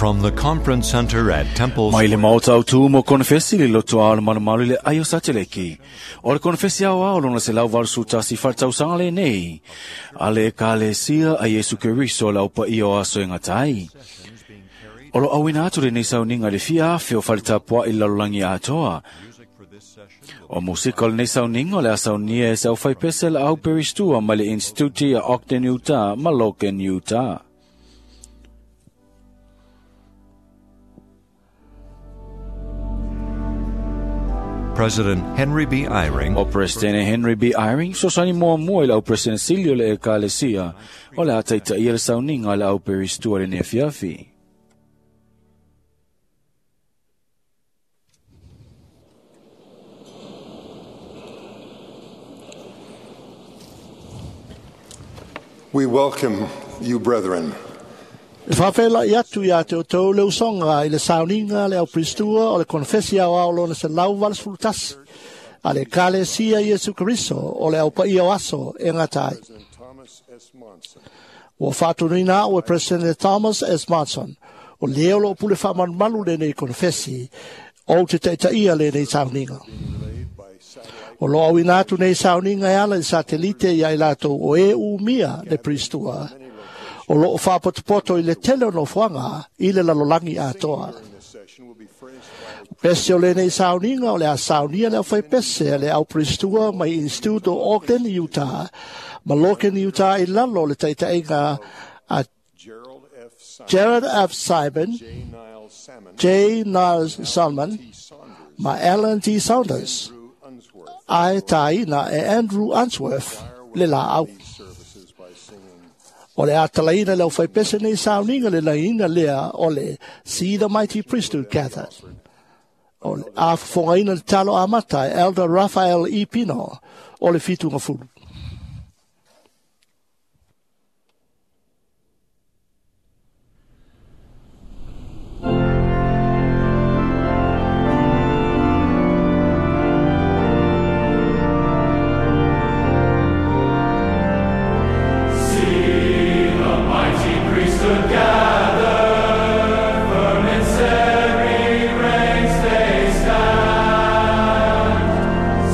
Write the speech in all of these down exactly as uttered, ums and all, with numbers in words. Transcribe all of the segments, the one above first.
From the Conference Center at Temple Mai le maota au tu mo konfesi le loto ao le malumalu le aio sateleki. O le konfesi ao ao lona se lau valu tasi whaltausanga le nei. A le ekalesia a Yesu Keriso le aupa ia o aso e ngatai. O lo awina atu le nei sauninga le fia afe o whaletapua i lalolagi atoa. O musika o le nei sauninga o le asaunia e se au whaipese le au peristua mai le Instituti a Ogden, Utah, ma Logan, Utah. President Henry B. Eyring. O President Henry B. Eyring, sosani mua mua i lau President Silio le ekalesia, o le ataita ia le sauninga le au peristua le neafiafi. We welcome you, brethren. E whawhela i atu ia te o tau leu songa i le sauninga le au pristua o le konfesi au au lona se lau valasfulutasi a le kalesia Iesu Keriso o le au paia o aso e ngatai. Ua whaatunuina au e President Thomas S. Monson o leo lo pule whaamalumalu le nei konfesi o te taitaia le nei sauninga. O lo au ina atu nei sauninga e ala i satelite ia i latou o e umia le pristua. O loo whaapotopoto i le tele o nofoanga i le lalolangi atoa. Pese o le nei sauninga o le a saunia le au whaipese le au pristua mai Instituto Ogden, Utah, ma Logan, Utah i lalo le taitainga a Gerald F. Simon, J. Niles Salmon, ma Alan T. Saunders, ai taina e Andrew Unsworth le la au. O le atalaina le au whaipese nei sauninga le laina lea o le See the Mighty Priesthood Gathered. O le a whafongaina le talo amata e Elder Raphael E. Pino o le fitunga fulu.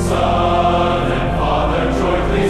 Son and Father jointly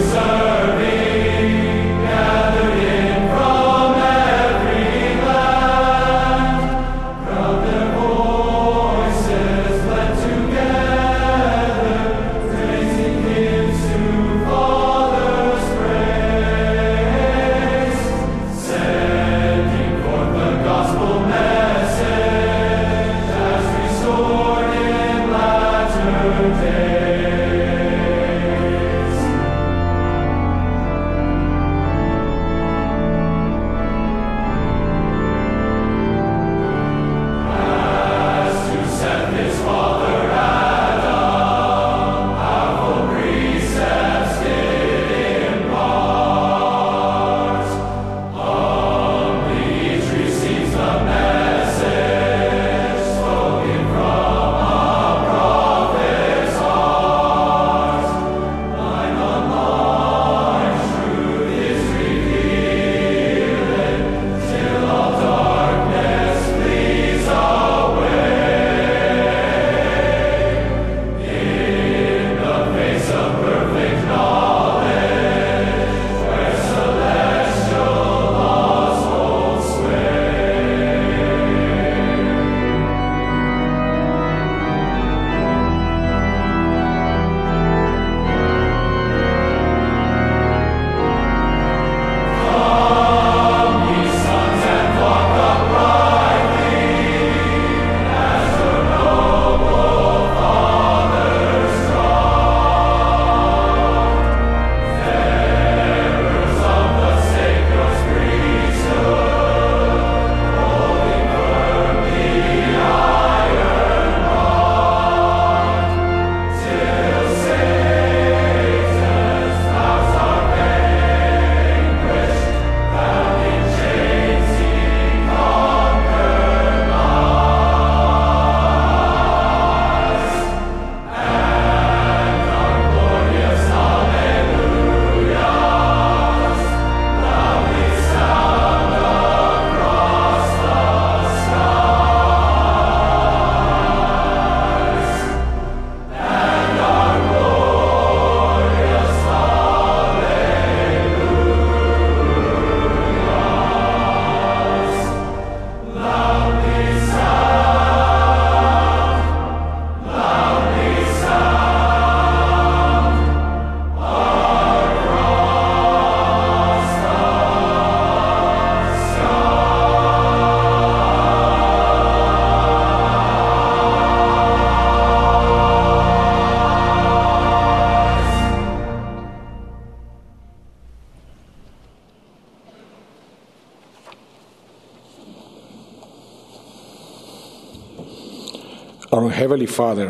Our Heavenly Father,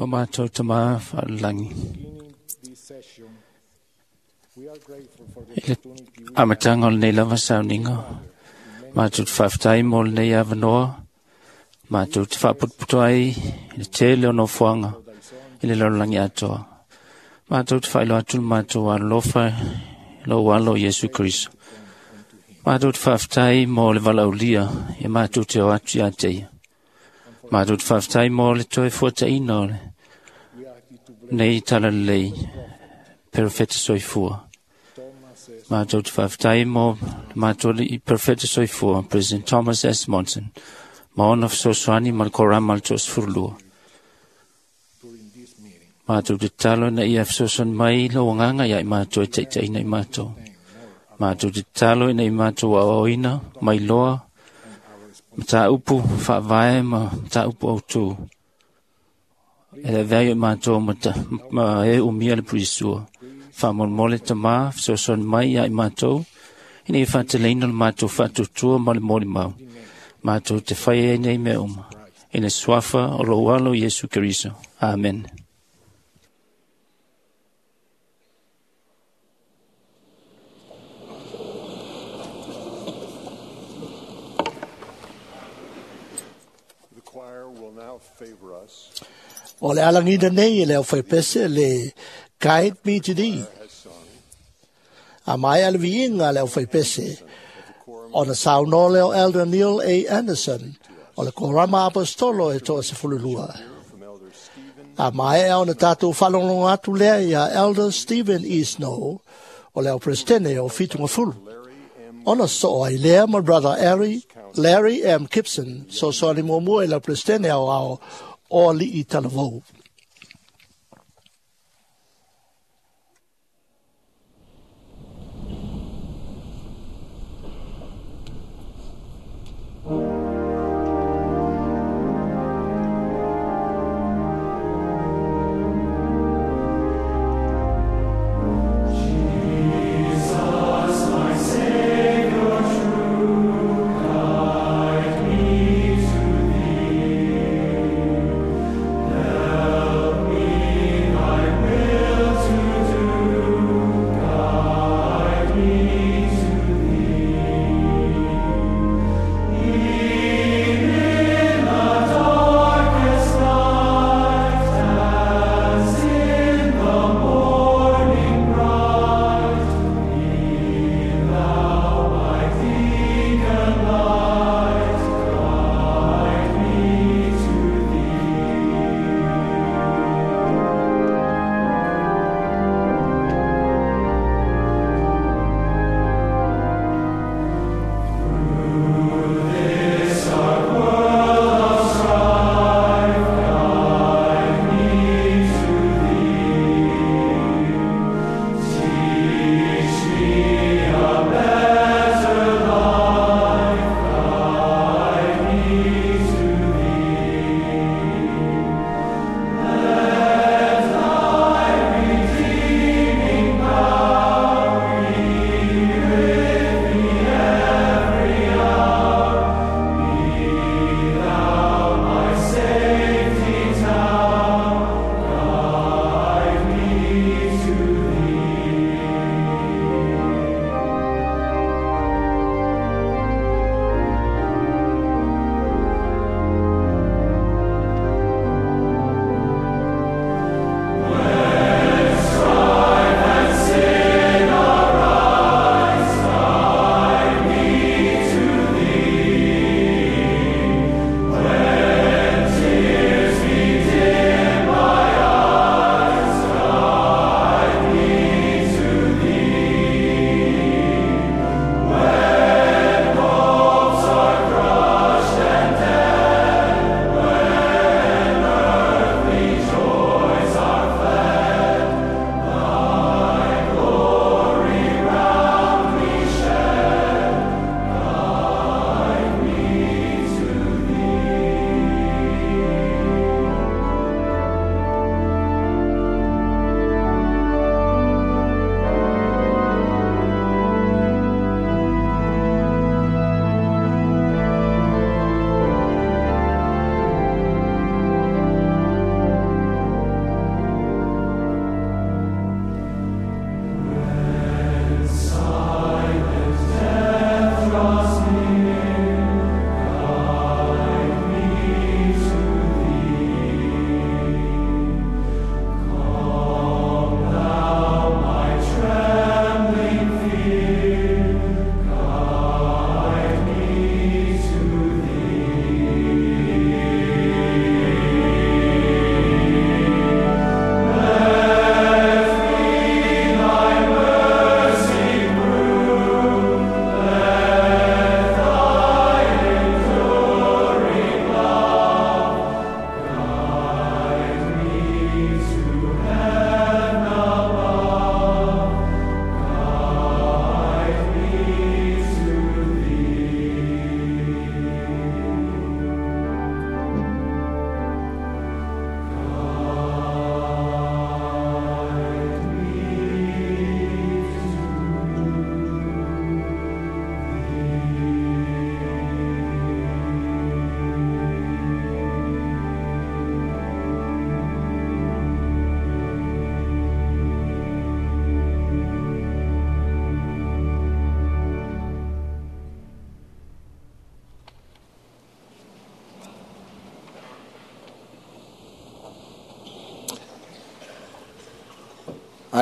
O mātou tamā whaalangi. I le amatanga o lenei lava sauninga, mātou te whaaftai mō lenei awanoa, mātou te whaaputuputu ai i le tele o nofoanga i le lalolagi atoa. Mātou te whailo atu le mātou alofa i lou alo Iesu Keriso. Mātou te whaaftai mō le valaulia ia mātou te o atu ia te ia. Mātou te whaaftai mō le toe fuataina o le nei talalelei perofeta soifua. Mātou te whaaftai mō le mātou i perofeta soifua, President Thomas S. Monson, ma ona fesoasoani ma le korama le toasefululua. Mātou te talo na ia fesoasoani mai lau agaga ia i mātou e taitaina i mātou. Mātou te talo ina i mātou aoaoina mai loa mataupu faavae ma mataupu autū. E le avea i mātou ma, ta, ma e umia le purisua. Faamolemole tamā fesoasoani mai ia i mātou ina ia faateleina le mātou faatuatua ma le molimau. Mātou te fai ai nei mea uma. I le suafa o lou alo Iesu Keriso. Amen. The choir will now favor us. O le alagina nei e le au faipese le Guide Me to Thee. A mai ale viiga le au faipese ona saunoa lea o Elder Neil A. Anderson o le korama apostolo e toasefululua. A maea ona tatou faalogologo atu lea ia Elder Stephen E. Snow o le au presidente o Fitugafulu. Ona soo ai lea ma Brother Larry, Larry M. Gibson, sosoani muamua i le presidente ao ao o alii talavou. Guide me to thee.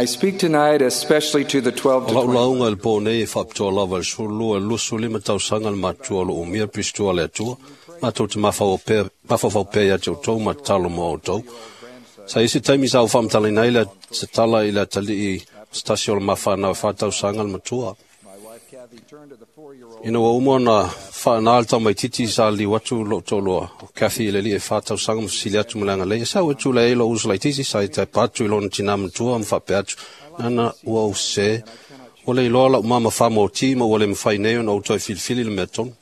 I speak tonight especially to the twelve O to lau twenty. lauga i le po nei e faapitoa lava i le sefululua i le luasefululima tausaga le matutua o loo umia Pirisito a le Atua, matou te mafaufau pea ia te outou ma tatalo mo outou. Sa i se taimi sa ou faamatalaina ai le se tala i le atalii se tasi o le mafanau e fa tausaga le matua. Ina ua uma ona faanā le tamaititi sa liu atu lou toalua o Kathy i le alii e fa tausaga ma fesili atu ma le agalelei. E sau e tulai ai lou uso laitiiti sa i taipa atu i lona tinā matua ma faapea atu, “Nana ua ou sesē, ua le iloa lau mama famōtī ma ua le mafai nei ona ou toe filifili le mea tonu.”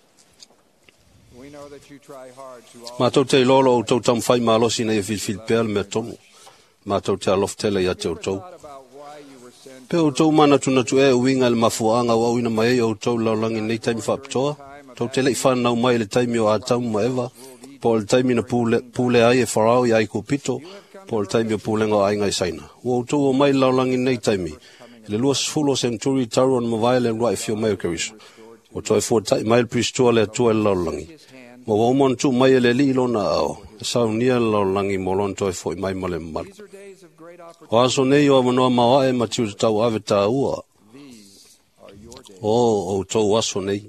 We know that you try hard to all Matou te iloa lo outou taumafai malosi ina ia filifili pea le mea tonu. Matou te alofa tele ia te outou. thought about why you were sent Pe outou manatunatu ea e uiga i le mafuaaga ua auina mai ai outou i le lalolagi i lenei taimi faapitoa, tou te le'i fanau mai i le taimi o Atamu ma Eva, po o le taimi na pule, pule ai e Farao ia Aikupito, po o le taimi o pulega o aiga i Saina. Ua outou o mai i le lalolagi i lenei taimi, i le luasefulu o senturi talu ona mavae le uluai afio mai o Keriso. Ua toe fuata'i mai le Pirisito a le Atua i le lalolagi. Ma ua uma ona tuu mai e le Alii lona aao, e saunia le lalolagi mo lona toe fo'i mai ma le mamalu. These are days of great O aso nei o avanoa maoae ma tiute tauave tāua. These are your days. O outou aso nei.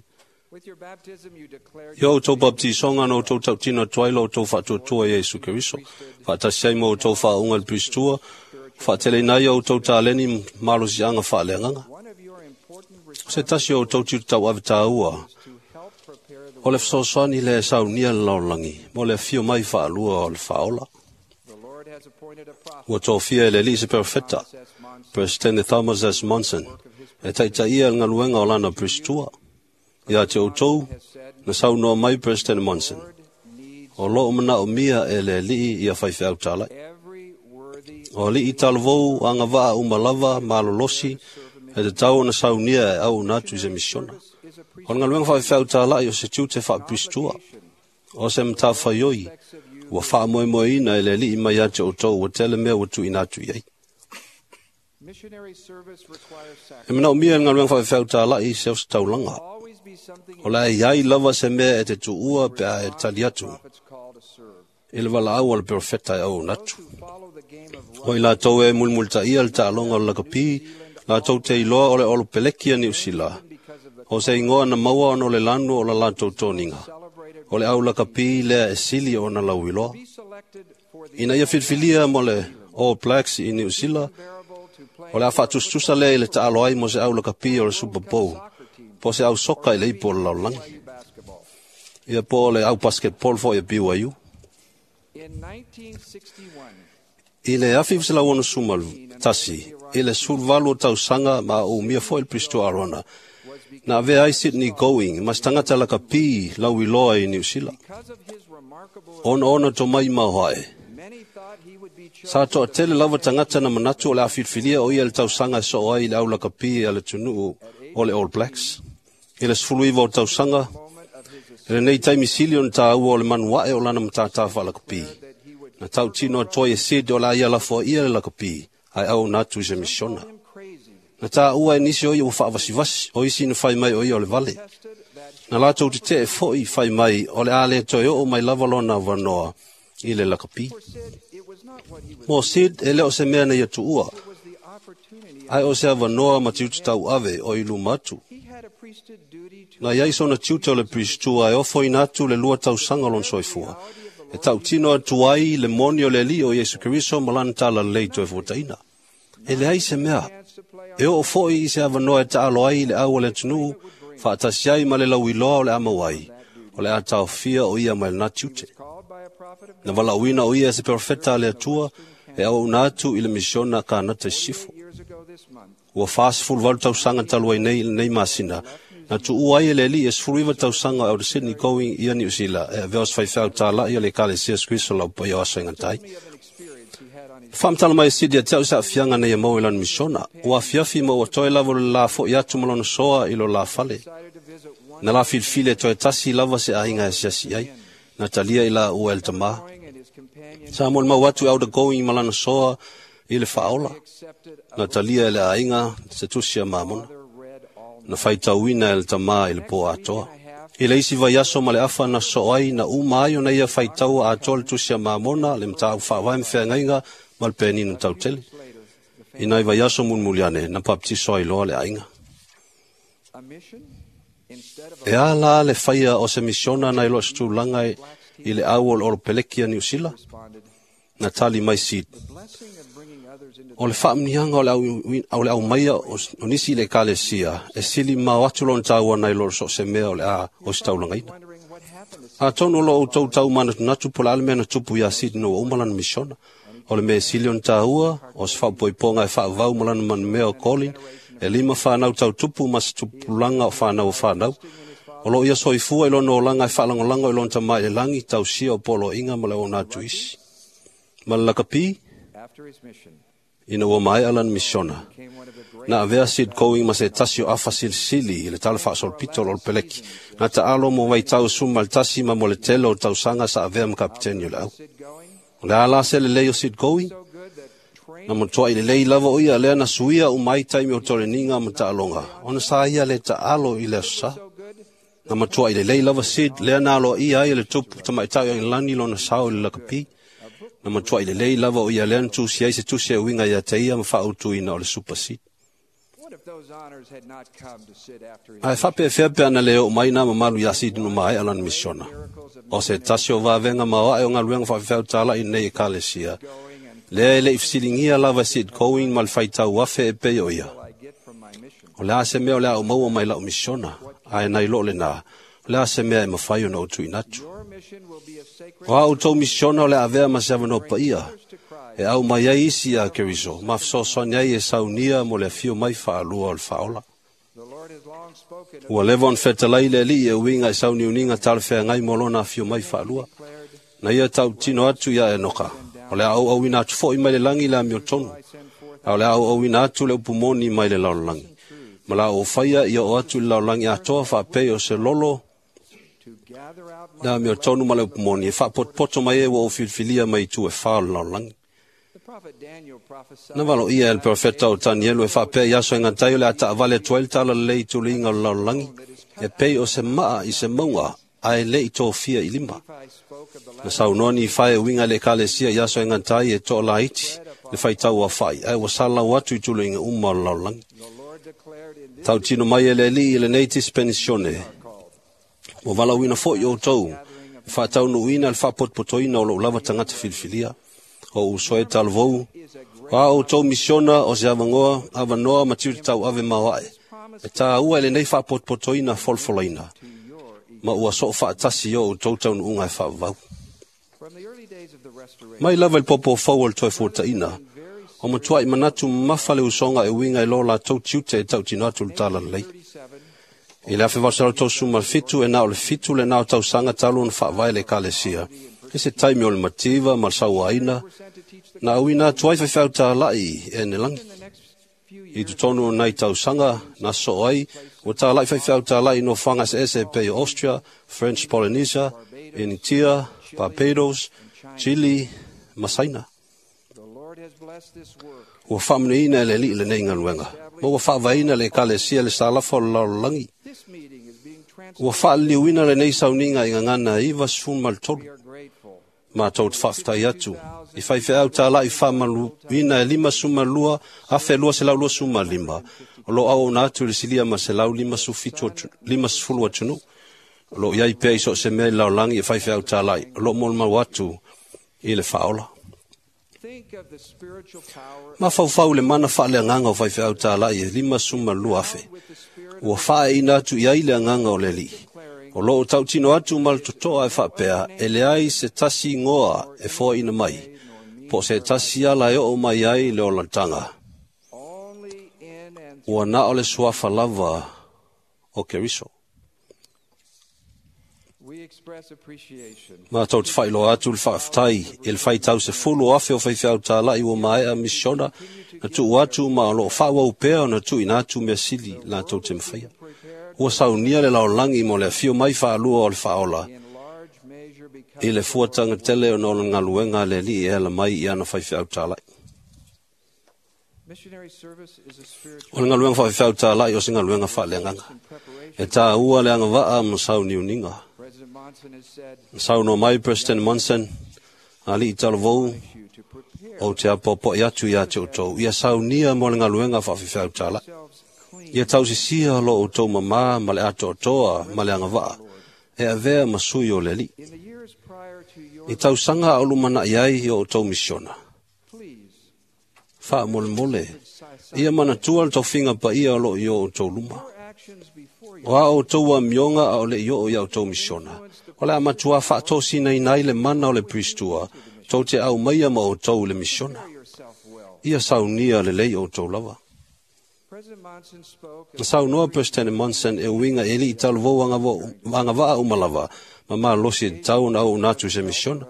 With your baptism you declared I o outou baptisoga na outou tautino atu ai lo outou faatuatua ia Iesu Keriso. Faatasi ai ma outou faauuga i le Pirisito, faateleina ai o outou taleni malosiaga faaleagaga. one of your important O se tasi o outou tiute tauave tāua, to help prepare the o le fesoasoani le saunia le lalolagi, mo le afio mai faalua o le faaola. The Lord has appointed a prophet, Ua tofia e le Alii se perofeta, S. Monson, Presidente Thomas S. Monson, e taitaia le galuega o lana Pirisito. Ia te outou, na saunoa mai President Monson. needs O loo manaomia e le Alii ia faifeau talai. every worthy O alii talavou agavaa uma lava malolosi e tatau ona saunia e auuna atu i se misiona. is a O le galuega faifeau talai o se tiute faapirisito. O se matafaioi ua faamoemoeina e le Alii mai ia te outou ua tele mea ua tuuina atu i ai. missionary service requires E sacrifice. manaomia e le galuega faifeau talai se ositaulaga. Always be something O le a iai lava se mea e te tuua pe a e tali atu prophets call to serve. i le valaau a le perofeta e auuna atu. Who follow the game of O i latou e mulimulitaia le taaloga o le lakapi, latou te iloa o le olopeleki a Niu Sila. because of the O se igoa na maua ona o le lanu o la latou toniga. celebrated O le au lakapi lea e sili ona lauiloa. be selected for the Ina ia filifilia mo le All Blacks i Niu Sila, bearable to play o le a faatusatusa lea i le taalo ai mo se au lakapi o le Super Bowl, po o se au soka i le ipu o le lalolagi. basketball. Ia po o le au basketball foi e B Y U. In nineteen sixty-one, I le afi selau onosefulu ma tasi, i le sefuluvalu o tausaga ma o umia foi le Pirisito Arona, na avea ai Sydney Going ma se tagata lakapi lauiloa i Niu Sila. because of his remarkable Ona ona tomai maoae. many thought he would be chosen Sa toatele lava tagata na manatu o le a filifilia o ia le tausaga e soo ai i le au lakapi a le atunuu o le All Blacks. I le sefuluiva o tausaga, moment of his i lenei taimi sili ona tāua o le manuae o lana matātā faalakapi. that he would Na tautino atoa e Sid o la ia lafoa ia le lakapi, ae auuna atu i se misiona. him crazy Na tāua e nisi o ia ua faavasivasi, o isi na fai mai o ia o le vale. tested that Na latou tetee foi fai mai o le a le toe oo mai lava lona avanoa i le lakapi. for Sid it was not what he was Mo Sid e le o se mea na ia tuua, it was the opportunity ae o se avanoa ma tiute tauave o i luma atu. he had a priesthood duty to Na iai sona tiute o le Pirisito e ofoina atu le lua tausaga o lona soifua. E tautino atu ai le moni o le Alii o Iesu Keriso ma lana talalelei toe fuataina. E leai se mea, chance to play on e oo foi i se avanoa e taalo ai i le au o le atunuu, faatasi ai ma le lauiloa o le a maua ai, o le a taofia o ia mai lena tiute. called by a prophet of Na valaauina o ia e se perofeta a le Atua, e auauna atu i le misiona Kanata i sisifo. years ago this month Ua fasefuluvalu tausaga talu ai nei i lenei masina, na tuua ai e le Alii e sefuluiva tausaga o le Sydney Going ia Niu Sila, e avea o se faifeau talai o le Ekalesia Iesu Keriso lau paia o aso e gatai. of an experience he had on his Faamatala mai e Sid ia te au se aafiaga nei e maua i lana misiona. Ua afiafi ma ua toe lava o le la fo'i atu ma lona soa i lo la fale. decided to visit one Na la filifili e toe tasi lava se aiga e asiasi ai. Na talia i la ua e le tamā. going and his companion Sa mo le mau atu e Elder Going ma lana soa i le faaola. accepted a Na talia e le aiga se tusi a Mamona. other read all Na faitauina e le tamā i le po atoa. I le isi vaiaso ma le afa na soo ai na uma ai ona ia faitaua atoa le tusi a Mamona, le mataupu faavae ma feagaiga ma le penina tautele. later the I nai vaiaso mulimuliane na papatiso ai loa le aiga. E a la le faia o se misiona nai lo se tulaga i le au o le Olopeleki a Niu Sila? Na tali mai Sid. O le faamuniaga o le au, o le aumaia o nisi i le ekalesia e sili mao atu lona taua nai lo so o se mea o le a ositaulagaina. Atonu o lo outou taumanatunatu po o le a le mea na tupu iā Sid ina ua uma lana misiona. O le mea e sili ona taua, o se faapoipoga e faavavau ma lana manumea o Colin, e lima fanau tautupu ma se tupulaga o fanau o fanau. O loo ia soifua i lona olaga e faalagolago i lona tama i le lagi, tausia o poloaiga ma le auauna atu isi. Ma le lakapi, ina ua maea lana misiona, na avea Sid Going ma se tasi o afa silisili i le tala faasolopito o le Olopeleki, na taalo mo vaitau suma le tasi ma mo le tele o tausaga sa avea ma kapiteni o le au. O le a la se lelei o Sid Going? Na matuai lelei lava o ia lea na suia uma ai taimi o toleniga ma taaloga, ona sa ia le taalo i le aso sa. Na matuai lelei lava Sid lea na aloaia ai e le tupu tamaitai o Aigilani lona sao i le lakapi. Na matuai lelei lava o ia lea na tusi ai se tusi e uiga ia te ia ma faautuina o le Super Sid. Ae faapefea pe ana le oo mai nā mamalu iā Sid ina maea lana misiona. O se tasi o vavega maoae o galuega faafefeau i nei ekalesia, lea e le'i fesiligia lava e Sid Going ma le faitau afe e pei o ia. O le a se mea o le a ou maua mai la'u misiona, ae nai loo lenā, o le a se mea e mafai ona ou tuuina atu. O a outou misiona o le a avea ma se avanoa paia, e au mai ai isi iā Keriso, ma fesoasoani ai e saunia mo le afio mai faalua o le faaola. Ua leva ona fetalai le Alii e uiga i sauniuniga talafeagai mo lona afio mai faalua. Na ia tautino atu iā Enoka, o le a auauina atu foi mai le lagi le amiotonu, a o le a auauina atu le upu moni mai le lalolagi. Ma la ou faia ia oo atu i le lalolagi atoa faapei o se lolo le amiotonu ma le upu moni, e faapotopoto mai ai ua ou filifilia mai itu e fa o le lalolagi. Na valoia e le profeta o Tanielu e faapea i aso e gatai o le a taavale atu ai le talalelei i tuliga o le lalolagi, e pei o se maa i se mauga ae le'i tofia i lima. Na saunoa Nifae e uiga i le ekalesia i aso e gatai e toalaiti le faitau afa'i, ae ua salalau atu i tuliga uma o le lalolagi. Tautino mai e le Alii i lenei dispensione, ua valaauina fo'i outou e faataunuuina le faapotopotoina o lou lava tagata filifilia. O uso e talavou, o a outou misiona o se avanoa, avanoa ma tiute tauave maoae, e tāua i lenei faapotopotoina folafolaina, ma ua soo faatasi i o outou taunuuga e faavavau. Mai lava i le popofou o le toe fuataina, o matuai manatu mamafa le usoga e uiga i lo latou tiute e tautino atu le talalelei. I le afe valo selau tolusefulu ma le fitu, e na o le fitu lenā o tausaga talu ona faavae le ekalesia, e se taimi o le mativa ma le sauaina, na auina atu ai faifeau tala'i e nelagi. I totonu o nai tausaga na sosoo ai, ua tala'i faifeau tala'i i nofoaga eseese e pei o Austria, French Polynesia, Initia, Barbados, Chile ma Saina. Ua faamanuiaina e le Alii lenei galuega, ma ua faavaeina le ekalesia i le salafa o le lalolagi. Ua faaliliuina lenei sauniga i gagana ivasefulu ma le tolu. Matou te faafetai atu i faifeau tala'i faamaluina e limasefulu ma lua afe lua selau luasefulu ma lima, o loo auauna atu i le silia ma selau limasefulu atunuu. O loo i ai pea i so o se mea i le lalolagi e faifeau tala'i, o loo molimau atu i le faaola. Mafaufau i le mana faaleagaga o faifeau tala'i e limasefulu ma lua afe, ua faaeina atu i ai le agaga o le Alii. O loo tautino atu ma le totoa e faapea, e leai se tasi igoa e foaina mai, po o se tasi ala e oo mai ai le olataga. Ua na o le suafa lava o Keriso. Matou te faailoa atu le faafetai i le faitau sefulu o afe o faifeau tala'i ua maea misiona na tuu atu ma o loo faaauau pea ona tuuina atu mea sili latou te mafaia. Ua saunia le lalolagi mo le afio mai faalua o le faaola i le fuataga tele ona o le galuega a le Alii e ala mai i ana faifeau tala'i. O le galuega faafefeau tala'i o se galuega faaleagaga, e tāua le agavaa ma sauniuniga. Na saunoa mai President Monson, Ali'i talavou, ou te apoapoai atu iā te outou, ia saunia mo le galuega faafefeau tala'i. Ia tausisia lo outou mamā ma le atoatoa ma le agava'a, e avea ma sui o le Alii. I tausaga a o lumana'i ai i o outou misiona. Faamolemole, ia manatua le tofiga paia o loo i o outou luma. O a outou amioga a o le'i oo ia outou misiona, o le a matuā faatosinaina ai le mana o le Pristua, tou te aumaia ma outou i le misiona. Ia saunia lelei outou lava. Na saunoa Peresetene Monson e uiga e ali'i talavou agava'a uma lava, ma malosi e tatau ona auauna atu i se misiona.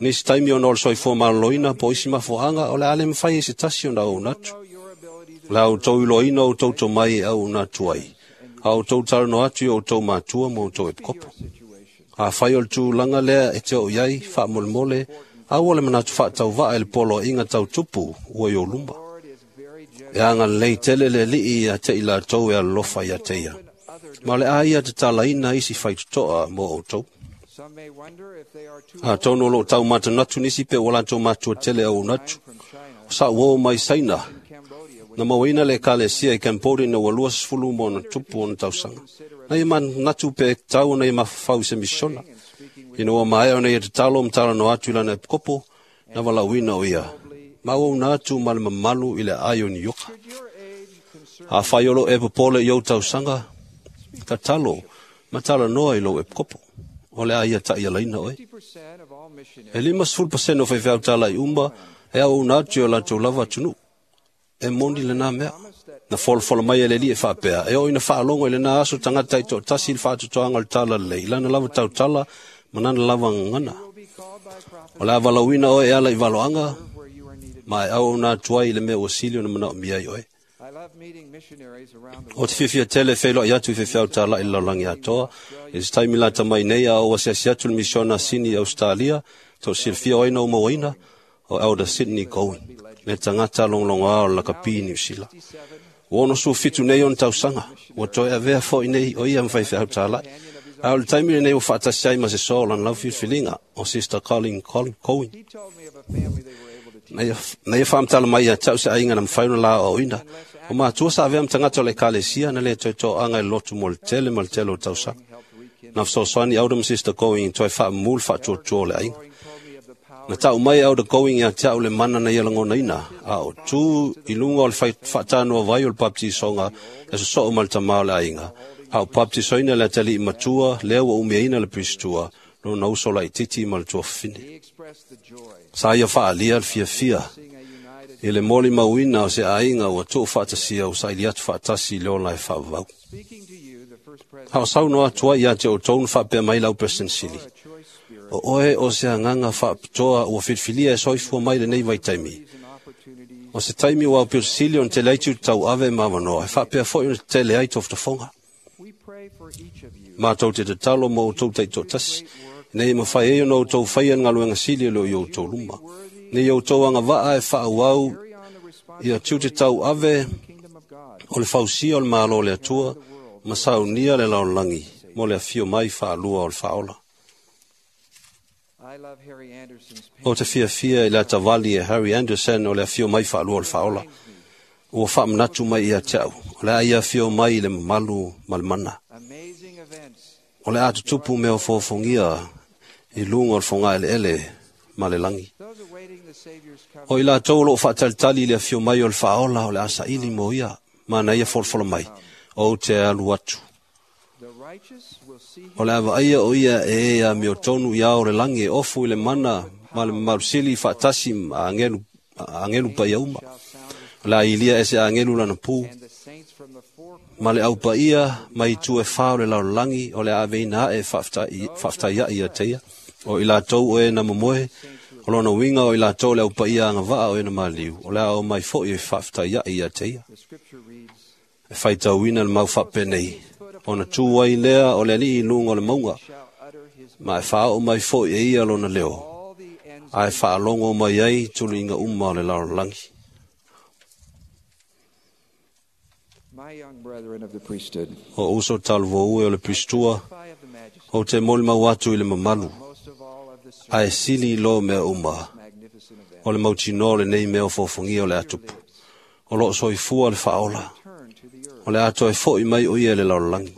Nisi taimi ona o le soifua maloloina po o isi mafuaaga, o le a le mafai ai se tasi ona auauna atu. O le a outou iloaina o outou tomai e auauna atu ai, a outou talanoa atu i o outou matua ma outou epikopo. Afai o le tulaga lea e te oo i ai, faamolemole, aua le manatu faatauva'a i le poloaiga tautupu ua i ou luma. E agalelei tele le Alii ia te i latou e alolofa ia te ia. Ma o le a ia tatalaina isi faitotoa mo outou. Atonu o loo taumatanatu nisi pe ua latou matua tele auauna atu. O sa'u uō mai Saina, na mauaina le ekalesia i Cambodia ina ua luasefulu ma ona tupu ona tausaga. Na ia manatu pe tatau ona ia mafaufau i se misiona. Ina ua maea ona ia tatalo ma talanoa atu i lana epikopo, na valaauina o ia. Ma auauna atu ma le mamalu i le aai o Nioka. Afai o loo e popole i ou tausaga, tatalo ma talanoa i lou epikopo. O le a ia ta'ialaina oe. E limasefulu pasene o faifeau tala'i uma e auauna atu i o latou lava atunuu. E moni lenā mea. Na folafola mai e le Alii e faapea, e oo ina faalogo i lenā aso tagata taitoatasi i le faatotoaga o le talalelei, i lana lava tautala ma lana lava gagana. O le a valaauina oe e ala i valoaga, ma e auauna atu ai i le mea ua sili ona manaomia ai oe. O te fiafia tele e feiloai atu i faifeau tala'i i le lalolagi atoa. I se taimi lata mai nei a ou asiasi atu i le misiona a Sini i Ausetalia, to'asilafia o ai na ou mauaina, o Elder Sydney Goin, le tagata logologoā o le lakapi i Niusila. Ua onosefulufitu nei ona tausaga, ua toe avea fo'i nei o ia ma faifeau tala'i. A o le taimi lenei ua faatasi ai ma se soa o lana lau filifiliga, o Sister Colin Cohen. Na ia faamatala mai ia te a'u se aiga na mafai ona la aoaoina. O matua sa avea ma tagata o le ekalesia na lē toe toaga i le lotu mo le tele ma le tele o tausaga. Na fesoasoani Elder ma Sister Going toe faamamū le faatuatua o le aiga. Na ta'u mai Elder Going ia te a'u le mana na ia lagonaina, a o tū i luga o le faatanoa vai o le baptisoga e sosoo ma le tamā o le aiga. A o baptisoina le atali'i matua lea ua umiaina le Pristua, lona uso laitiiti ma le tuafafine. Sa ia faaalia le fiafia i le molimauina o se aiga ua tuufaatasia ua saili atu faatasi i le ola e faavavau. A o saunoa atu ai ia te outou na faapea mai lau Peresetene Sili, o oe o se agaga faapitoa ua filifilia e soifua mai lenei vaitaimi. O se taimi ua aupito sili ona tele ai tiute tauave ma avanoa, e faapea fo'i ona tetele ai tofotofoga. Matou te tatalo mo outou taitoatasi, ina ia mafai ai ona outou faia le galuega sili o loo i outou luma. Ina ia outou agava'a e faaauau ia tiute tauave o le fausia o le Malo o le Atua ma saunia le lalolagi mo le afio mai faalua o le Faaola. O te fiafia i le atavali e Harry Anderson o le afio mai faalua o le Faaola. Ua faamanatu mai ia te a'u, o le a ia afio mai i le mamalu ma le mana. O le a tutupu mea ofoofogia i luga o le fogaeleele ma le lagi. O i latou o loo faatalitali i le afio mai o le Faaola, o le a saili mo ia, ma na ia folafola mai, ou te alu atu. O le a vaaia o ia e e amiotonu i ao o le lagi e ofu i le mana ma le mamalu sili faatasi ma agelu, agelu paia uma. O le a ilia e se agelu lana pu, ma le aupaia mai itu e fā o le lalolagi, o le a aveina aʻe faafetaiaʻi ia te ia. O i latou o e na momoe, o lona uiga o i latou le aupaia agava'a o e na maliu, o le a o mai fo'i e faafetaiaʻi ia te ia. E faitauina le mau faapenei, ona tū ai lea o le Alii i luga o le mauga, ma e faaoo mai fo'i e ia lona leo, ae faalogo mai ai tuluiga uma o le lalolagi. O uso talavou e o le Pristua, ou te molimau atu i le mamalu Ae sili i lo mea uma, o le mautinoa o lenei mea o fofogia o le atupu. O loo soifua le faaola. O le atoa e fo'i mai o ia le lalolagi.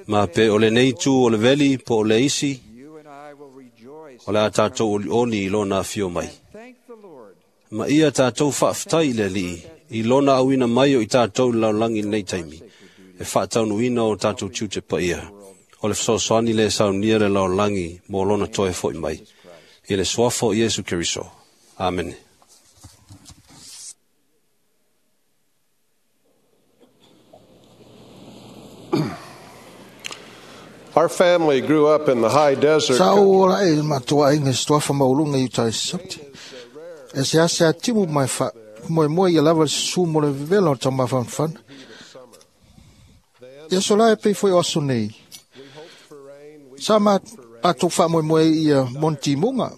Ma pe o lenei tu o le veli po o le isi, o le a tātou olioli i lona afio mai. Ma ia tātou faafetai i le Alii, i lona auina mai o i tātou i le lalolagi i lenei taimi, e faataunuina o tātou tiute paia. O le fesoasoani le saunia le lalolagi mo lona toe fo'i mai. I le suafa o Iesu Keriso. Amene. Our family grew up in the high desert. Sa o ola e matua inga stofa maulunga i tai sapti. E se ase a timu mai fa moe moe ia lava su mo le vela o tama fan fan. Ia sola e pei foi oso nei. Sa ma atou fa moe moe ia monti munga.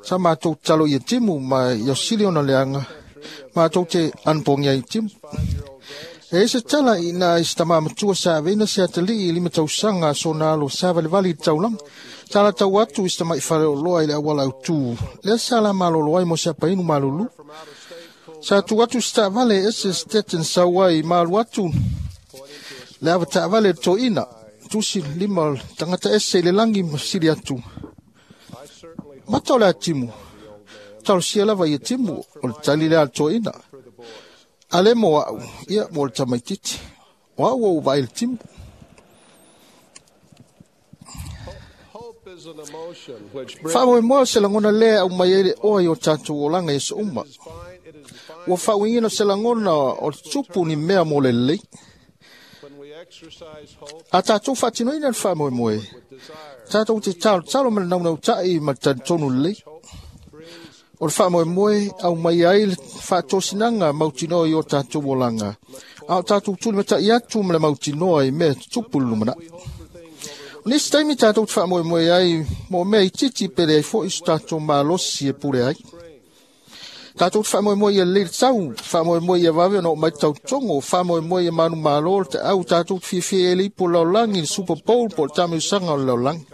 Sa ma atou talo ia timu ma ia sili ona leanga. Ma atou te anpongia i timu. E se tala i nā i tama matua sa veina se atali i lima tausaga so nā alo sa valevali i taulaga. Sa tau atu i tama i whare o loa i le awala au tū. Lea sa la malolo ai mo se apainu malulu. Sa tu atu sta vale ese steten saua i malu atu. Le awa ta vale to ina. Tusi lima tangata ese i le langi masili atu. Mata o le atimu. Talo sia lava i atimu o le tali le to ina. Ale mo au, ia mo le tamaititi. O au o vai le timu. Wha moe se langona lea au mai ele oa i o tātou olanga i so uma. Ua whauingina se langona o tupu ni mea mo le lei. A tātou whatinoina le wha moe moe. Tātou te talo talo ma le naunau tai ma le tonu lei. O le whaamoemoe au mai ai le whaatosinanga mautinoa i o tātou olanga. A o tātou tuli matai atu ma le mautinoa i mea tupu lumana. O nisi taimi tātou te whaamoemoe ai mo mea i titi pere ai fo i so tātou malosi e pure ai. Tātou te whaamoemoe i a leire tau, whaamoemoe i a wawe o mai tau tongo, whaamoemoe i a manu malo te au tātou te whiwhi e lipo laulangi, le Super Bowl po le tamiusaga o le laulangi.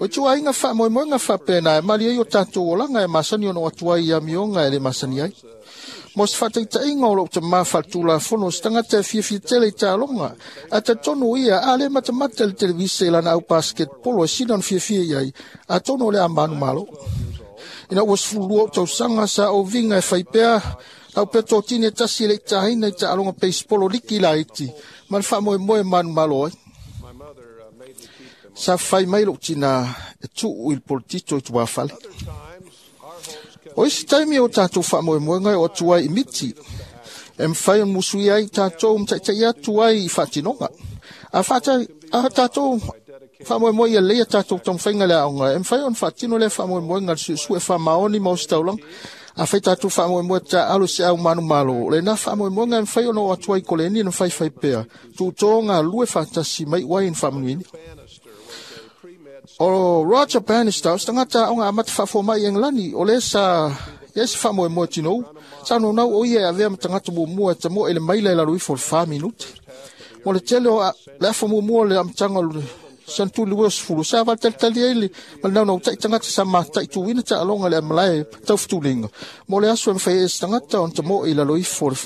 O tua inga wha moe moe ngā whapena e mali ai o tātou olanga e masani ono atua i amionga e le masani ai. Mo se whataita inga o lo te mawhatula fono se tangata e whiawhia tele i tālonga. A te tono ia a le matamata le televise i lana au basketbolo e sina on whiawhia iai a tono le a manu malo. Ina ua sfulua o tausanga sa o vinga e whaipea au pea tōtine tasi e le i tāhina i tālonga baseball liki la iti ma le wha moe moe manu malo ai. Sa whai mai lo tina e tuu i le politito i tuafale. O isi taimi o tātou whaamoemoenga o atu ai i miti. E mwhai on musui ai tātou mtaitai atu ai i whaatinonga. A whaatai, a tātou whaamoemoe ia leia tātou tongwhainga le aonga. E mwhai on whaatino le whaamoemoenga le suesue e whaamaoni ma o sitaulang. A whai tātou whaamoemoe tā alo se au manu malo. Le nā whaamoemoenga e mwhai on o atu ai koleni na whai whai pea. Tūtō ngā lue whaatasi mai wai in whaamanuini. O Roger Bannister, o tangata o ngā amata whaafo mai Englani, o le sa, ia se wha moe tino, sa no nau o ia avea matangata mo mua, ta mo ele maila e lalo ifo le wha minute. Mo le tele o le afa mo mua le amtanga o le santu le fulu, sa wal talitali ele, ma le nau nau tai tangata sa matai tuwina ta alonga le amalae tau futulinga. Mo le aso e mwhai e tangata on ta mo e lalo ifo le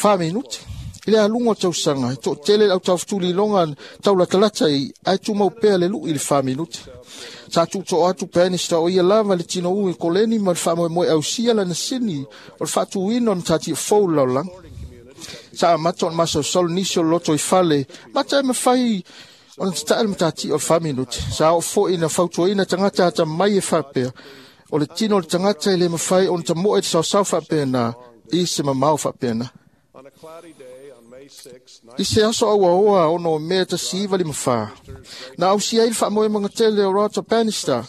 wha minute. I le alunga o tausanga, e tō tele au taufutuli longa tau latalata i, ai tūmau pea le lui i le wha minute. Sa tūto atu Bannister o ia lava le tino ui koleni ma le whaamoemoe au sia lana sini o le whaatuina o matati e fou laulang. Sa amata o le masausau nisi o le loto i fale, mata e mawhai o le tatai le matati o le wha minute. Sa o fo ina fautuaina tangata ata mai e whapea, o le tino o le tangata e le mawhai o le tamoe te sausau whapea nā, i se mamau whapea nā. I se aso aua oa ono mea ta siva lima wha. Na au si ai le whaamoe mga tele o Roger Bannister.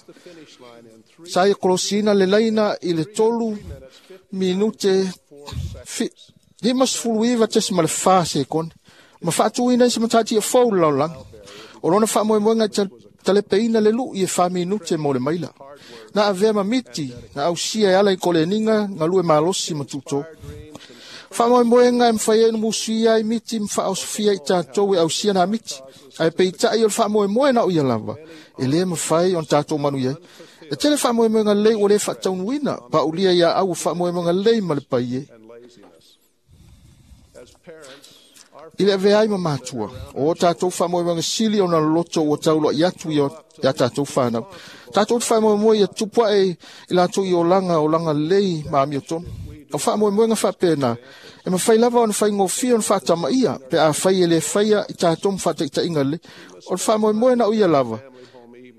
Sa ia kolosina le laina i le tolu minute fi, lima sefulu iva tesi ma le wha sekone. Ma whaatuina i se matati e fau le laulang. O lona whaamoemoenga i talepeina le lui e wha minute mo le maila. Na avea ma miti, na au sia e ala i koleninga, ngā lue malosi ma tuto. Faamoemoega e mafai ai ona musuia ai miti ma faaosofia i tatou e ausia na miti. Ae peitai o le faamoemoe na o ia lava, e lē mafai ona tatou manuia ai. E tele faamoemoega lelei ua lē faataunuina, paulia ia au o faamoemoega lelei ma le paie. I le avea ai ma matua, o tatou faamoemoega sili ona loloto ua tauloai atu ia tatou fanau. Tatou te faamoemoe ia tupu ae i latou i olaga, olaga lelei ma amiotonu. O faamoemoega faapena, e mafai lava ona faigofie ona faatamaia, pe afai e lē faia i tatou ma faataitaiga lelei. O le faamoemoe na o ia lava,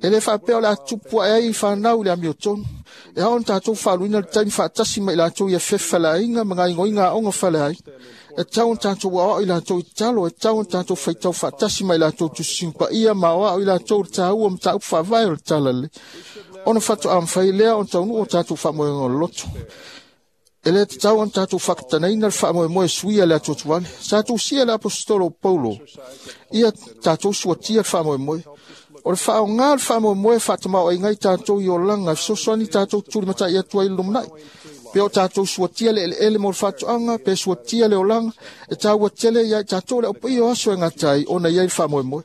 e lē faapea o le a tupu ae ai fanau i le amiotonu. E ao ona tatou faaluina le taimi faatasi ma i latou ia fefe faleaiga ma gaoioiga aoga faleaiga. E tau ona tatou aoao i latou i tatalo, e tau ona tatou faitau faatasi ma i latou tusitusiga paia ma aoao i latou le taua ma mataupu faavae o le tala lelei. Ona faatoa mafai lea ona taunuu o tatou faamoemoega o le loto. E lē tatau ona tatou faakatanaina le faamoemoe suia le atuatuvale. Sa tusia le aposetolo o Paulo, ia tatou suatia le faamoemoe. O le faaoga o le faamoemoe faatamaoaiga ai tatou i olaga, e fesoasoani tatou tulimatai atu ai i le lumanai. Pe o tatou suatia le eleele mo le faatoaga, pe suatia le olaga, e taua tele ia i tatou le aupaia o aso e gata ai ona i ai le faamoemoe.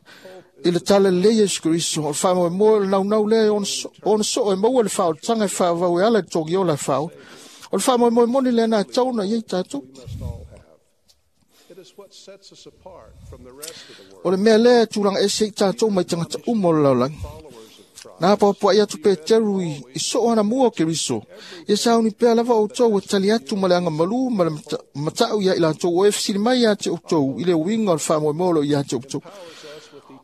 I le tala lelei Iesu Keriso, o le faamoemoe o le naunau lea e ona soo e maua le faaolataga e faavavau e ala i le togiola e faaola. O le faamoemoe moni lea na tatau ona i ai tatou. O le mea lea e tulaga ese i tatou mai tagata uma o le lalolagi. Na apoapoai atu Peteru i, i soo ana mua o Keriso, ia sauni pea lava outou e tali atu ma le agamalu ma le matau ia i latou o e fesili mai ia te outou i le uiga o le faamoemoe o lo o ia te outou.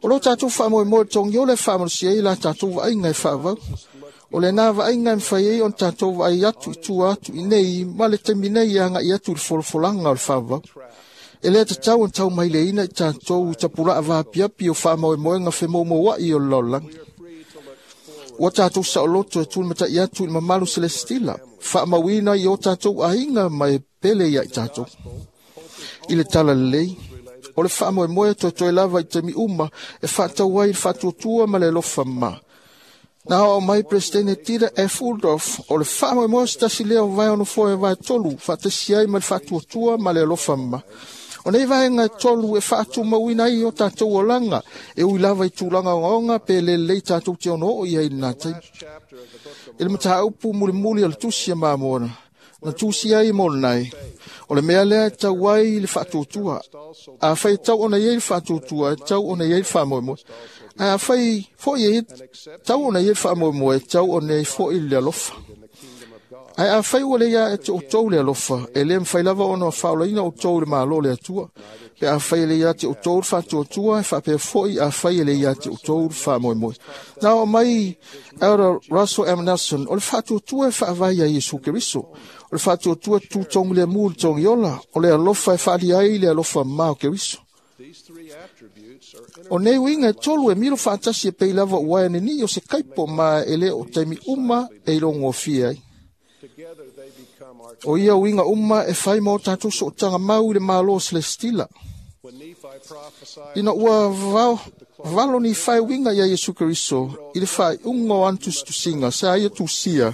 O lo tatou faamoemoe le togiola e faamalosia ai la tatou vaaiga e faavau. O lena vaaiga e mafai ai ona tatou vaai atu i tua atu i nei ma le taimi nei e agai atu i le folafolaga o le faavavau. E lē tatau ona taumaileina i tatou i tapulaa vaapiapi o faamoemoega femoumouai o le lalolagi. Ua tatou saoloto e tulimatai atu i le mamalu selesitila, faamauina i o tatou aiga ma e pele ia i tatou. I le tala lelei, o le faamoemoe toetoe lava i taimi uma e faatau ai le faatuatua ma le alofa ma. Na oo mai Peresetene Dieter F. Uchtdorf, o le faamoemoe se tasi lea o vae onofoa e vae tolu, faatasi ai ma le faatuatua ma le alofa ma. O nei vaega e tolu e faatumauina ai o tatou olaga, e ui lava i tulaga ogaoga pe lelei tatou te ono oo i ai i lena taimi. I le mataupu mulimuli o le tusi a Mamona, na tusi ai mo lenai, o le mea lea e tau ai le faatuatua. Afai e tau ona i ai le faatuatua, e tau ona i ai le faamoemoe. Ae afai foi e tau ona i ai le faamoemoe, e tau ona i ai foi le alofa. Ae afai ua le ia e te outou le alofa, e lē mafai lava ona faaolaina outou i le Malo o le Atua. Pe afai e le ia te outou le faatuatua, e faapea foi afai e le ia te outou le faamoemoe. Na oo mai Elder Russell M. Nelson, o le faatuatua e faavae ia Iesu Keriso. O le faatuatua tutogi le mu i le togiola, o le alofa e faalia ai le alofa ma o Keriso. O nei uiga e tolu e milo faatasi e pei lava ua e nini'i o se kaipo ma e lē o taimi uma e ilogofie ai. O ia uiga uma e fai ma o tatou sootaga mau i le Malo selesitila. Ina ua vao, valo ni fai uiga ia Iesu Keriso i le faaiuga o ana tusitusiga sa ia tusia.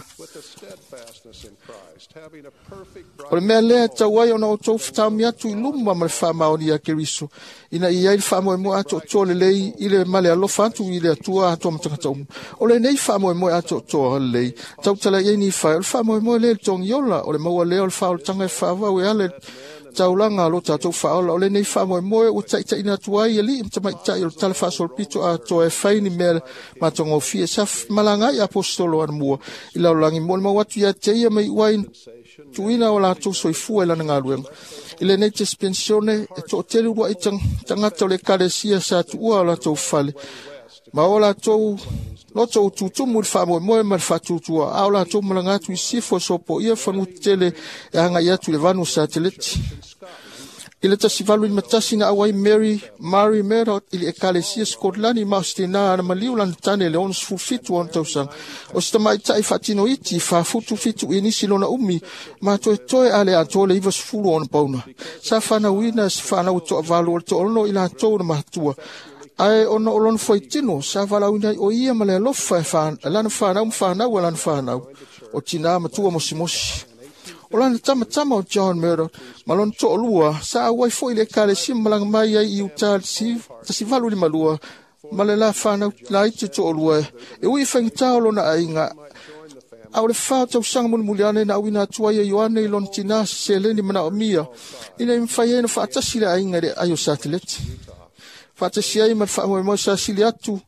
O le mea lea e tau ai ona outou fetaomi atu i luma ma le faamaoni ia Keriso, ina ia ai le faamoemoe atoatoa lelei i le ma le alofa atu i le Atua atoa ma tagata uma. O lenei faamoemoe atoatoa lelei, tautala i ai ni fai, o le faamoemoe lea i le togiola, o le maua lea o le faaolataga e faavau e ala i taulaga a lo tatou faaola. O lenei faamoemoe ua taitaiina atu ai alii ma tamaitai o le tala faasolopito atoa e fai ni mea matagofie. Sa malaga ai aposetolo anamua i lalolagi mo le mau atu ia te ia mai uai tuuina o latou soifua i lana galuega. I lenei dispensione e toatele uluai tagata o le ekalesia sa tuua o latou fale ma o latou loto ututumu i le faamoemoe ma le faatuatua, a o latou malaga atu i sifo e sopoia fanua tetele e agai atu i le vanu o sateleti. I le tasi valu lima tasi na auai Mary Mary Murdoch i le ekalesia Scotland ma o se tinā ana maliu lana tane le ono sefulu fitu ona tausaga. O se tamaitai faatinoiti faafutu fitu i nisi lona umi ma toetoe a le atoa le iva sefulu ona pauna. Sa fanauina se fanau e toavalu o le toaono i latou na matua. Ae ona o lona fuaitino, sa valaauina ai o ia ma le alofa e lana fanau ma fanau a lana fanau, o tinā matua mosimosi. O lana tamatama o John Murdoch, ma lona to'alua, sa auai fo'i i le ekalesia ma malaga mai ai i Utah le tasi valu lima lua, ma le la fanau laiti to'alua e ui i faigata o lona aiga. A o le fa o tausaga mulimuli ane na auina atu ai e Ioane i lona tinā se seleni manaomia, ina ia mafai ai ona faatasi le aiga i le ai o sateleti. Faatasi ai ma le faamoemoe sa sili atu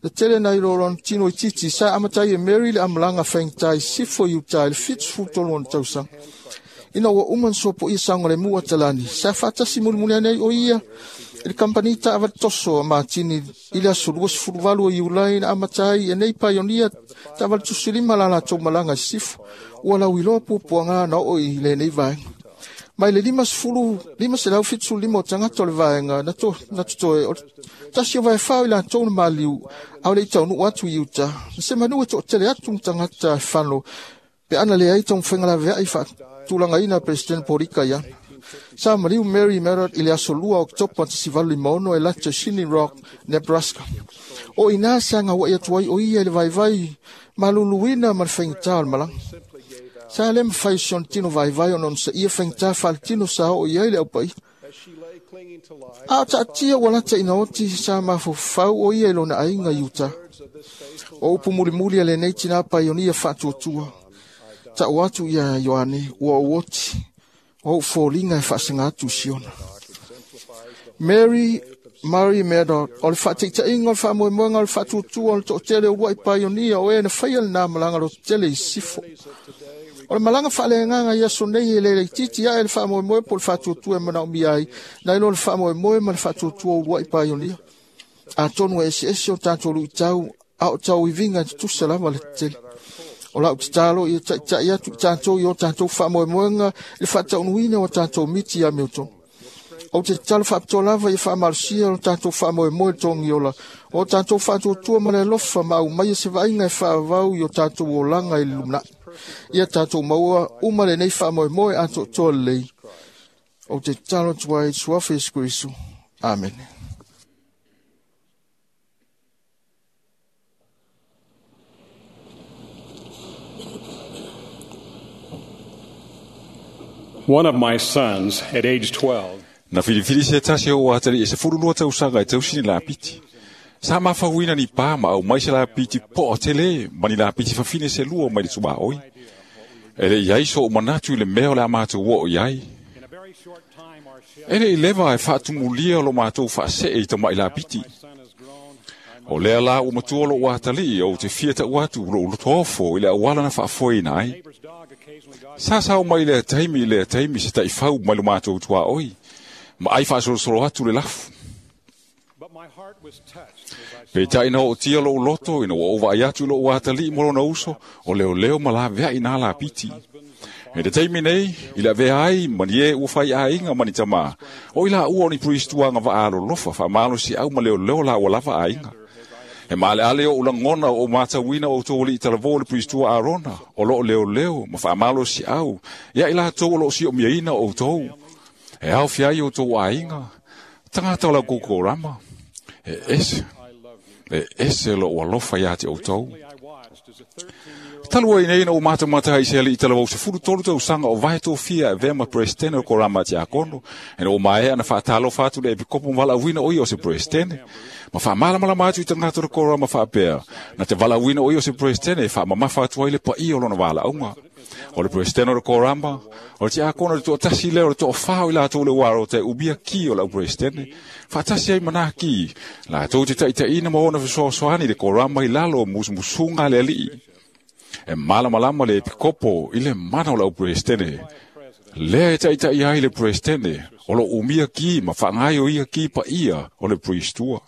le tele nai lo lona tino itiiti, sa amatai e Mary le amalaga faigata i sifo i Utah i le fitu sefulu tolu ona tausaga. Ina ua uma ona sopoia saogalemu atalani, sa faatasi mulimuli ane ai o ia i le kampani taavale toso a Matini i le aso lua sefulu valu o Iulai na amata ai e nei paionia taavale tusilima la latou malaga i sisifo. Ua lauiloa puapuaga na oo i lenei vaega. Mai le lima sefulu lima selau fitu sefulu lima o tagata o le vaega na, to, na totoe o le tasi o vaefao i latou na maliu a o le i taunuu atu i Utah. Na se manu e to'atele atu ma tagata e fano pe ana leai taumafaiga laveai faatulagaina a Peresetene Polika iana. Sa maliu Mary Murdoch i le aso lua o Oketopa tasi valu lima ono e lata i Chimney Rock, Nebraska. O ina sa gaua'i atu ai o ia i le vaivai maluluina ma le faigata o le malaga. Sa le mafai o si ona tino vaivai ona onosaia faigata faaletino sa oo i ai le aupaia. A o taatia ua lata ina oti sa mafaufau o ia i lona aiga i Utah. O upu mulimuli a lenei tinā paionia faatuatua. Ta'u atu ia Ioane, ua ou oti, o ou foliga e faasaga atu i Siona. Mary Murray Murdoch, o le faataitaiga o le faamoemoega o le faatuatua o le to'atele o ulua'i paionia o e na faia lenā malaga lototele i sisifo. O le malaga faaleagaga i aso nei e le laitiiti ae le faamoemoe po o le faatuatua e manaomia ai, nai lo le faamoemoe ma le faatuatua o ulua'i paionia. Atonu e eseese o tatou lu'itau, a o tauiviga e tutusa lava le tetele. O la'u tatalo ia ta'ita'i atu i tatou i o tatou faamoemoega i le faataunuina o tatou miti ia meotonu. Ou te tatalo faapitoa lava ia faamalosia o tatou faamoemoe i le togiola, o tatou faatuatua ma le alofa ma aumaia se vaaiga e faavavau i o tatou olaga i le lumanai. Ia tatou maua uma lenei faamoemoe atoatoa lelei. Ou te tatalo atu ai i le suafa Iesu Keriso. Amene. One of my sons, at age twelve, Na filifili se tasi o atali e se fulu lua tausaga e tausini lapiti. Sa mafauina ni pā ma au mai se lapiti po o tele, ma ni lapiti fafine se lua mai le tumaoi. E le iai so o manatu i le mea o le a mātou o iai. E le i leva e faatumulia o lo mātou faasee i tamai lapiti. O lea la ua matua lo atali o te fia ta'u atu lo ulotofo i le auala na faafoeina ai. Sa sao mai lea taimi i lea taimi se ta'ifau mai lo mātou tuaoi, ma ai faasolosolo atu le lafu. Peitai na ootia lou loto ina ua ou vaai atu i lou atalii ma lona uso, o leoleo ma laveai nā lapiti. E te taimi nei, i le avea ai ma ni e ua faiaiga ma ni tamā, o i laua o ni pristuaga vaalolofa faamalosiau ma leoleo laua lava aiga. E maaleale o ulagona o matauina o outou alii talavō le priestua Arona, o loo leoleo ma faamalosiau, ia i latou o loo siomiaina o outou. E aofia ai outou aiga, tagata o lau kokorama, e ese, e ese lou alofa ia te outou. Talu ai nei na o matamata i se alii talavou sefulu tolu tausaga o vae tofia e avea ma peresetene o korama tiakono, e na o maea na faatalofa atu le epikopo ma valaauina o ia o se peresetene. Ma faamalamalama atu i tagata o le korama faapea, na te valaauina o ia o se peresetene e faamamafa atu ai le paia o lona valaauga. O le peresetene o le korama, o le tiakono le to'atasi lea o le to'afā o i latou le uaro te umia ki o lau peresetene. Faatasi ai manā ki, latou te ta'itaʻina ma ona fesoasoani le korama i lalo o musumusuga a le alii. E malamalama le epikopo i le mana o lau peresetene. Lea e ta'ita'i ai le peresetene, o lo umia ki ma faagai o ia ki paia o le priestua.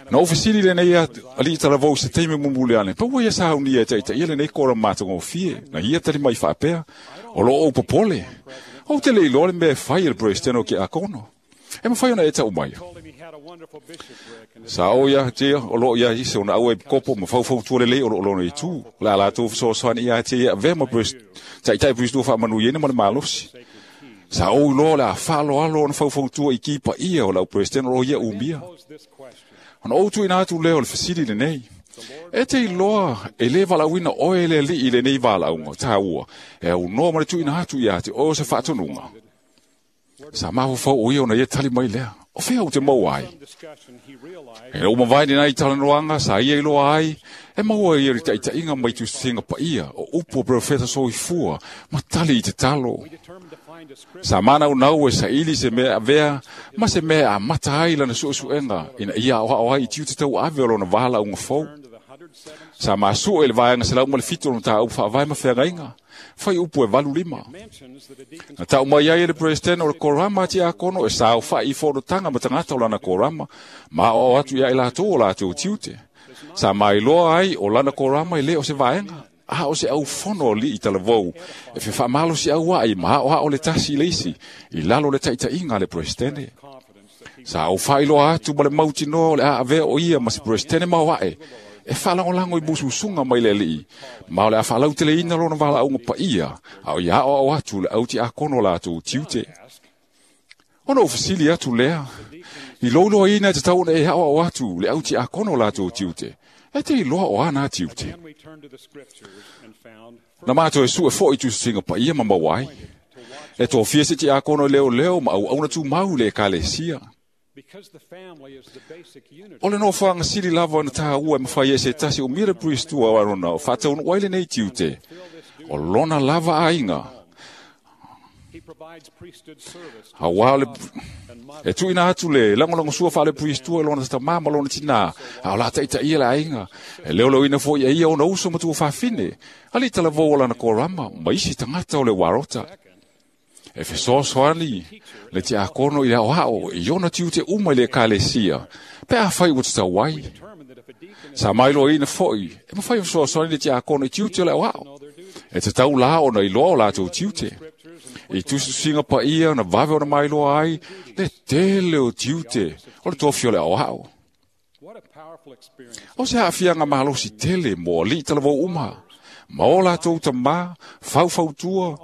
Na ou fesili lenei alii talavou se taimi mumuli ane, pa ua ia saunia e ta'itaʻia lenei korama matagofie, na ia tali mai faapea, o loo ou popole. Ou te le iloa le mea e fai e le peresetene o ke akono. E mafai ona e ta'u mai. Sa o ia tia o loo ia ise ona au e kopo ma faufautua lelei o loo lona itu. O le a latou fesoasoani ia te ia avea ma ta'ita'i priestua faamanuiaina ma le malosi. Sa ou iloa o le a faaloalo ona faufautua i ki paia o lau peresetene o loo ia umia. Ona ou tuuina atu lea o le fesili lenei. E te iloa e le valaauina oe le alii i lenei valaauga tāua, e aunoa ma le tuuina atu ia te oe o se faatonuga. Sa mafaufau o ia ona ia tali mai lea, o fea ou te maua ai. E ua mavae lenei talanoaga sa ia iloa ai, e maua ia le taitaiga mai tusitusiga paia o upu o perofeta soifua ma tali i te talo. Sa manaunau e saili se mea avea ma se mea e amata ai lana suesuega ina ia aoao ai i tiute tauave o lona valaauga fou. Sa masue i le vaega selau ma le fitu o le mataupu faavae ma feagaiga, fai upu e valu lima. Na tau mai ai e le Presidente o le Korama a Tiakono e saofai i fonotaga ma tagata o lana Korama, ma aoao atu ia i latou o latou tiute. Sa mailoa ai o lana Korama e le o se vaega, a o se aufono alii talavou, e fefaamalosi ai ma aoao le tasi i le isi, i lalo le taitaiga a le Presidente. Sa aufailoa atu ma le mautinoa o le a avea o ia ma se Presidente maoae, e faalagolago i mususuga mai le alii, ma o le a faalauteleina lona valaauga paia, a o ia aoao atu le au tiakono latou tiute. Ona ou fesili atu lea, i louloaina e tatau ona e aoao atu le au tiakono latou tiute, e te iloa o ana tiute. Na matou e sue foi tusitusiga paia ma maua ai. E tofia se tiakono e leoleo ma auauna tumau i le ekalesia. O le nofoaga sili lava ona tāua e mafai e se tasi o mira priestua o Arona o faataunuu ai lenei tiute, o lona lava aiga. Auā o le e tuuina atu le lagolagosua faale priestua i lona tamā ma lona tinā, a o la taitaia le aiga, e leoleoina foi e ia ona uso ma tuafafine, alii talavou o lana korama ma isi tagata o le uarota. E fesoasoani le tiakono i le aoao i ona tiute uma i le ekalesia, pe afai ua tatau ai. Sa mailoaina foi, e mafai fesoasoani le tiakono i tiute o le aoao. E tatau la ona iloa o latou tiute. I tusitusiga paia na vave ona mailoa ai le tele o tiute o le tofi o le aoao. O se aafiaga malosi tele mo alii talavou uma, ma o latou tamā, faufautua,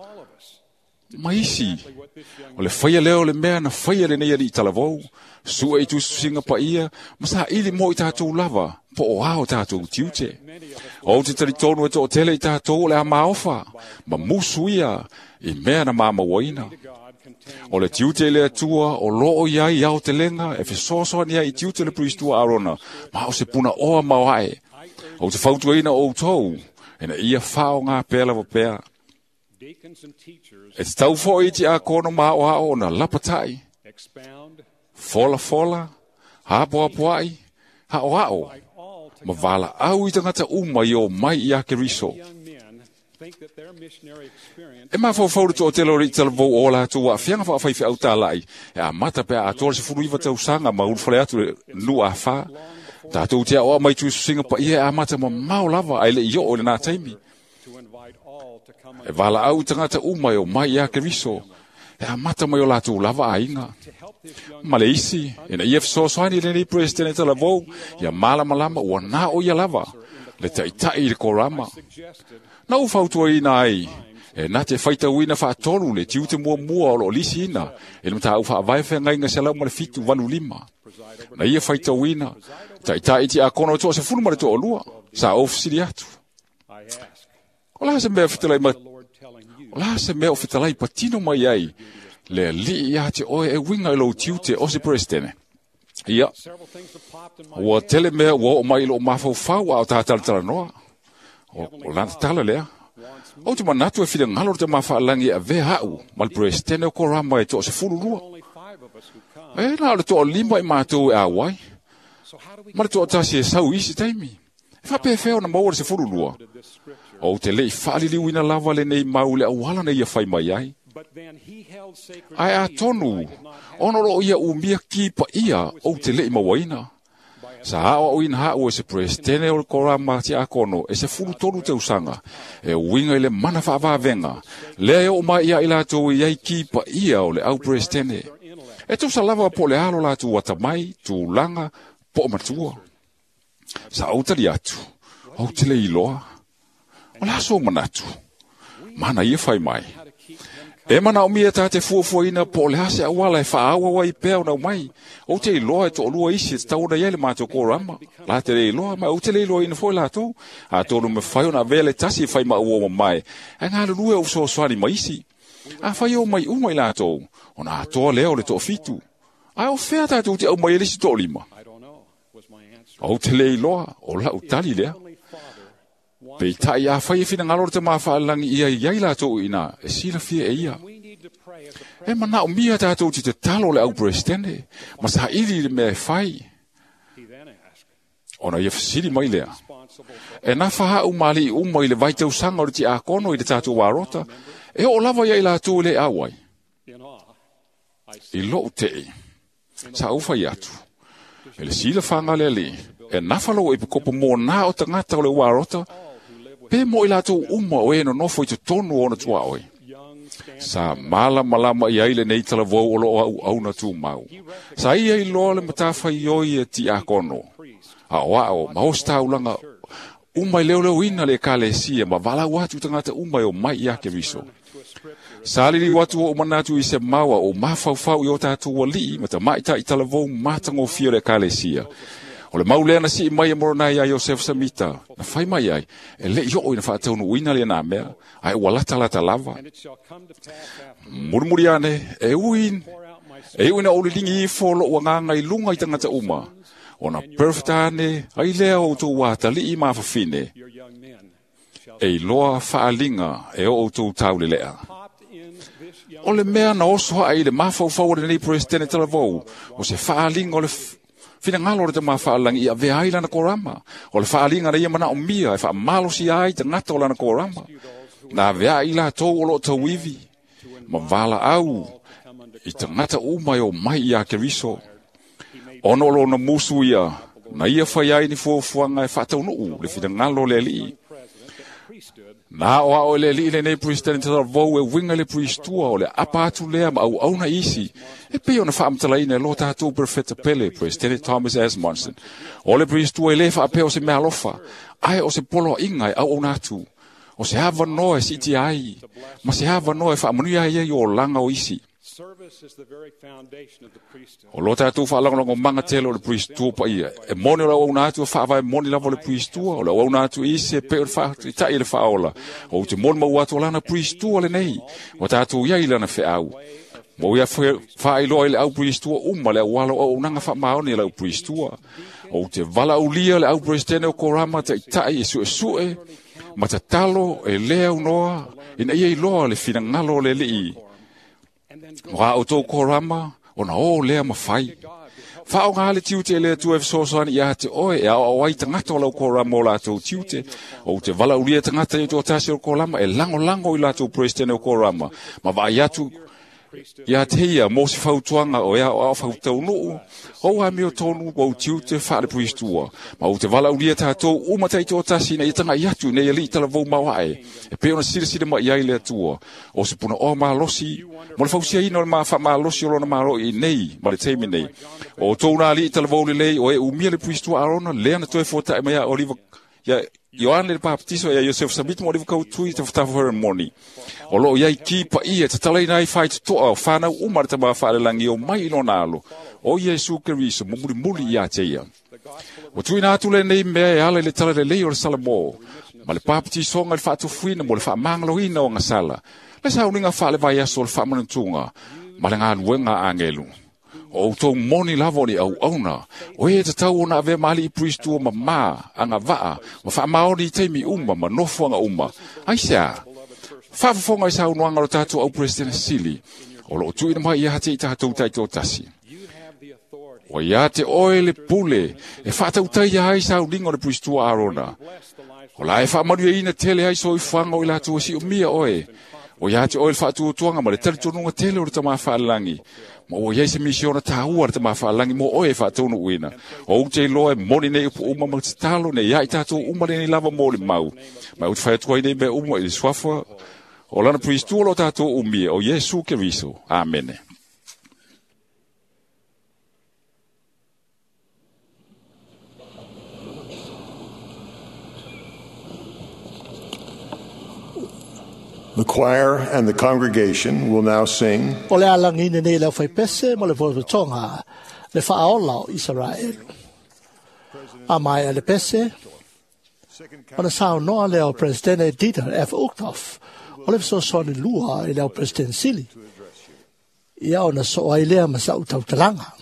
ma isi. O le faia lea o le mea na faia lenei alii talavou, sue i tusitusiga paia, ma saili mo i tatou lava, po o a o tatou tiute. Ou te talitonu e toatele i tatou o le a maofa, ma musu ia i mea na mamauaina. O le tiute i le Atua o loo i ai aotelega e fesoasoani ai i tiute le priestua Arona, ma o se punaoa maoae. Ou te fautuaina outou, ina ia faaaoga pea lava pea. E tatau foi i tiakono ma aoao ona lapatai, folafola, apoapoai, aoao, ma valaau i tagata uma i o mai ia Keriso. E mafaufau le toatele o alii talavou o latou aafiaga faafaifeau talai, e amata pe a atoa le sefulu iva tausaga ma ulufale atu le nuu afa. Tatou te aoao mai tusitusiga paia e amata mamao lava ae le i oo i lenā taimi. E valaau i tagata uma e o mai ia Keriso, e amata mai o latou lava aiga. Ma le isi, ina ia fesoasoani i lenei Presidente talavou, ia malamalama ua na o ia lava, le taitai i le korama. Na ou fautuaina ai, e na te faitauina faatolu le tiute muamua o loo lisiina, e le mataupu faavae feagaiga selau ma le fitu valu lima. Na ia faitauina, taitai tiakono e toasefulu ma le toalua, sa ou fesili atu. O la se mea fetalai ma o la se mea o fetalai patino mai ai le alii ia te oe e uiga i lou tiute o se Presidente. Ia, ua tele mea ua oo mai i loo mafaufau a o tātalatalanoa. O, o lana tala lea. Ou te manatu e finagalo le tamāfaalagi e avea au ma le Presidente o Korama e toasefulu lua. E na o le toalima i matou e auai, ma le toatasi e sau i isi taimi. E faapefea ona maua le sefulu lua. Ou te lei faaliliuina lava lenei mau le auala na ia fai mai ai. Ae atonu, ona o loo ia umia ki paia ou te lei mauaina. Sa aoaoina haʻu e se Presidente o le Korama tiakono e sefulu tolu tausaga, e uiga i le mana faavavega, lea e oo mai ia i latou i ai ki paia o le au Presidente. E tusa lava po o le alo latou atamai, tulaga, po o matua. Sa ou tali atu, ou te le iloa. O le aso o manatu, mana ia fai mai. E manaomia tā te fuafuaina po o le hase awala e whaawa wai pea o nau mai. O te iloa e to'olua isi e te tauna ia le mātou korama. La te le iloa, ma o te le iloa ina foi lātou. A tōnu me whai ona vele tasi e whai ma ua mai. E ngā lulue o sosoani ma isi. A whai o mai uma i lātou. Ona atoa lea o le to'ofitu. Ai o whea tātou te au mai elisi to'olima. O te le iloa, o lau tali lea. Peitai a whai e whina ngalo te mawhaalangi ia i ai lātou ina, e sila fia e ia. E mana o mia tātou ti te talo le au presidente, ma sa ili le mea e whai. Ona ia whasiri mai lea. E nā whaha umali i uma i le vaitau sanga o le ti ākono i le tātou warota, e o lava ia i lātou le awai. I lou te sa au whai atu. E le sila whanga lea le, e nawhalo e pukopo mō nā o tangata o le warota, pe mo i lātou uma o e no nofo i te tonu o na tua oe. Sa mala malama i aile nei talavou o loo au au na tūmau. Sa ia i loa le matawhai oi e ti akono. A o ao, ma osta ulanga uma i leo leo ina le kalesia, ma walau atu tangata uma e o mai i ake riso. Sa lili watu o manatu i se maua o mawhauwhau i o tātou walii, ma ta maita i talavou matangofia le kalesia. O le maulea na sii mai e moronai a Iosef Samita, na whai mai ai, e le i o ina whaataunu uina le nā mea, ai ua lata lata lava. Murimuri ane, e uin, e uina o lilingi ifo lo ua nganga i lunga i tangata uma. O na perfect ane, ai lea o tō wātali i mawhawhine. E iloa whaalinga e o tō taule lea. O le mea na oso ai le mawhauwhau o le nei presidente talavou, o se whaalinga o le whina ngalo le te mawhaalangi i a vea ai lana korama. O le whaalinga na ia mana o mia e whaamalosi ai te ngata o lana korama. Nā vea i la tau o lo tauivi. Ma wala au i te ngata umai o mai i a Keriso. Ono lo na musu ia, na ia whai ai ni fuafuanga e whaataunuu le whina ngalo le alii. Nā o ao le alii le nei president te vau e winga le priestua o le apa atu lea ma au auna isi. E pei ona whaamtalaina e lo tātou perfecta pele, President Thomas S. Monson. O le priestua e le whaapea o se mea alofa, ai o se polo inga e au auna atu. O se hawa noa e siti ai, ma se hawa noa e whaamanuia ai ai o langa o isi. O lo tātou whaalangolongo manga tele o le priestua pa ia. E moni o le au atu e whaavae moni lava o le priestua. O le au atu isi e pe o le whaatai le whaola. O te moni mau atu o lana priestua le nei. O tātou ia i lana wheau. Mo ia whaailoa i le au priestua uma le au alo o unanga whaamaoni le au priestua. O te vala ulia le au presidente o korama te itai e sue sue. Ma tatalo e lea unoa ina ia iloa le whina ngalo le lii. Mo o tō korama, o na o lea mawhai. Whao ngā le tiute le atu e whasosani i a te oe, e ao au ai tangata o lau korama o lātou tiute, o te vala ulia tangata i tō tasi o korama, e lango lango i lātou presidente o korama. Ma vai atu i a te ia, mō se whautuanga o ea o ao whautaunuu, o a meo tonu o tiute whaale priestua. Ma o te vala ulia tātou umata i tō tasi nei tanga i atu nei ali talavou mawae. E pe ona sila sila mai ai le atua. O se puna o malosi, mo le fausia ina o le mawha malosi o lona malo i nei, ma le teimi nei. O tōna ali talavou lelei o e umia le priestua arona, lea na toe fōtae mai a Oliva, ia Ioane le Baptiso ia Iosef Samit mo le kautui te whatafa moni. O lo iai ki pa ia te talaina ai whai te toa o whanau uma le tama whaalelangi o mai ilona alo. O Iesu Keriso mo muri muri ia te ia. O tuina atu le nei mea e ala i le tala le lei o le Salamo. Ma le Baptisonga le whaatufuina mo le whaamangaloina o ngasala. Le sauninga whaale vai aso o le whaamanantunga. Ma le ngā luenga angelu. O tō moni lava ni au auna. O e te tau ona avea maali i priestua ma mā, anga vaa, ma whaamaoni i teimi uma, ma nofoanga uma. Ai sea, whaafafonga i sa unuanga o tātou au president sili, o loo tuina mai ia hate i tātou taito tasi. O ia te oe le pule, e whaatautai ia ai sa uninga o le priestua Arona. O la e whaamanu e ina tele ai so i whanga o i lātou si o mia oe. O ia te oe le whaatuatuanga ma le talitonunga tele o le tama whaalangi. Ma o iai se misiona tāua le tama whaalangi mo oe whaatonu uina. O ute loa e moni nei upu uma ma te talo nei ia i tātou uma nei lava mō le mau. Ma ute whaiatua i nei mea uma i le swafa o lana priestua lo tātou umia o Iesu Keriso. Amene. The choir and the congregation will now sing O le alagina nei le aufaipese ma le fototoga le faaola o Isaraelu. A mai a le pese, ona saunoa lea o Presidente Dieter F. Uchtdorf, o le fesoasoani lua i le au President Sili. Ia ona soo ai lea ma sa'u tautalaga.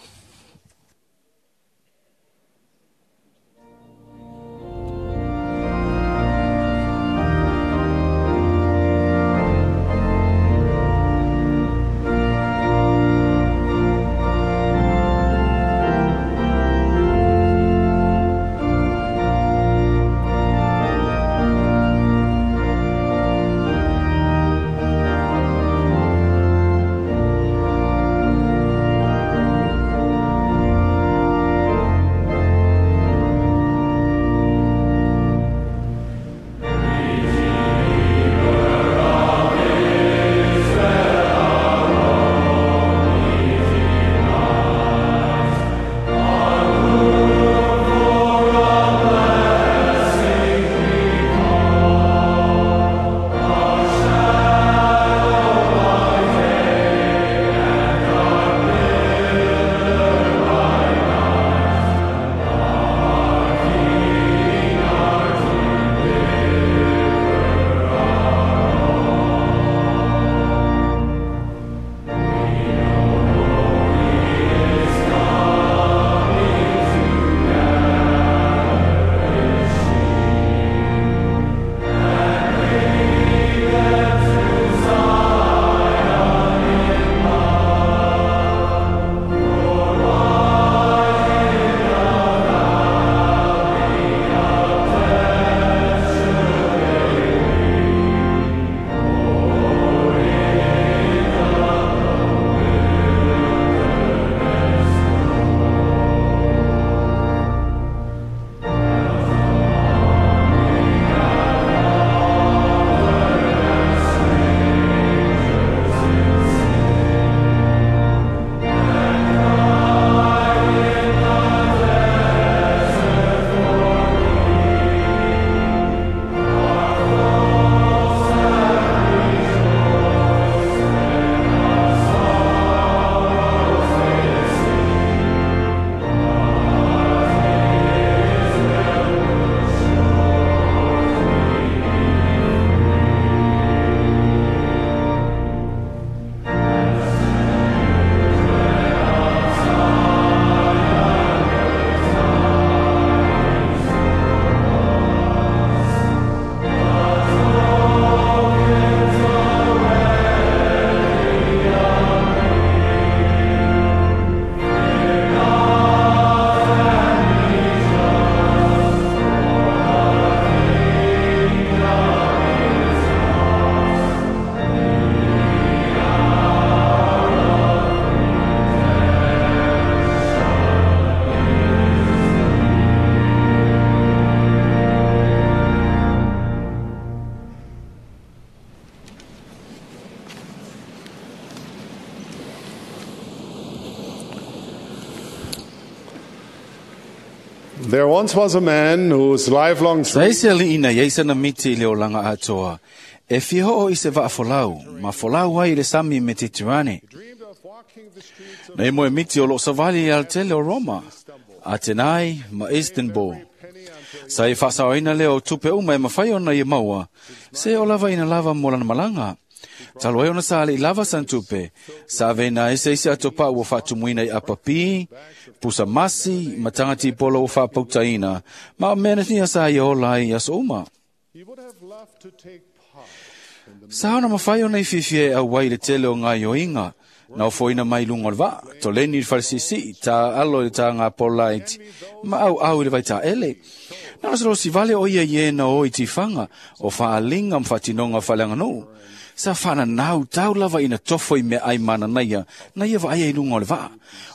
There once was a man whose lifelong Sa ese ali ina iai sana miti i le olaga atoa, e fia hoo i se vaa folau, ma folau ai i le sami me te tirane. Nei mo e miti o loo savali i altele o Roma, Atenai ma Istanbul. Sa e faasaoina lea o tupe uma e mafai ona ia maua, se o lava ina lava mo lana malaga. Talu ai ona sa le i lava san tupe, sa aveina ai se isi ato pau ua faatumuina i apapi, pusa masi, ma tagati polo ua faapautaina, ma o mea natia sa ia ola ai i aso uma. Sa ona mafai ona i fiafia e auai le tele o ngā ioinga, na ofoina mai lunga o le vaa, toleni i le falesisi, tā alo i le tā ngā polaiti, ma au au i le vai tā ele. Na o se vale o ia i e na o i tiwhanga, o whaalinga ma whatinonga whaleanganuu. Sa whana nau tau lava ina tofo i mea ai mana naia, na ia vaai ai lunga o le vaa.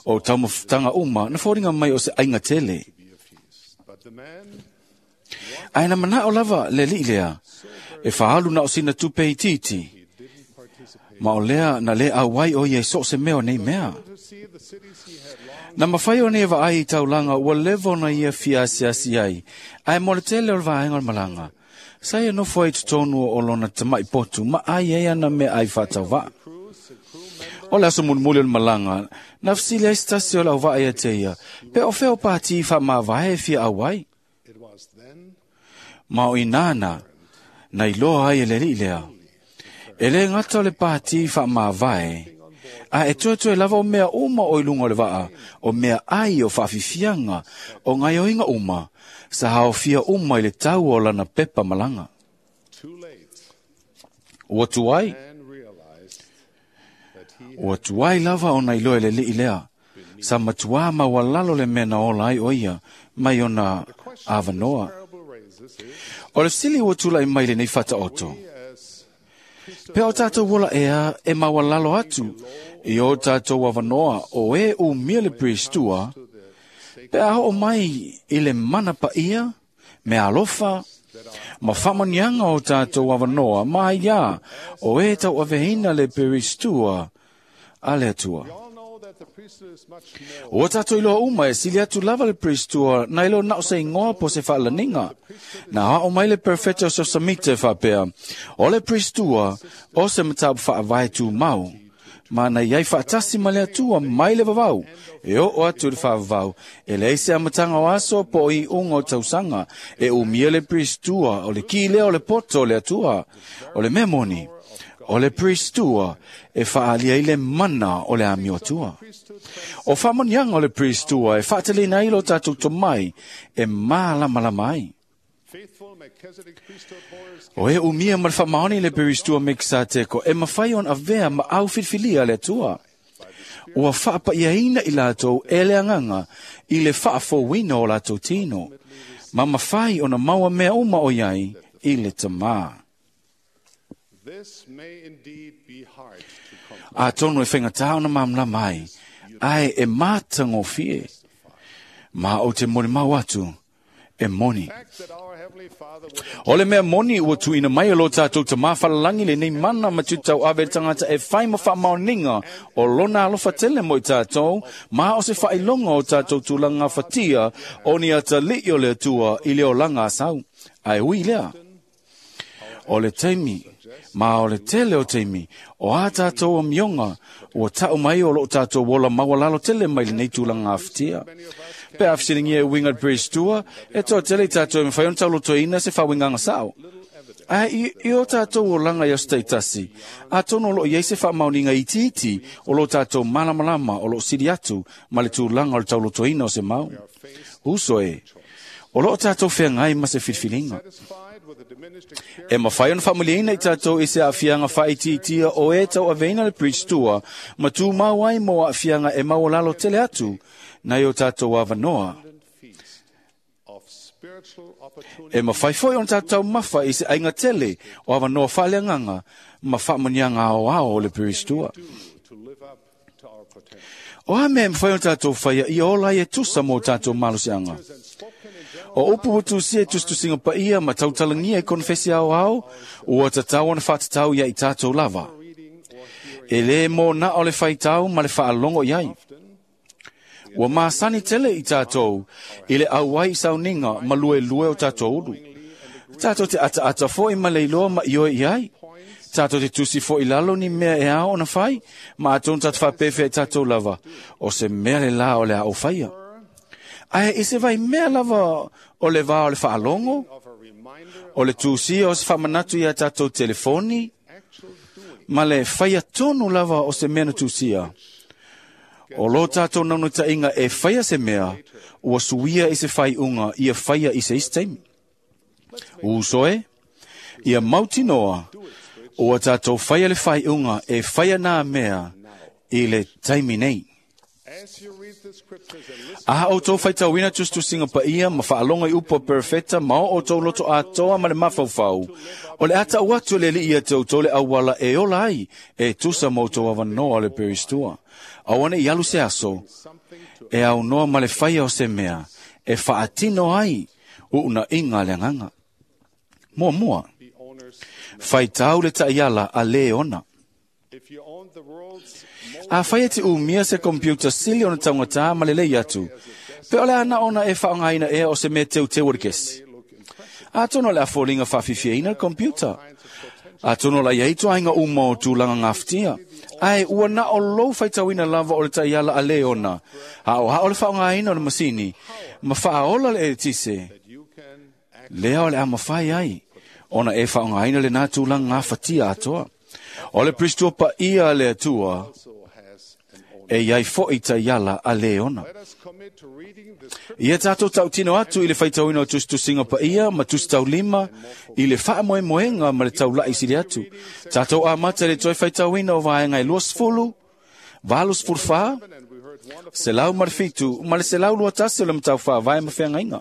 O taumafutanga uma, na fōringa mai o se ainga tele. Ai na mana o lava le li lea, e whaalu na o sina tupe i titi. Ma o lea na le auai o ia i so se mea o nei mea. Na mawhai o nei vaai i taulanga ua levo na ia fia asiasi ai, ai mo le tele o le vaenga o le malanga. Sa ia nofo ai totonu o lona tama'i potu ma ai ai ana mea ai faatauva'a. O le aso mulimuli o le malaga, na fesili ai se tasi o le auva'a ia te ia, pe o fea o pati faamavae e fia auai. Ma o inā na, na iloa ai e le ali'i lea. E lē gata o le pati faamavae, a e toetoe lava o mea uma o i luga o le va'a, o mea ai o faafiafiaga, o gaioiga uma, sa haofia uma i le tau o lana pepa malaga. Ua tuai, ua tuai lava ona iloa e le ali'i lea, sa matuā maualalo le mea na ola ai o ia mai ona avanoa. O le fesili ua tula'i mai lenei fataoto, pe o tātou ola ea e maualalo atu i o tātou avanoa o e umia le peristua, pe a ho'o mai i le mana paia, me alofa, ma faamaniaga o tātou avanoa ma aiā o e tauaveina le peristua a le Atua. Ua tātou iloa uma e sili atu lava le peristua na ilo na o se ingoa po se faalaniga. Na hao mai le perfeta o Samite faapea, o le peristua o se mataupu faavae tumau, ma na iai faatasi ma le Atua mai le vavau, e oo atu i le faavavau, e leai se amataga o aso po o iuga o tausaga, e umia le peristua o le ki lea o le poto o le Atua. O le mea moni, o le peristua e faalia ai le mana o le amio Atua. O faamaniaga o le peristua e faateleina ai lo tātou tomai e mālamalama ai. O e umia ma le faamaoni le peristua Mekisateko e mafai ona avea ma au filifilia le Atua. Ua faapaiaina i latou e le agaga i le faafouina o latou tino, ma mafai ona maua mea uma o iai i le tamā. Atonu e whaingatā ona māmalama ai, ae e mātagofie, ma o te molimau atu e moni. O le mea moni ua tuuina mai e lo tātou tamā falalangi lenei mana ma tutau ave le tagata e fai ma faamaoniga o lona alofa tele mo i tātou, ma o se faailoga o tātou tulaga fatia o ni atali'i o le Atua i le olaga asau. Ae ui lea, o le taimi, ma o le tele o taimi, o a tātou amioga, ua ta'u mai o loo tātou ola maualalo tele mai lenei tulaga afatia. Pe a fesiligia e uiga le peristua, e toa tele i tātou e mawhai ona taulotoina se faauigaga sa'o. Ae i, i o tātou olaga i aso taitasi, atonu o loo iai se faamaoniga itiiti o lo tātou malamalama o loo sili atu ma le tulaga o le taulotoina o se mau. Uso e, o loo tātou feagai ma se filifiliga. E mawhai ona faamaliaina i tātou i se aafiaga faaitiitia o e tauaveina le peristua, ma tumau ai mo aafiaga e maualalo tele atu nai o tātou avanoa. E mawhai foi ona tātou taumafa i se aiga tele o avanoa faaleagaga ma faamaniaga aoao o le peristua. O a mea e mawhai ona tātou whaia i ola ai e tusa mō tātou malosiaga. O upu ua tusia e tusitusiga paia ma tautalagia e konfesi aoao, ua tatau ona faatatau ia i tātou lava. E lē mō na o le faitau ma le faalogo i ai. Ua masani tele i tātou i le auai i sauniga ma luelue o tātou ulu. Tātou te ataata foi ma le iloa ma ioe i ai. Tātou te tusi foi lalo ni mea e ao ona fai, ma atonu tātou faapefea i tātou lava, o se mea le la o le a o whaia. Ae i se vai mea lava o le vā o le faalogo, o le tusia o se faamanatu ia tātou telefoni, ma le whaia tonu lava o se mea na tusia. O lo tātou naunutainga e whaia se mea, ua suia i se whaiunga ia whaia i se isi taimi. Uso e, ia mautinoa, ua tātou whaia le whaiunga e whaia nā mea i le taimi nei. Aha o tō whaitauina tusitusinga paia ma whaalonga i upo perfeta ma o tō loto atoa ma le mafaufau. O le ata o atu le li ia te o le awala e ola ai e tusa mo tō awanoa le peristua. Awane i alu se aso e au noa ma le whaia o se mea e whaatino ai uuna inga le anganga. Mua mua, whaitau le taiala a le ona. A whaia te umia se computer sili ona taungatā ma le lei atu. Pe ole ana ona e whaangaina ea o se mea teu teu o le kesi. Atonu o le a foliga faafiafiaina le computer. Atonu o la iai toaiga uma o tulaga gafatia. Ae ua na o lou faitauina lava o le taiala a le ona. Aoao le faaaogaina o le masini, ma faaola le eletise. Lea o le a mafai ai, ona e faaaogaina lenā tulaga gafatia atoa. O le Peristua paia a le Atua, e iai fo'i taiala a le ona. Ia tātou tautino atu i le faitauina o tusitusiga paia ma tusitaulima i le faamoemoega ma le taula'i sili atu. Tātou amata i le toe faitauina o vaega e luasefulu, valusefulufa, selau ma le fitu ma le selau lua tasi o le mataupu faavae ma feagaiga.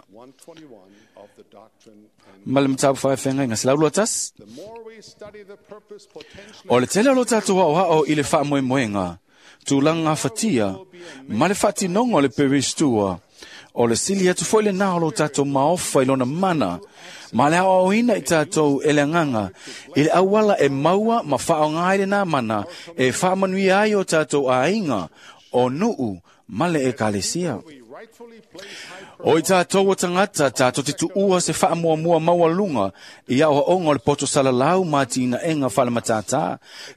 Ma le mataupu faafeagaiga selau lua tasi. O le tele o lo tātou aoao i le faamoemoega, tulaga gafatia, ma le faatinoga o le Peristua, o le sili atu foi lenā o lo tātou maofa i lona mana, ma le aoaoina i tātou e le agaga, i le auala e maua ma faaaoga ai lenā mana, e faamanuia ai o tātou aiga, o nuu, ma le ekalesia. O i tātou o tagata, tātou te tuua se faamuamua maualuga i aoaoga o le poto salalau ma atinaega faale-matātā.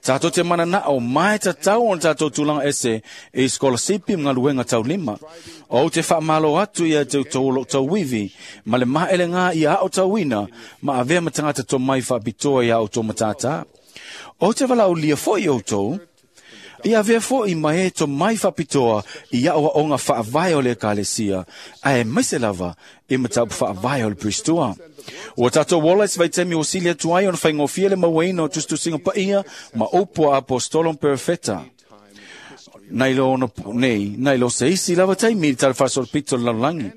Tātou te mananao ma e tatau ona tātou tulaga ese i sikolasipi ma galuega taulima. O te faamalo atu ia te outou o loo tauivi ma le maelegā ia aotauina ma avea ma tagata tomai faapitoa ia outou matātā. O te valaaulia foi outou, ia avea fo'i ma e tomai faapitoa i aoaoga faavae o le ekalesia, ae maise lava i mataupu faavae o le Peristua. Ua tātou ola i se vaitaimi ua sili atu ai ona faigofie le mauaina o tusitusiga paia ma upu a apostolo ma perofeta. Nai lo ono nei, nai lo se isi lava taimi i le talafaasolopito o le lalolagi.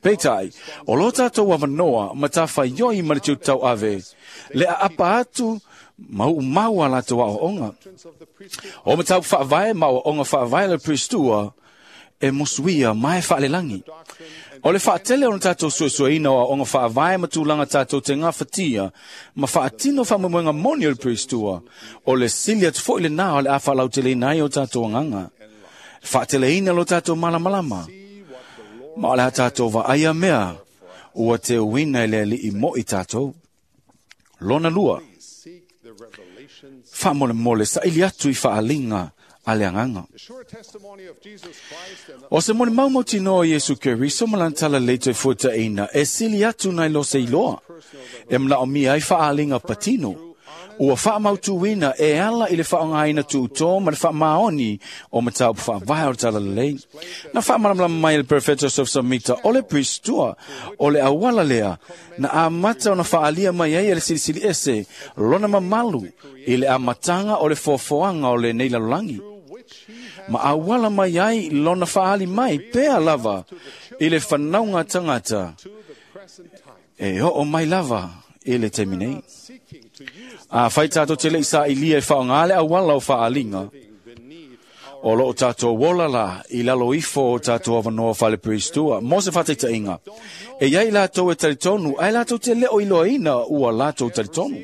Peitai, o lo tātou avanoa ma tafaioi ma le tiutau ave, le aapa atu ma uumau a latou aoaoga. O mataupu faavae ma aoaoga faavae le Peristua, e musuia ma e faalelagi. O le faatele o na tātou suesueina o aoaoga faavae ma tulaga tātou te gafatia, ma faatino faamoemoega moni o le Peristua, o le sili atu fo'i lenā o le a faalauteleina ai o tātou agaga. Faateleina lo tātou malamalama, ma o le a tātou vaaia mea, ua teuina i le alii mo'i tātou. Lona lua, faamolemole saili atu i faaliga a le agaga. O se molimaumautinoa o Iesu Keriso ma lana talalelei toe fuataʻina e sili atu nai lo se iloa, e manaomia ai faaaliga patino. Ua faamautuina e ala i le faaaogaina tuutō ma le faamaoni o mataupu faavae o le talalelei. Na faamalamalama mai e le Perofeta Joseph Samita o le Peristua o le auala lea na amata ona faaalia mai ai e le Silisili Ese lona mamalu i le amataga o le foafoaga o lenei lalolagi. Ma auala mai ai lona faali mai pea lava i le fanauga tagata e oo mai lava i le taimi nei. A fai tātou te lei saʻilia e faaaoga le auala o faaliga, o loo tātou ola la i lalo ifo o tātou avanoa faale-Peristua mo se faataitaiga. E iai latou e talitonu, ae latou te leo iloaina ua latou talitonu.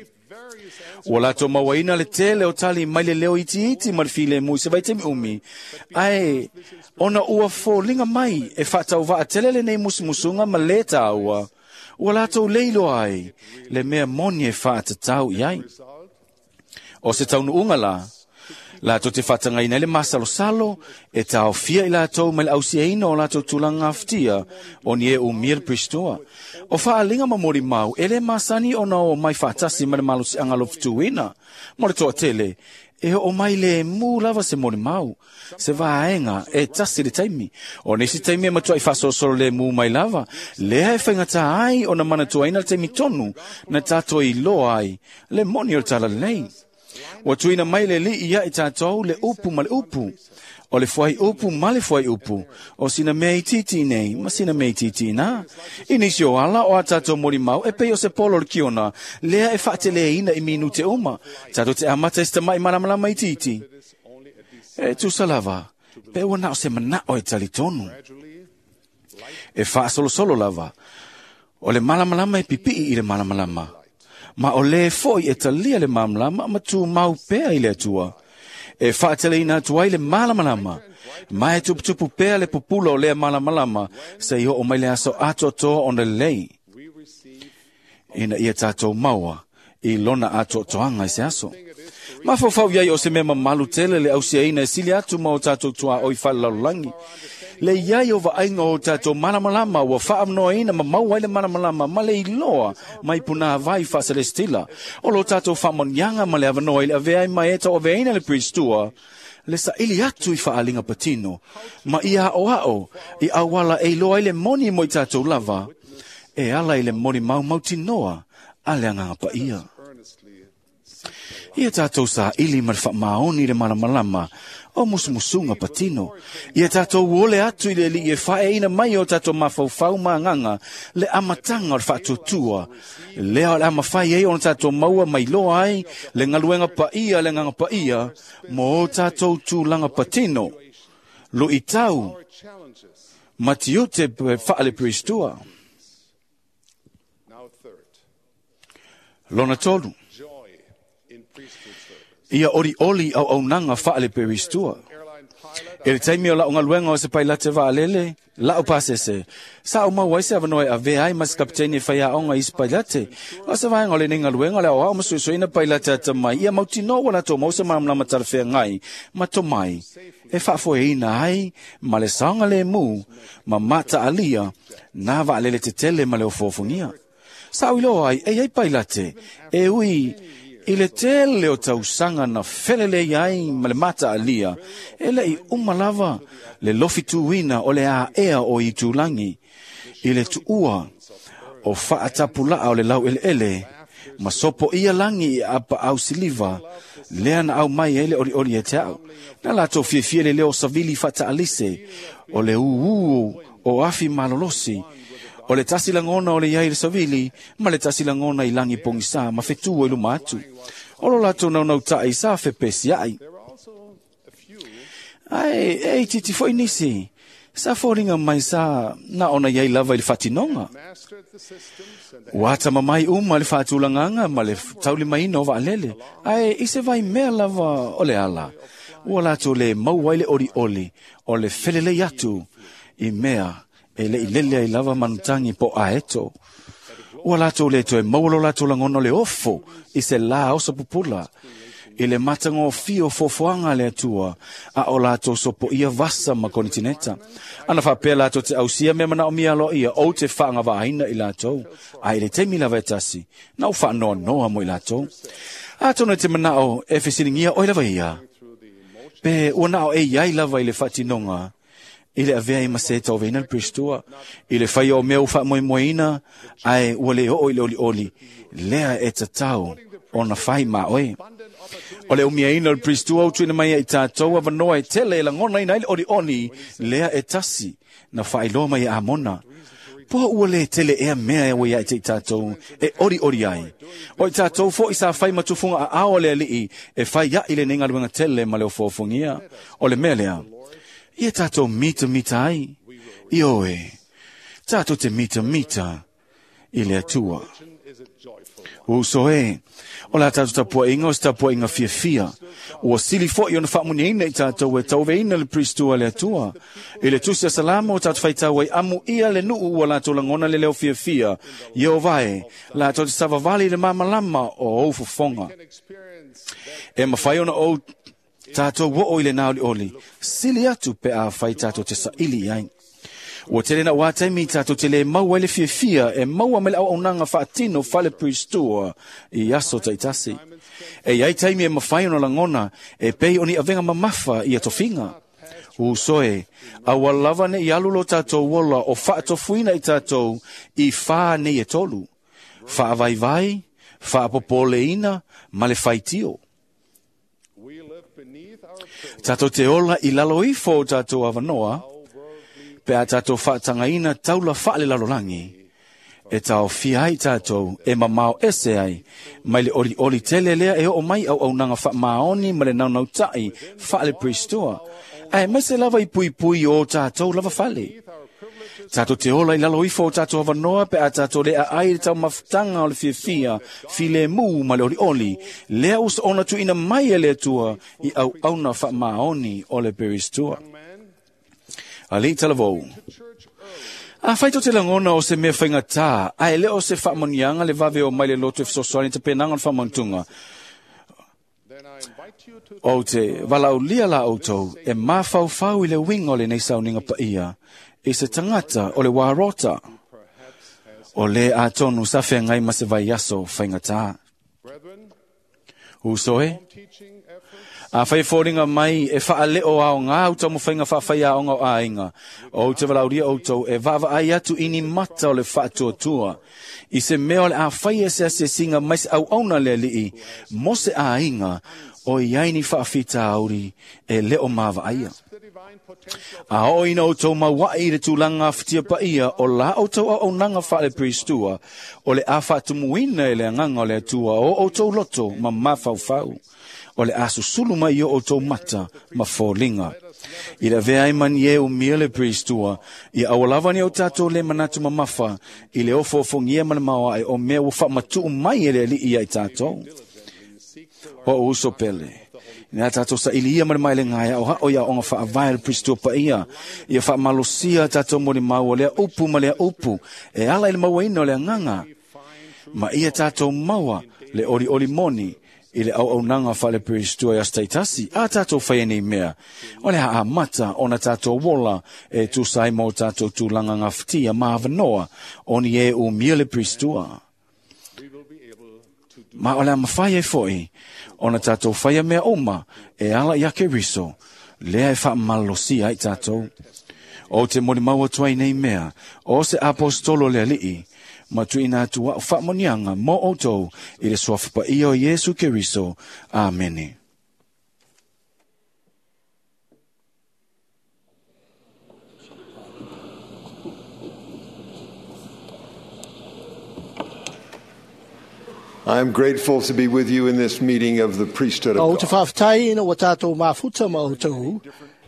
Ua latou mauaina le tele o tali mai le leo itiiti ma le filemu i se vaitaimi umi, ae ona ua foliga mai e faatauvaa tele lenei musumusuga ma lē tāua, ua latou le iloa ai le mea moni e faatatau i ai. O se taunuuga la, latou te faatagaina ai le masalosalo e taofia i latou mai le ausiaina o latou tulaga gafatia o ni e umia le Peristua. O faaliga ma molimau e lē masani ona o mai faatasi ma le malosiaga alofutuina. Mo le toatele, e oo mai le mu lava se molimau, se vaega e tasi le taimi. O nisi taimi e matuai faasolosolo le mu mai lava, lea e faigata ai ona manatuaina le taimi tonu na tātou iloa ai le moni o le talalelei. Ua tuuina mai le alii ia i tātou le upu ma le upu, o le fuai upu ma le fuai upu, o sina mea itiiti nei ma sina mea itiiti nā. I nisi o ala o a tātou molimau e pei o se polo o le kiona, lea e faateleina i minute uma, tātou te amata i se tamaʻi malamalama itiiti. E tusa lava, pe ua na o se manao e talitonu. E faasolosolo lava, o le malamalama e pipii i le malamalama. Ma o le fo'i e talia le malamalama ma tumau pea i le Atua. E faateleina atu ai le malamalama, ma e tuputupu pea le pupula o lea malamalama, seia oo mai le aso atoatoa ona lelei. Ina ia tātou maua i lona atoatoanga i se aso. Mafaufau iai o se mea mamalu tele le ausiaina e sili atu ma o tātou tua o i whalalalangi. Le iai o vaaiga o tātou malamalama ua faamnoaina ma maua ai le malamalama ma le iloa mai puna vai faaselestila. O lo tātou faamoniaga ma le avanoa i le avea ai ma e tauaveaina le Pristua, le saili atu i faaaliga patino, ma ia aoao i auala e iloa ai le moni mo i tātou lava, e ala i le moni maumautinoa a le agaga paia. Ia tātou saili ma le faamaoni i le malamalama o musumusuga patino. Ia tātou ole atu i le alii e faeaina mai o tātou mafaufau ma agaga le amataga o le faatuatua. Lea o le a mafai ai ona tātou maua mai loa ai le galuega paia le agaga paia mo o tātou tulaga patino. Luitau ma tiute faale-Pristua. Lona tolu. Ia ori oli au aunaga faale peristua. E le taimi o lau galuega o se pailate vaalele, lau pasese. Sa o mau ai se avanoa e avea ai ma se kapiteni e faiaoga i se pailate. O se vaega o lenei galuega o le aoao ma suesueina pailate atamai, ia mautinoa ua latou maua se malamalama talafeagai ma tomai e faafoeina ai ma le saogalemu ma mataalia nā vaalele tetele ma le ofoofogia. Sa o iloa ai e iai pailate e ui i le tele o tausaga na felelei ai ma le mataalia, e lei uma lava le lofituina o le aea o itulagi i le tuua o faatapulaa o le laueleele ma sopo ia lagi i apaau siliva lea na au mai ai le olioli e te au. Na latou fiafia le leo savili faataalise o le ūū o afi malolosi o le tasi lagona o le iai le savili ma le tasi lagona i lagi pogisa ma fetua i luma atu. O lo latou naunautai sa fepesiai. Ae e itiiti foi nisi sa foliga mai sa na ona iai lava i le faatinoga. Ua atamamai uma le faatulagaga ma le taulimaina o vaalele, ae i se vaimea lava o le ala ua latou le maua ai le olioli o le felelei atu i mea e lei lele ai lava manutagi po aeto. Ua latou le toe maua lo latou lagona o le ofo i se lā oso pupula i le matagofie o foafoaga a le Atua, a o latou sopoia vasa ma konitineta. Ana faapea latou te ausia mea manaomia aloaia ou te faagavaaina i latou, ae i le taimi lava e tasi, na ou faanoanoa mo i latou. Atonu e te manao e fesiligia oe lava ia, pe ua nao e iai lava i le faatinoga i le avea i ma se tauveina le Pristua, i le faia o mea ua faamoemoeina, ae ua le oo i le olioli, lea e tatau ona fai ma oe. O le umiaina o le Pristua o tuuina mai ai tātou avanoa e tele e lagonaina ai le olioli, lea e tasi na faailoa mai e Amona. Po ua le tele ea mea e ua ia i te i tātou e olioli ai. O i tātou foi sa fai matufunga a ao le alii e fai ai lenei galuega tele ma le ofoofogia. O le mea lea, ia tātou mita mita ai. Ioe, tātou te mita mita i le Atua. Uso e, o la tātou tapuainga o se tapuainga fiafia. Ua sili foi ona faamuniaina i tātou e tauveina le Pristua le Atua. I le tusi a Salamo o tātou faitau ai amu ia le nuu ua latou lagona le leo fiafia. Ieova e, latou te savavali i le malamalama o ou fofoga. E mafai ona ou tātou oo i le naolioli, sili atu pe a fai tātou te saili ai. Ua tele na ua taimi tātou te le maua i le fiafia e maua me le auaunaga faatino fale Pristua i aso taitasi. E iai taimi e mafai ona lagona e pei o ni avega mamafa i atofiga. Uso e, aua lava nei alu lo tātou ola o faatofuina i tātou i whā nei e tolu. Faavaivai, faapopoleina ma le faitio. Tātou te ola i lalo ifo o tātou avanoa, pe a tātou faatagaina taula faale lalolagi, e taofia ai tātou e mamao ese ai, mai le olioli tele lea e oo mai auaunaga faamaoni ma le naunautai faale Pristua, ae maise lava i puipui o tātou lava fale. Tātou te ola i lalo ifo o tātou avanoa pe a tātou le aai le taumafutaga o le fiafia, filemu ma le olioli, lea ua soona tuuina mai e le Atua i auauna faamaoni o le Peristua. Alii talavou. A whai tō te langona o se mea whaingatā, a e leo se whaamonianga le vave o mai le loto e fesoasoani te penanga o le whaamantunga. O te walaulia la outou e mawhauwhau i le winga o le nei sauninga paia, i se tangata o le wārota. O le a tonu sa whengai ma se vai aso whaingatā. Uso e, a whai fōringa mai e whaaleo ao ngā uta mo whainga whaawhai a onga o āinga. O te walauria outou e vava ai atu ini mata o le whaatuatua. I se mea o le a whai e se asesinga mai se au auna le alii, mo se āinga o iaini whaawhita auri e leo mawa aia. A o ina outou mauai i le tūlanga whitia paia o la outou au aunanga whaale pristua o le a whaatumuina e le anganga o le atua o outou loto ma mawhauwhau. O le asusulu mai o outou mata ma fōlinga. I le vea i mani e umia le pristua, i awalawa ni o tātou le manatu mamafa, i le ofo ofongia ma le maoae o mea ua whaamatuu mai e le alii ai tātou. O uso pele. Ina tātou sa ili ia ma le mai le ngaia o hao ia onga whaavae le pristua pa ia. Ia whaamalosia tātou mo le mau o lea upu ma lea upu. E ala i le mauaina o le anganga. Ma ia tātou maua le ori ori moni i le au aunanga whale pristua i astaitasi. A tātou whai nei mea. O le haa mata o na tātou wola e tūsai mō tātou tūlanga ngā whitia mahavanoa o ni e umia le pristua. Ma o le amawhai e foi, o na tātou whaia mea oma, e ala i ake riso, lea e whaamalosia ai tātou. O te mori maua tuai nei mea, o se apostolo le alii, ma tuina atu wao whaamonianga mō outou i le suafa paia o Iesu Keriso. Amene. I am grateful to be with you in this meeting of the priesthood of O te God. whaaftai ina wa tātou mafuta ma outou,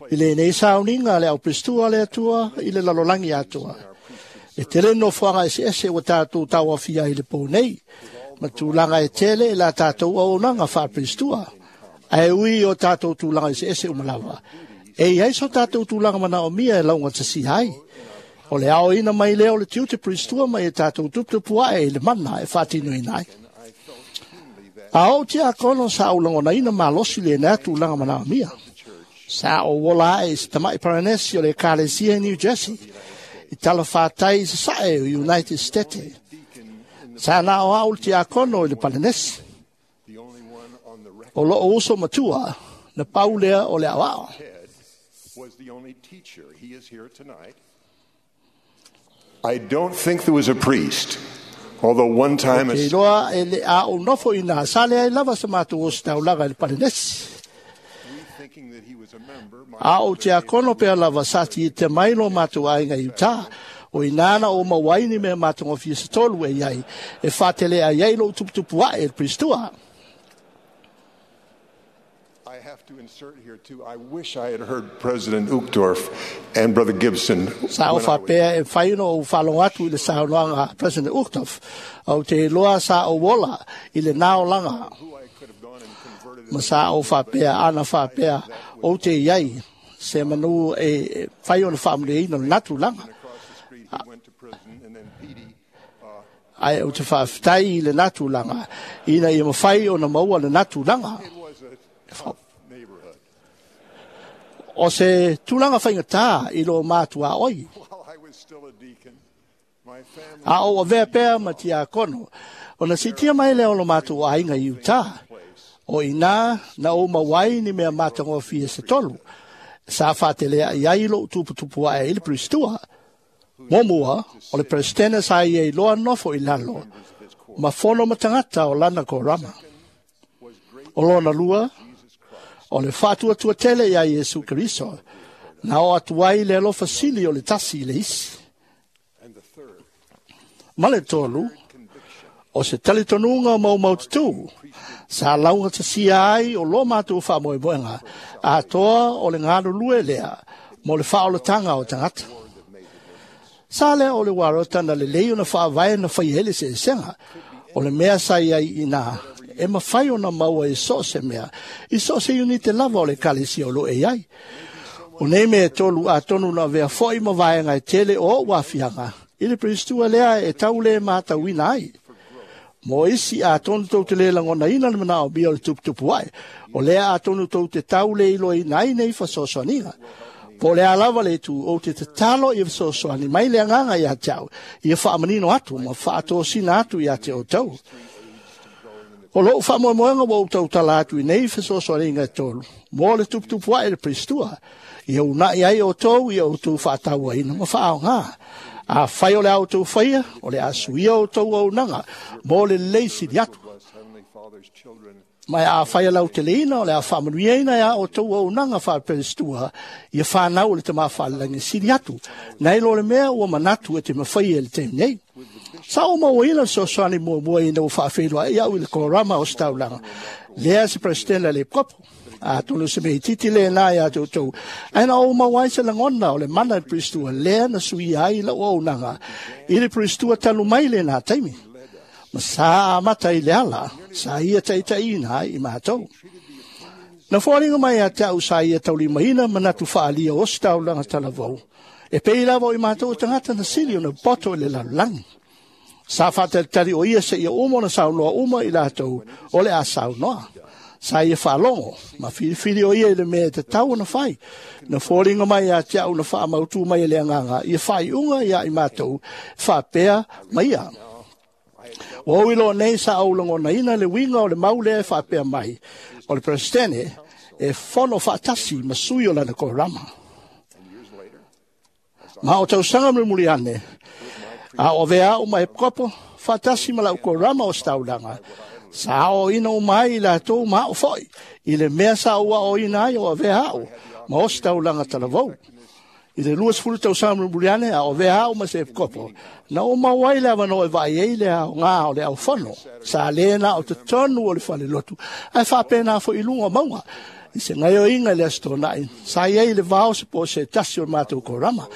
i le nei sauninga le au pristua le atua, i le lalolangi atua. E tele no fuanga ese ese wa tātou tauawhia i le pō nei, ma tūlanga e tele e la tātou au nanga wha pristua. Ai ui o tātou tūlanga ese ese umalawa. E iai so tātou tūlanga mana o mia e launga te si hai. O le ao ina mai leo le tiu te pristua mai e tātou tuputupu ae i le mana e whātino ina ai. A o te akono sa au langona ina malosi le nā tūlanga mana o mia. Sa o wola e se tamai Paranesi o le Kalesia i New Jersey. I tala whātai se sae o United States. Sa nā o au te akono i le Paranesi. O lo o uso matua, na paulea o le awao. Ted was the only teacher. He is here tonight. I don't think there was a priest, although one time a Te iloa e le a o nofo i nā sale ai lava sa mātou o se taulaga i le Paranesi. thinking that he was a member, my A o te akono pea lava sa ti i te mailo mātou ainga i utā. O i nāna o mawaini me mātou ngofia se tolu e iai. E whātele ai ai lo tuputupu ae e le pristua. I have to insert here too. I wish I had heard President Uchtdorf and Brother Gibson. Sa o when I was whapea e whaino o whalonga atu i le saunoanga President Uchtdorf. Au te loa sa o wola i le nāolanga. Ma sa o whapea, ana whapea o te iai. Se manu e whai o le whaamule ina le natu langa. He went to prison, and then Petey Ai o te whaaftai i le natu langa. Ina i mawhai o na maua le natu langa. It was a tough neighborhood. O se tūlanga whaingatā i lo mātua oi. While I was still a deacon, my family A o avea pea ma tia kono. O na sitia mai leo lo mātua ainga i utā. O ina na o mawai ni mea mātango fia se tolu. Sa whātelea i ai lo tuputupu ae i le pristua. Momua, o le presidente sa i e loa nofo i lalo. Ma fono matangata o lana ko rama. O lona lua, o le whātua tele ia Iesu Keriso. Na o atu ai le alofa sili o le tasi i le isi. Ma le tolu, o se talitonuga o maumaututu, sa lauga tasia ai o lo mātou whaamoemoenga, atoa o le ngalulue lea, mo le whaolatanga o tangata. Sa lea o le warota na le lei o na whaavae na whaihele se esenga, o le mea sa iai ina, e mawhai o na maua i so se mea, i so se unite lava o le kalesia o lo e ai. O nei mea e tolu atonu na avea fo'i ma vaega e tele o o'u aafiaga i le Peristua lea e tau lē matauina ai. Mo isi atonu tou te lē lagonaina le manaomia o le tuputupu ae, o lea atonu tou te tau le iloaina ai nei fesoasoaniga. Po o le a lava le itu, ou te tatalo ia fesoasoani mai le agaga iā te au, ia faamanino atu ma faatosina atu iā te outou. O lou faamoemoega ua ou tautala atu i nei fesoasoaniga e tolu, mo le tuputupu ae le Peristua, ia una'i ai outou ia outou faatauaina ma faaaogā. Afai o le a outou faia, o le a suia outou auaunaga mo le lelei sili atu. Ma e afai a lauteleina, o le a faamanuiaina e a outou auaunaga faa-Peristua, ia fanau o le Tamā Faalelagi sili atu, nai lo le mea ua manatu e te mafaia i le taimi nei. Sa ou mauaina le fesoasoani muamua ina ua faafeiloai au i le korama o se taulaga, lea se Peresetene a le Epikopo. Atonu se mea itiiti lena iā te outou, ae na ou maua ai se lagona o le mana i le Peristua lea na suia ai lau auaunaga i le Peristua talu mai lena taimi. Ma sa amata i le ala, sa ia taitaiina ai i matou. Na foliga mai ia te au sa ia taulimaina manatu faaalia o se taulaga talavou, e pei lava o i matou o tagata na sili ona poto i le lalolagi. Sa faatalitali o ia seia uma ona saunoa uma i latou o le a saunoa. Sa ia faalogo, ma filifili o ia i le mea e tatau ona fai. Na foliga mai ia te au na faamautu mai e le agaga, ia faaiuga ia i matou, faapea ma ia. Ua ou iloa nei sa ou lagonaina le uiga o le mau lea e faapea mai, o le Peresetene e fono faatasi ma sui o lana korama. Ma o tausaga mulimuli ane, a o avea au ma epikopo, faatasi ma lau korama o se taulaga, sa aoaoina uma ai i latou ma a'u fo'i, i le mea sa ou aoaoina ai o avea a'u ma o se taulaga talavou. I le luasefulu tausaga mulimuli ane, a o avea a'u ma se epikopo, na ou maua ai le avanoa e vaai ai le aogā o le aufono, sa lē na o totonu o le falelotu, ae faapena fo'i i luga o mauga. I se gaoioiga i le Aso Toonai, sa i ai i le vao se po o se tasi o le matou korama.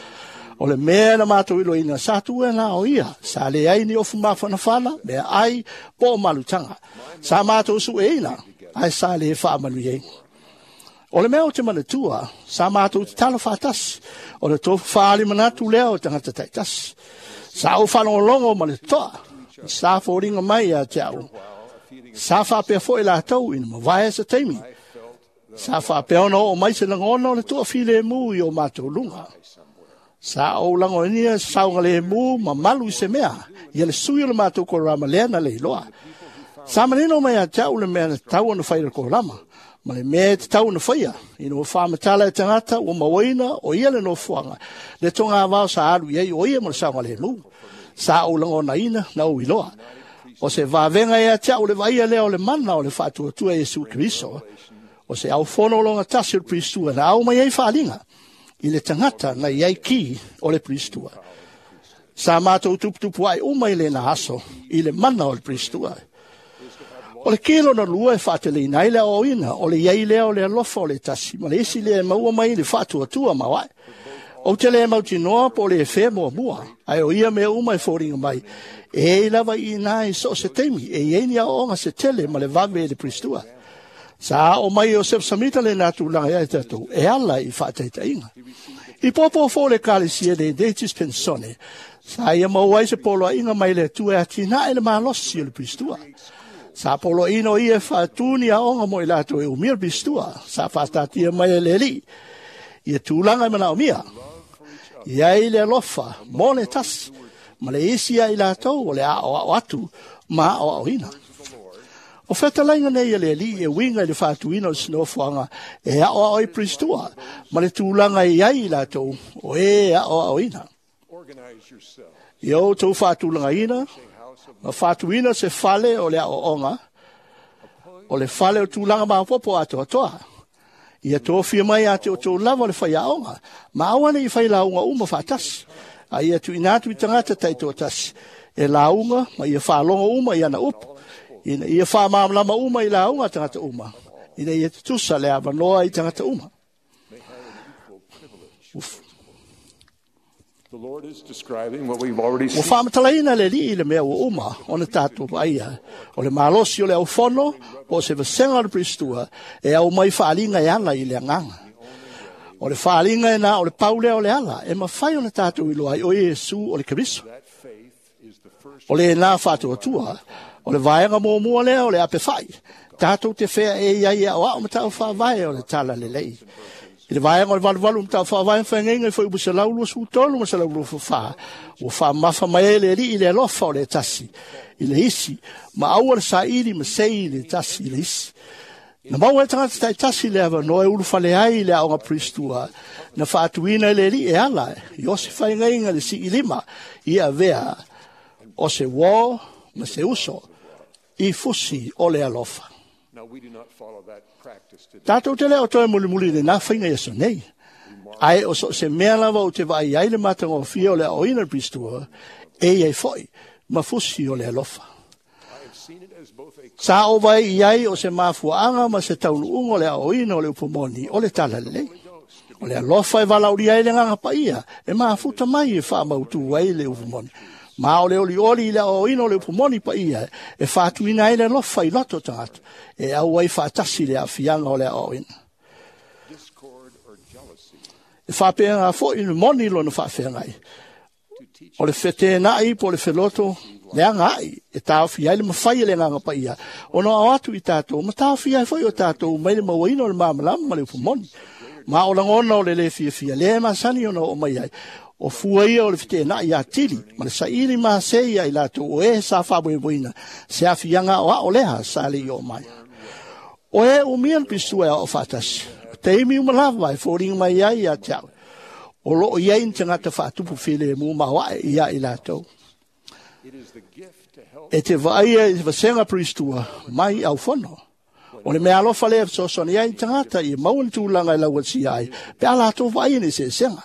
O le mea na matou iloaina, sa tuu e na o ia, sa leai ni ofu mafanafana, mea ai, po o malutaga. Sa matou sueina, ae sa lē faamanuiaina. O le mea o te manatua, sa matou tatalo faatasi, o le tofu faali manatu lea o tagata taitasi. Sa ou faalogologo ma le totoa, sa foliga mai ia te au. Sa faapea fo'i latou ina mavae se taimi. Sa faapea ona oo mai se lagona o le toafilemu i o matou luga. Sa ou lagonia saogalemu ma malu i se mea, ia le sui o le matou korama lea na le iloa. Sa manino mai ia te au le mea na tatau ona fai i le korama, ma le mea e tatau ona faia, ina ua faamatala e tagata ua mauaina o ia le nofoaga, le togavao sa alu i ai o ia ma le saogalemu. Sa ou lagonaina na ou iloa. O se vavega ia te au le vaaia lea o le mana o le faatuatua Iesu Keriso, o se aufono o loga tasi o le Peristua na au mai ai faaliga i le tagata na i ai ki o le Peristua. Sa matou tuputupu ai uma i lena aso i le mana o le Peristua. O le ki lona lua e faateleina ai le aoaoina, o le iai lea o le alofa o le tasi, ma le isi lea e maua mai i le faatuatua maoae. Ou te le mautinoa po o le fea muamua, ae o ia mea uma e foliga mai, e ei lava i ina i so o se taimi, e i ai ni aoaoga se tele ma le vave i le Peristua. Sa ao mai o Joseph Samita le nā tūlanga ia e tatou, e ala i faataitaiga. I pōpō fō le ekalesia le Datis Pensone, sa ia maua ai se poloaiga mai le Atua e atinae le malosi o le Peristua. Sa poloaiina o ia e faatū ni aoga mo i latou e umia le Peristua, sa faatatia mai e le Alii ia tulaga e manaomia. I ai le alofa mo le tasi, ma le isi ia i latou o le aoao atu ma aoaoina. O fetalaiga nei a le Alii e uiga i le faatuina o le sinofoaga e aoao ai Peristua, ma le tulaga e i ai i latou o e aoaoina. Ia outou faatulagaina ma faatuina se fale o le aoaoga, o le fale o tulaga maopoopo atoatoa. Ia tofia mai ia te outou lava o le faiaoga, ma aua ne i fai lauga uma faatasi, a ia tuuina atu i tagata taitoatasi e lauga ma ia faalogo uma i ana upu, ina ia faamalamalama uma i lauga a tagata uma, ina ia tutusa le avanoa i tagata uma. Uf. The Lord is describing what we've already Ua seen. faamatalaina le Alii i le mea ua uma ona tatou vaaia, o le malosi o le aufono po o se vasega o le Peristua e au mai faaliga e ala i le agaga. O le faaaliga e na o le pau lea o le ala e mafai ona tatou iloa ai o Iesu o le Keriso. O lenā faatuatua, o le vaega muamua lea o le apefai, tatou te fea e iai e aoao ma tau faavae o le tala lelei. I le vaega o le valuvalu ma tau faavae whaingeinga i fuaiupu selau luasefulu tolu ma selau luasefulu fa, ua faamafa mai ai le Alii i le alofa o le tasi i le isi, ma aua le saili ma sei i le tasi i le isi. Na maua e tagata taitasi le avanoa e ulufale ai i le aoga Pristua, na faatuina e le Alii e ala i o se whaingeinga le sii lima i avea o se uo ma se uso i fusi o le alofa. Tātou te leo toe mulimuli le nā whainga i aso nei. Ae o so se mea lava o te vaai ai le matagofie o le aoina le Pristua, e iai foi ma fusi o le alofa. Sa o vai i ai o se mafuaanga ma se taunuunga o le aoina o le upomoni o le tala lelei. O le alofa e valauli ai le nganga paia, e mafuta mai e whaamautu ai le upomoni. Ma o le oli oli i le aoina o le upomoni paia, e whaatuina ai le alofa i loto tangata, e au ai whaatasi le afianga o le aoina. E whaapenga fo i le moni lona whaafengai. O le whetenai po le wheloto, le anga ai, e tāwhi ai le mawhai le nganga paia. O no au atu i tātou, ma tāwhi ai foi o tātou, mai le mauaina o le māmalama ma le upomoni. Ma o langona o le le fia fia, le masani ona o mai ai. O fua ia o le whetenai ia tili, ma le saili ma se ia i lātou, o e sa whaweweina, se afianga o a o leha sa le i o mai. O e umia le pisua e o whaatasi, te imi umalava e fōringa mai ai ia te au. O loo iai ni tangata whaatupu while mu mawae ia i lātou. E te vaia i vasenga pristua mai au fono. O le mea alofa lea fesoasoani ai tangata i maua ni tulaga e lauatia ai, pe a latou vaai ni eseesega.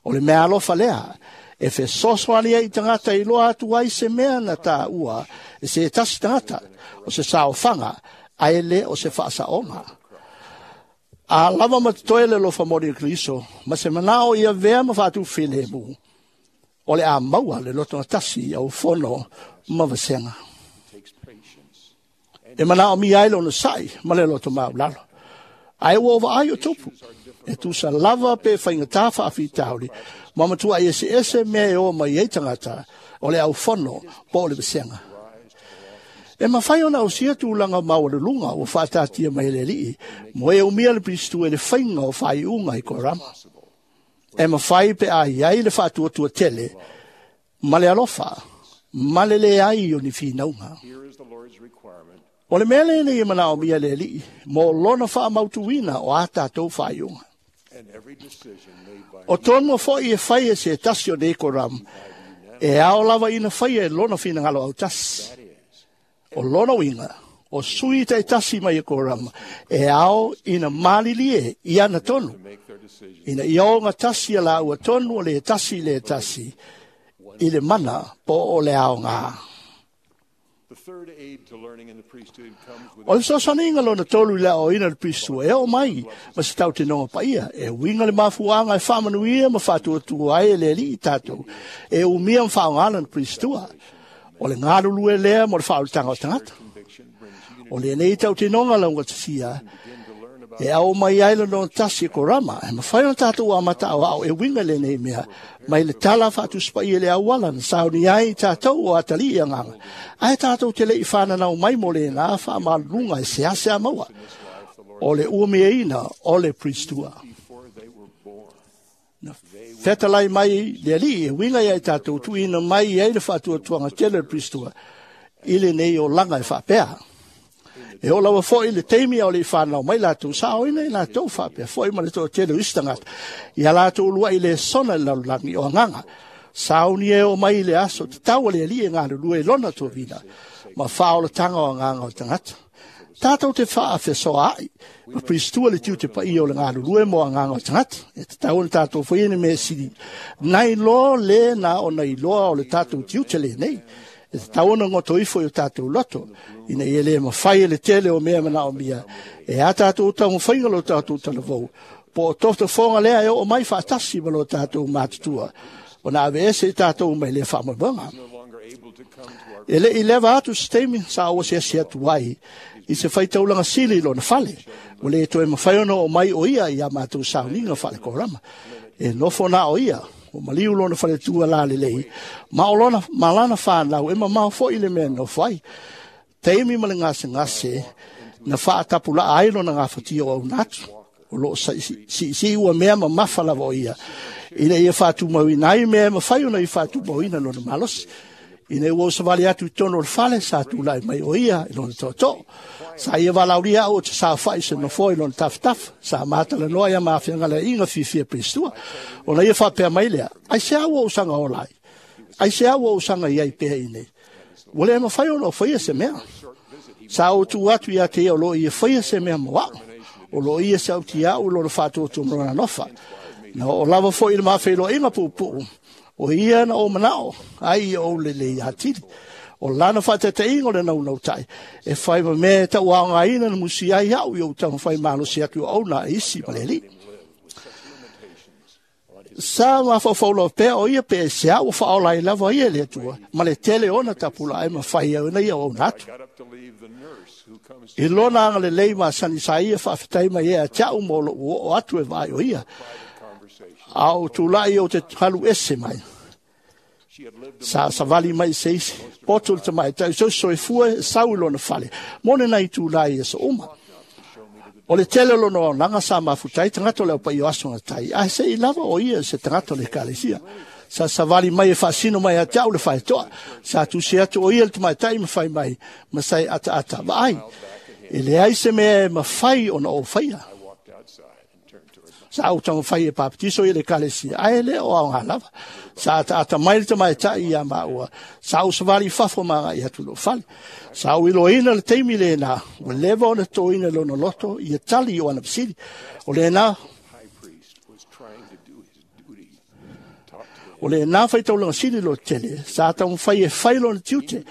O le mea alofa lea e fesoasoani ai tangata i loa atu ai se mea na tāua e se tasi tangata o se saofaga ae le o se faasaoga. A lava ma totoe le alofa moni o Keriso, ma se manao ia vea ma faatufilemu, o le a maua le loto tasi au fono ma vasega. E manao mi ai lona sai ma le loto maulalo. Ae ua ova ai o tupu. E tusa lava pe whaingatā whaafitauri, ma matua i ese ese mea e o mai ei tangata, o le au fono po o le vasega. E mawhai ona o sia tūlanga maua le lunga o whaatatia mai le lii, mo e umia le Pristu e le whainga o whaiunga i korama. E mawhai pe a iai le whaatuatua tele, ma le alofa, ma le le ai o ni whinaunga. O le mea lenei e manao mia le lii, mo lona whaamautuina o a tātou whaiunga. O tonu foi e whai e se tasi o nei koram, e ao lava ina whai e lona whinangalo au tasi. O lona winga, o sui te tasi mai e korama, e ao ina malili e, i ana tonu. Ina i o ngā tasi a la ua tonu o le tasi le tasi, i le mana po o le ao ngā. O le sosaninga lona tolu i le o ina le Pristua, e o mai, ma se tau te nonga paia, e winga le mafuanga e whaamanuia ma whaatuatua ai e le li i tātou, e umia ma whaongana le Pristua. O le ngalulu e lea mo le whaolitanga o tangata. O le nei tau te nonga launga tasia, e au mai ai le nonga tasi e korama, e mawhai o tātou a mata au au e winga le nei mea, mai le tala whaatuspai e le awala na sauni ai tātou o atali i anganga. Ai tātou te le i whananau mai mo le nā whaamalunga e sease a maua. O le uameina o le Pristua. Na whetalai mai le ali e winga ia i tātou tuina mai i ai le whaatuatuanga tele le Pristua i le nei o langa e whaapea. E o lawa foi le teimi o le whanau mai lātou sa o ina i lātou whaapea foi ma le toa tele o istangata. I a lātou lua i le sona le lalulangi o anganga. Sauni e o mai le aso te tau le ali e ngā lua e lona tōvina ma whaolatanga o anganga o tangata. Tātou te whaafesoa ai, ma Pristua le tiu te pai o le ngā lulue mo anganga o tangata. E te tau na tātou whaine me siri. Nai loa le nā o nai loa o le tātou tiu te le nei. E te tau na ngoto ifo i o tātou loto. Ina i ele mawhai e le tele o mea mana o mia. E a tātou tau mwhainga lo tātou talavou. Po o tofta whonga lea e o mai whaatasi ma lo tātou mātutua. O nā ave ese i tātou mai le whaamamanga. E le i leva atu se taimi sa ou asiasi atu ai i se faitaulaga sili i lona fale. Ua le toe mafai ona oo mai o ia ia matou sauniga faalekorama. E nofo na o ia, o maliu lona faletua lalelei, ma o lona, ma lana whanau e mamao foi le mea nofo ai. Taimi ma le gasegase na faatapulaa ai lona gafatia o auna atu. O loo siisii ua mea mamafa lava o ia. Ina ia faatumauina ai mea e mafai ona ia faatumauina lona malosi. Ina ua usavali atu i tonu o le fale, sa tulai mai o ia i lona tootoo. Sa ia valaulia au o te saofai se nofoa i lona tafatafa. Sa matalanoa ia mafiagalaiga fiafia Peristua. Ona ia faapea mai lea, ai se au o usaga ola ai. Ai se au o usaga iai pea i nei. Ua le mafai ona o faia se mea. Sa ou tuu atu ia te ia o loo ia faia se mea mo au. O loo ia se au ti au lona faatuatua ma lona alofa. Na o lava foi i le mafeiloaiga puupuu. O ia na o manao, ai ia ou lelei atili. O lana faataitaiga o le naunautai, e fai ma mea e tauaogaina na musi ai au i ou taumafai malosi atu o auna e isi ma le Alii. Sa mafaufau lava pea o ia pe e se au faaola ai lava ia le Atua, ma le tele ona tapulaa e mafai ai ona ia auauna atu. I lona agalelei masani sa ia faafetai mai ai ia te au mo lou oo atu e vaai o ia. A o tulai o te halu ese mai. Sa savali mai se isi. Poto le tamaitai so soifua e sau i lona fale. Mone nai tulai e so uma. O le tele o lona auaunaga sa mafuta ai tagata o le aupaia o aso gatai. Ae se'i lava o ia se tagata o le ekalesia. Sa savali mai e faasino mai ia te au le faetoa. Sa tusi atu o ia le tamaitai ma fai mai ma sa e ataata vaai. E leai se mea e mafai ona ou faia. Sa ou taumafai e papatiso ia le ekalesia, ae le o aoga lava. Sa ataata mai le tamaitai ia maua. Sa ou savali i fafo ma agai atu i lou fale. Sa ou iloaina le taimi lena, ua leva ona toina lona loto ia tali i o ana fesili. O lena, o lena faitaulaga sili lo tele, sa taumafai e fai lona tiute,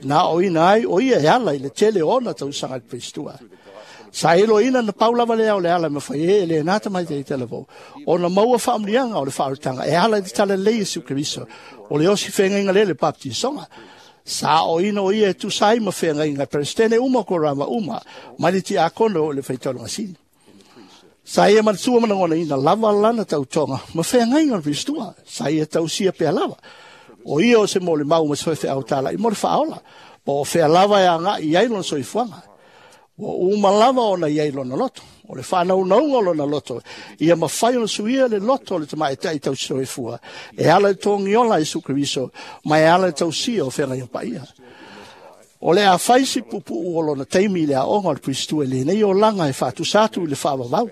na aoina ai o ia e ala i le tele o ona tausaga i le Peristua. Sa iloaina na pau lava lea o le ala e mafai ai e lena tamaitai i talavou, ona maua faamuliaga o le faaolataga e ala i le talalelei Iesu Keriso, o le osi feagaiga lea le baptisoga. Sa aoina o ia e tusa ai ma feagaiga e Peresetene uma korama uma, mai le tiakono o le faitaulaga sili. Sa ia manatua ma lagonaina lava lana tautoga ma feagaiga o le Peristua. Sa ia tausia pea lava. O ia o se molimau ma se faifeau talai mo le faaola, po o fea lava e agai i ai lona soifuaga. Ua uma lava ona iai lona loto. O le whānaunauga o lona loto. Ia mafai ona suia le loto o le tamaitai tausisoifua. E ala i togiola Iesu Keriso, ma e ala i tausia o feagaiga paia. O le afai si puupuu o lona taimi i le aoga o le Peristua i lenei olaga e faatusa atu i le faavavau.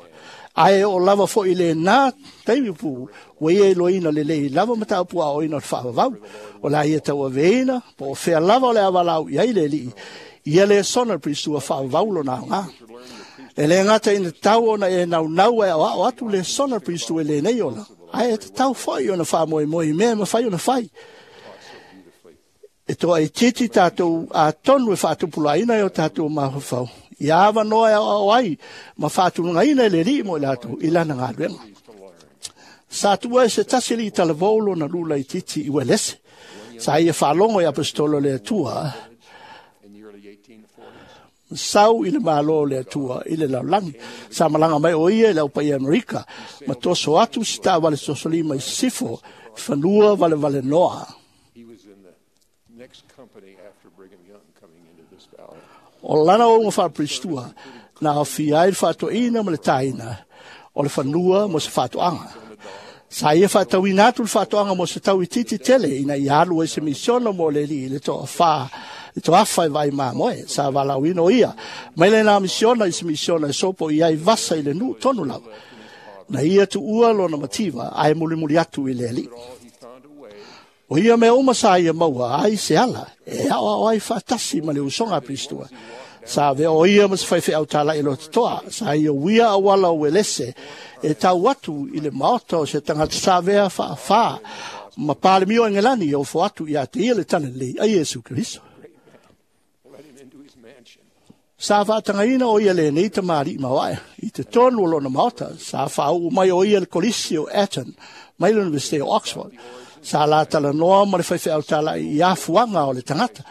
Ae o lava foi i lena taimi pupuu, ua ia iloaina lelei lava mataupu aoaoina o le faavavau. O le a ia tauaveina, po o fea lava o le a valaau i ai le Alii, ia le sona le Peristua faavavau lona aoga. E le gata ina tatau ona e naunau e aoao atu le sona le Peristua i lenei ola, ae e tatau foi ona faamoemoe i mea e mafai ona fai. E toa itiiti tatou atonu e faatupulaina e o tatou mafaufau. Ia avanoa e aoao ai ma faatulagaina e le Alii mo i latou i lana galuega. Sa tuua e se tasi alii talavou lona lula itiiti i Uelese. Sa ia faalogo i apostolo o le Atua, sau i le malo o le Atua i le lalolagi. Sa malaga mai o ia i le aupaia Amerika, ma toso atu si taavale sosolima i sisifo, fanua valevalenoa. O lana ouga faaperistua, na aofia ai le faatoeaina ma le taina o le fanua mo se faatoaga. Sa ia faatauina atu le faatoaga mo se tau itiiti tele ina ia alu ai se misiona mo le Alii i le toafa, le toafa e vaai mamoe. Sa valaauina o ia mai lena misiona i se misiona e sopo i ai vasa i le nuu tonu lava. Na ia tuua lona mativa ae mulimuli atu i le Alii. O ia mea uma sa ia maua ai se ala e aoao ai faatasi ma le usoga a Peristua. Sa avea o ia ma se faifeau talai lototoa. Sa ia uia auala o Uelese e tau atu i le maota o se tagata sa avea faafā ma Palemia o Engelani e ofo atu ia te ia le talalelei a Iesu Keriso. Sa faatagaina o ia lenei tamalii maoae i te tonu o lona maota. Sa faauu mai o ia le kolisi o Eton mai le Universite o Oxford. Sa la talanoa ma le faifeau tala'i i afuaga o le tagata,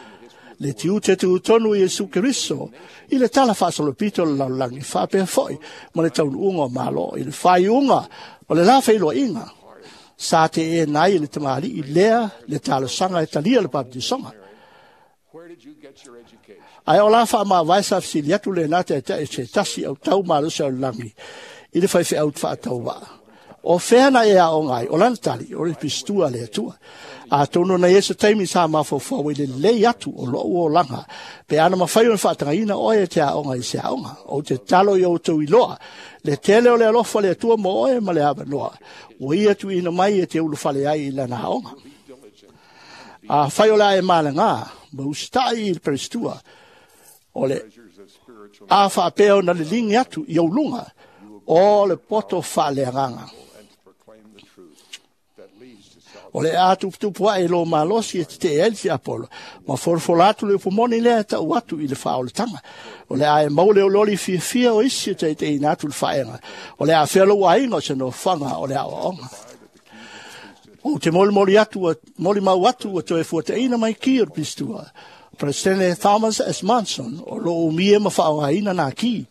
le tiute tutonu i Iesu Keriso, i le tala faasolopito o le lalolagi faapea fo'i ma le taunuuga o Malo i le faaiuga o le la feiloaiga. Sa teena ai e le tamalii lea le talosaga e talia le papatisoga. Ae o la faamavae sa fesili atu lenā taetae se tasi autau malosi o le lagi i le faifeau faatauvaa. O fea na e aoga ai, o lana tali, o le pistua le Atua. Atonu na i se taimi sa mafaufau i le lelei atu o lou olaga, pe ana mafai ona faatagaina oe e te aoga i se aoga. Ou te talo i outou iloa, le tele o le alofa le Atua mo oe ma le avanoa, ua ia tuuina mai e te ulufale ai i lana aoga. A fai o le a e malaga, ma usitai i le peristua, o le a faapea ona liligi atu i ou luga, o le poto faaleagaga. O le a tuputupu ae lo malosi e tetee ai le tiapolo, ma folafola atu le upumoni lea e tau atu i le faaolataga. O le a e maua le olioli fiafia o isi e taitaiina atu le faega. O le a afea lou aiga o se nofoaga o le aoaoga. Ou te molimoli atu, molimau atu ua toe fuataina mai ki o le pistua. Presidente Thomas S. Monson o loo umia ma faaaogaina nā ki.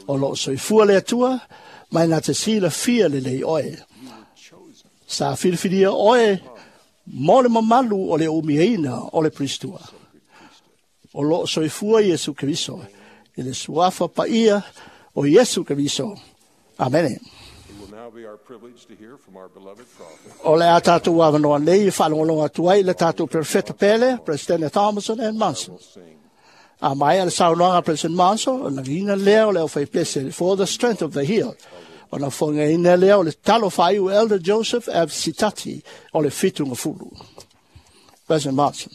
O loo soifua le Atua, mai na te silafia lelei oe. Sa filifilia oe mo le mamalu o le umiaina o le Pristua. O loo soifua Iesu Keriso, i le suafa paia o Iesu Keriso. Amene. O le a tātou avanoa nei e faalogologo atu ai le tātou Perfeta Pele, President Thomason and Monson. A mai a le saunoaga President Monson, o lagiina lea o le aufaipese For the Strength of the Heel. O na fogaina lea o le talo faaiu Elder Joseph F. Sitati o le Fitugafulu. President Monson.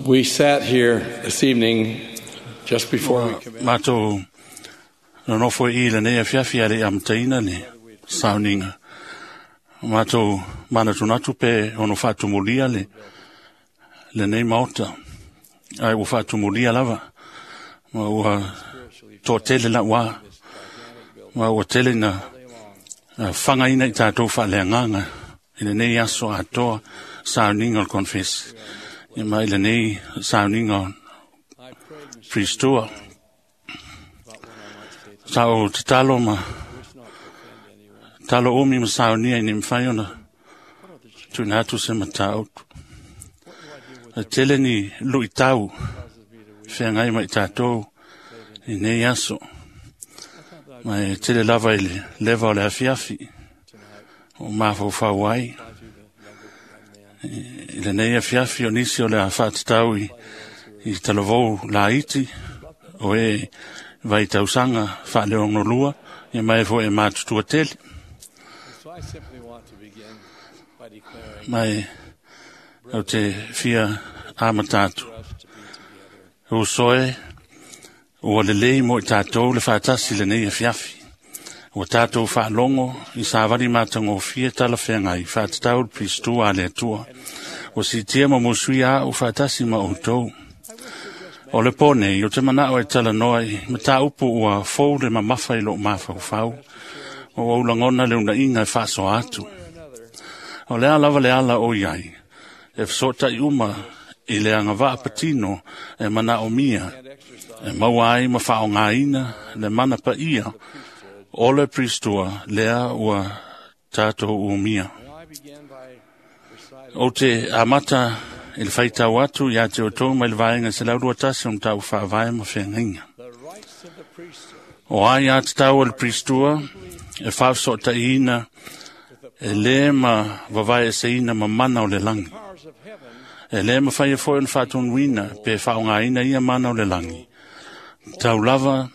We sat here this evening just before we commenced. Mātou nonofo i lenei afiafi a le amataina le sauniga. Mātou manatunatu pe ono faatumulia le lenei maota. Ai ua faatumulia lava. Ma ua toatele lauā. Ma ua tele na fagaina i tātou faaleagaga i lenei aso atoa sauniga o le confess. Ia mai lenei sauniga o Pristua. Sa o tatalo ma talo umi ma saunia i ni mawhai ona tuina atu se matautu. A tele ni lui tau whengai mai tātou i nei aso. Mai tele lava i le leva o le afiafi o mafaufau ai. I lenei afiafi o nisi o le a whaatatau i, i talavou laiti o e vai tausaga faaleogonolua ia mai foi e matutua tele. Mai au te fia amata atu. O soe ua lelei mo i tātou le faatasi lenei afiafi. Ua tātou faalogo i savali matagofie talafeagai faatatau le Piristua a le Atua. Ua siitia ma musuia a'u faatasi ma outou. O le po nei, o te manao e talanoa i mataupu ua fou le mamafa i lou mafaufau. O ua ulagona le unaiga e faasoa atu. O le a lava le ala o iai, e fesoʻotaʻi uma i le agavaa patino e manaomia, e maua ai ma faaaogaina le mana paia o le Pristua lea ua tātou umia. Ou te amata i le faitau atu ia te outou mai le vaega se laulua tasi o matau faavae ma feagaiga. O ai a tatau o le Pristua e faafesootaiina e lē ma vavaeeseina ma mana o le lagi. E lē mafai e foi ona faatonuina pe faaaogaina ia mana o le lagi. Tau lava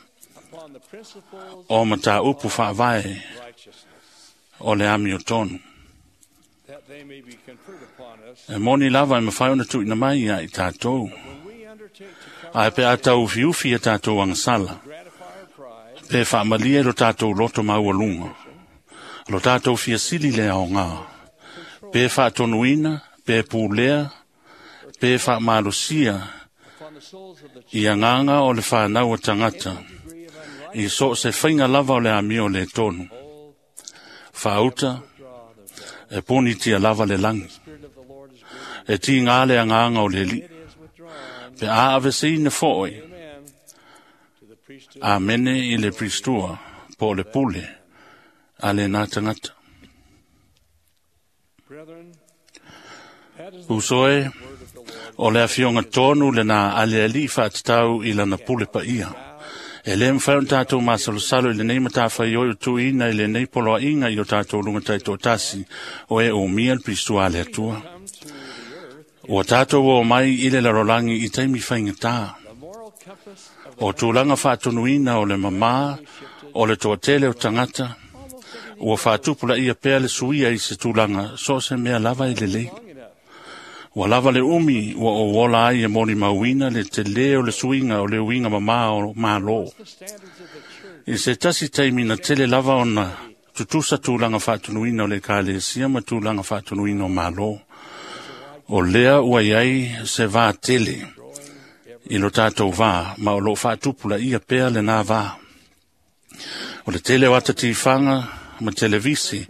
o mataupu faavae o le amiotonu. E moni lava e mafai ona tuuina mai ia i tātou. Ae pe a tau ufiufi ia tātou agasala, pe faamalie lo tātou loto maualuga, lo tātou fiasili le aogā, Pe faatonuina, pe pulea, pe faamalosia i agaga o le fanau o tagata, i so o se faiga lava o le amio le tonu. Faauta, e punitia lava le lagi. E tiga le agaga o le Alii. Pe a aveseina foʻi, amene i le pristua po o le pule a lenā tagata. Uso e, o le afioga tonu lenā a le Alii faatatau i lana pule paia. E lē mafai ona tatou masalosalo i lenei matafaioi o tuuina i lenei poloaiga i o tatou luga taitoatasi o e umia le pristua a le Atua. Ua tatou o mai i le lalolagi i taimi faigatā. O tulaga faatonuina o le mamā o le toatele o tagata, ua faatupulaia pea le suia i se tulaga so o se mea lava e lelei. Ua lava le umi ua ou ola ai e molimauina le telē o le suiga o le uiga mamā o Malo. I se tasi taimi na tele lava ona tutusa tulaga faatonuina o le Ekalesia ma tulaga faatonuina o Malo. O lea ua iai se vā tele i lo tatou vā, ma o loo faatupulaia pea lenā vā. O le tele o ata tifaga ma televisi,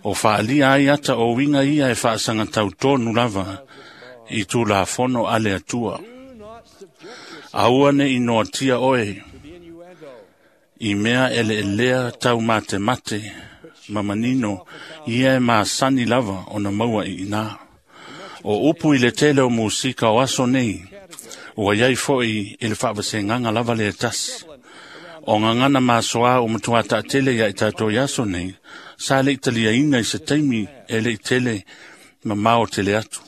o faalia ai ata o uiga ia e faasagatau tonu lava i tulafono a le Atua. Aua ne i noatia oe i mea eleelea taumatemate ma manino ia e masani lava ona maua i inā. O upu i le tele o musika o aso nei, ua iai foʻi i le faavasegaga lava le tasi. O gagana masoa o matuā taatele ia i tatou i aso nei, sa leʻi taliaina i se taimi e leʻi tele mamao tele atu.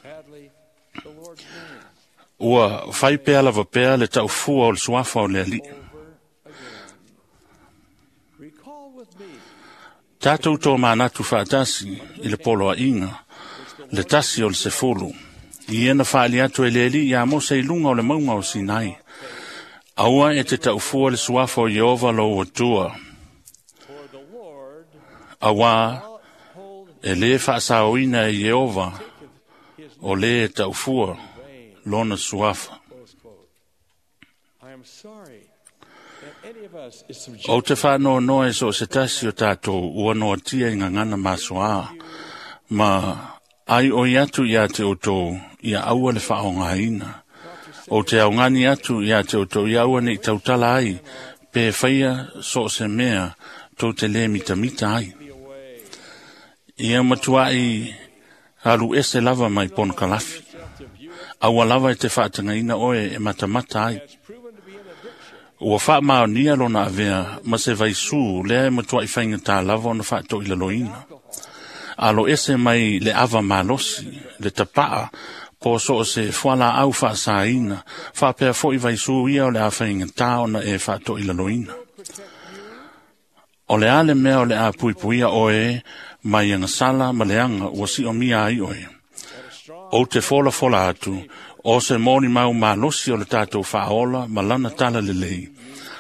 Ua fai pea lava pea le taufua o le suafa o le Alii. Tatou tōmanatu faatasi i le poloaiga, le tasi o le sefulu, ia na faali atu e le Alii iā Mose i luga o le mauga o Sinai. Aua e te taufua le suafa o Ieova lou Atua. Auā e lē faasaoina e Ieova o lē e taufua lona suafa. Ou te faanoanoa e so o se tasi o tatou ua noatia i gagana masoā, ma ai oi atu iā te outou ia aua le faaogaina. O te augani atu iā te outou ia aua nei tautala ai, pe faia so o se mea tou te lē mitamita ai. Ia matuai alu ese lava mai ponokalafi. Aua lava e te faatagaina oe e matamata ai. Ua faamaonia lona avea ma se vaisū lea e matuai faigatā lava ona faatoilaloina. Alo ese mai le ava malosi, le tapaa, po so o se fualaau faasaina, faapea foʻi vaisū ia o le a faigatā ona e faatoilaloina. O le a le mea o le a puipuia oe mai agasala ma leaga ua siomia ai oe. Ou te folafola atu, o se molimau malosi o le tatou faaola ma lana tala lelei,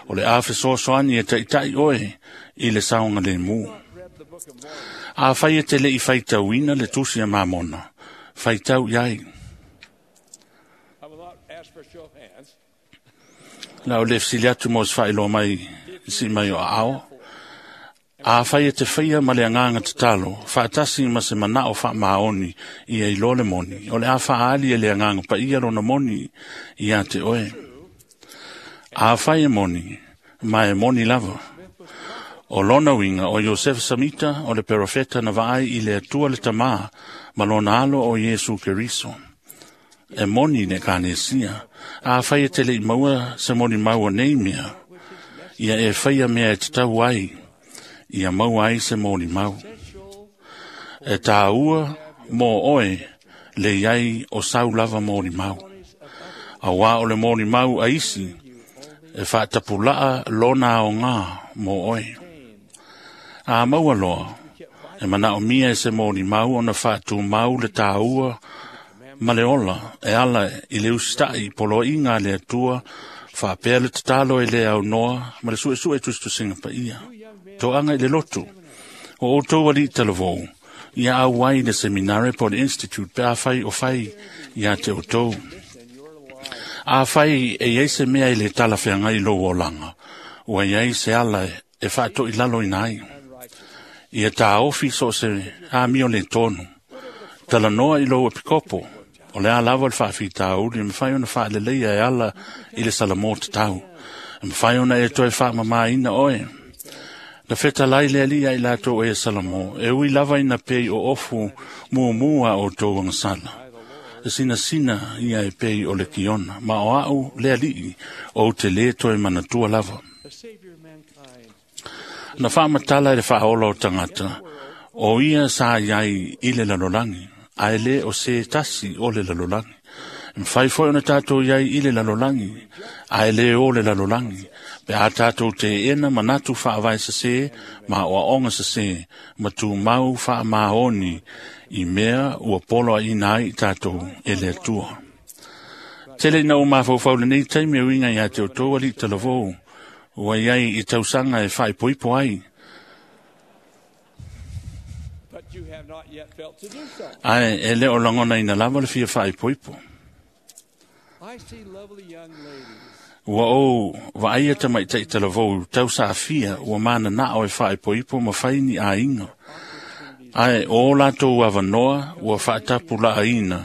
o le a fesoasoani e taʻitaʻi oe i le saogalēmū. Afai e te leʻi faitauina le tusi a Mamona, faitau i ai. La o le fesili atu mo se faailoa mai si mai o aao. Afai e te faia ma le agaga tatalo, faatasi ma se manao faamaoni ia iloa le moni, o le a faaali e le agaga paia lona moni iā te oe. Afai e moni, ma e moni lava. O lona uiga o Iosefa Samita o le perofeta na vaai i le Atua le Tamā ma lona alo o Iesu Keriso. E moni le Ekalesia, afai e te leʻi maua se molimau o nei mea, ia e faia mea e tatau ai, ia maua ai se molimau. E tāua mō oe le iai o sau lava molimau. Auā o le molimau a isi, e faatapulaa lona aogā mō oe. A maua loa, e manaomia e se molimau ona faatumau le tāua ma le ola e ala i le usitaʻi poloaiga a le Atua, faapea le tatalo e le aunoa ma le suesue tusitusiga paia. Toaga i le lotu, o outou alii talavou, Ia auai le seminare po le institute pe afai o fai ia te outou. Afai e iai se mea i le talafeagai i lou olaga, ua iai se ala e faatoʻilaloina ai. Ia taofi so o se amio le tonu. Talanoa i lou epikopo, o le a lava le faafitauli e mafai ona faaleleia e ala i le salamo tatau. E mafai ona e toe faamamāina oe. Na fetalai le alii ai latou e Salamo, e ui lava ina pei o ofu mumu a outou agasala. E sinasina ia e pei o le kiona, ma o au le alii ou te lē toe manatua lava. Na faamatala i le faaola o tagata, o ia sa iai i le lalolagi, ae lē o se tasi o le lalolagi. E mafai foi ona tatou iai i le lalolagi, ae lē o le lalolagi, pe a tatou teena manatu faavae sesē ma oaoga sesē ma tumau faamaoni i mea ua poloaiina ai i tatou e le Atua. Tele ina ou mafaufau lenei taimi e uiga iā te outou alii talavou, ua iai i tausaga e faaipoipo ai. Ae e le o lagonaina lava le fia faaipoipo. Ua ou vaaia tamaitaʻi talavou tausaafia ua mananaʻo e faaipoipo ma fai ni aiga. Ae o latou avanoa ua faatapulaaina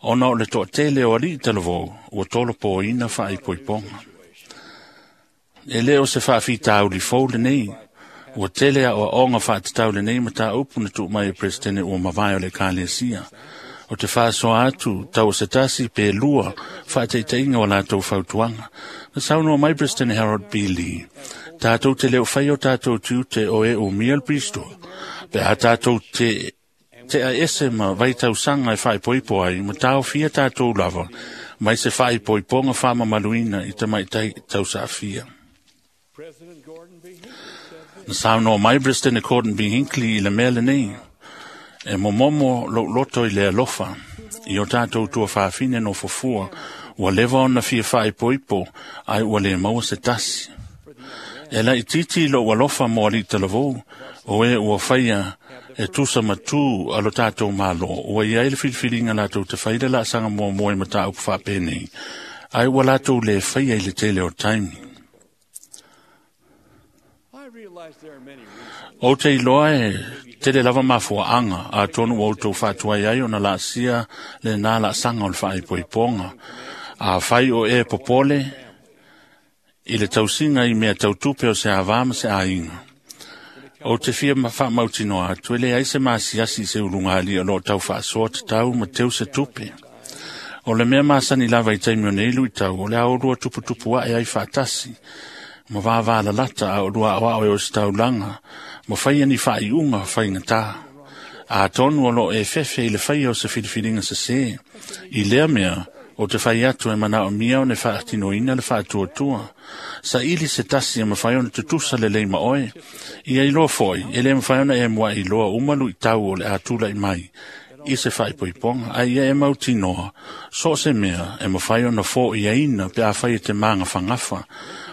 ona o le toatele o alii talavou ua tolopoina faaipoipoga. E lē o se faafitauli fou lenei, ua tele aʻoaʻoga faatatau lenei mataupu na tuu mai e Peresetene ua mavae o le Ekalesia. O te faasoa atu tau o se tasi pe lua faataitaiga o latou fautuaga. Na saunoa mai Peresetene Harold B. Lee, tatou te leo fai o tatou tiute o e umia le Bristol, pe a tatou te tea ese ma vaitausaga e faaipoipo ai, ma taofia tatou lava, mai se faaipoipoga faamamaluina i tamaitai tausaafia. Na saunoa mai Peresetene Gordon B. Hinckley i le mea lenei, e momomo lou loto i le alofa, i o tatou tuafafine no fofua, ua leva ona fia faaipoipo, ai ua le maua se tasi. E laititi lou alofa mo alii talavou, o e ua faia e tusa matū a lo tatou malo, ua iai le filifiliga latou te fai le laasaga muamua i mataupu faapenei, ai ua latou lē faia i le tele o taimi. Ou te iloa e tele lava mafuaaga atonu ua outou faatuai ai ona laasia lenā laasaga o le faaipoipoga. Afai o e popole i le tausiga i mea tautupe o se avā ma se aiga. Ou te fia faamautinoa atu e leai se masiasi i se ulugalii o loo tau faasoa tatau ma teu se tupe. O le mea masani lava i taimi o nei luitau, o le aolua tuputupu ae ai faatasi, ma vāvālalata a o lua aoao e o se taulaga, ma faia ni faaiuga faigatā. Atonu o loo e fefe i le faia o se filifiliga sesē. I lea mea, o te fai atu e manaomia ona faatinoina le faatuatua. Saili se tasi e mafai ona tutusa lelei ma oe. Ia iloa foi, e lē mafai ona e muaʻi iloa uma luitau o le a tulaʻi mai i se faaipoipoga, ae ia e mautinoa, so o se mea e mafai ona foʻiaina pe afai e te magafagafa,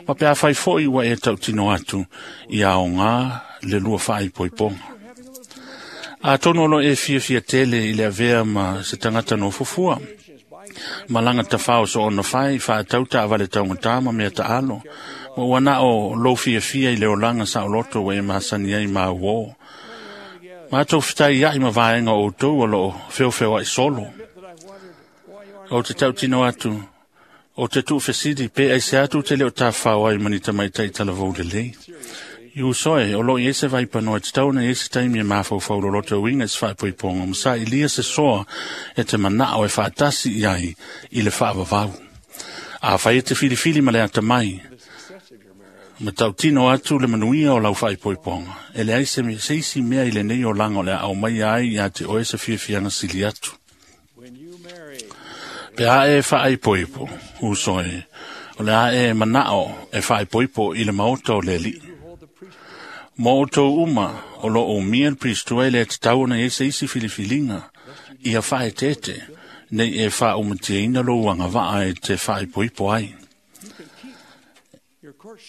ma pe afai foʻi ua e tautino atu ia aogā le lua faaipoipoga. Atonu o loo e fiafia tele i le avea ma se tagata nofofua, malaga tafao so ona fai faatau taavale taugatā ma mea taalo, ma ua na o lou fiafia i le olaga saoloto ua e masani ai ma uō. Matou fetai aʻi ma vaega o outou o loo feofeoaʻi solo. Ou te tautino atu, o te tuufesili pe aise atu te leo tafafao ai ma ni tamaitaʻi talavou lelei. I usoe, o loo i ai se vaipanoa e tatau ona iai se taimi e mafaufau loloto uiga i se faaipoipoga, ma saʻilia se soa e te manaʻo e faatasi i ai i le faavavau. Afai e te filifili ma le atamai, ma tautino atu le manuia o lau faaipoipoga, e leai se, se isi mea i lenei olaga o le a aumaia ai iā te oe se fiafiaga sili atu. Pe a e faaipoipo, usoe, o le a e manaʻo e faaipoipo i le maota o le alii. Mo outou uma o loo umia le Piristua e le tatau ona iai se isi filifiliga ia faaeteete, nei e faaumatiaina lou agavaa e te faaipoipo ai.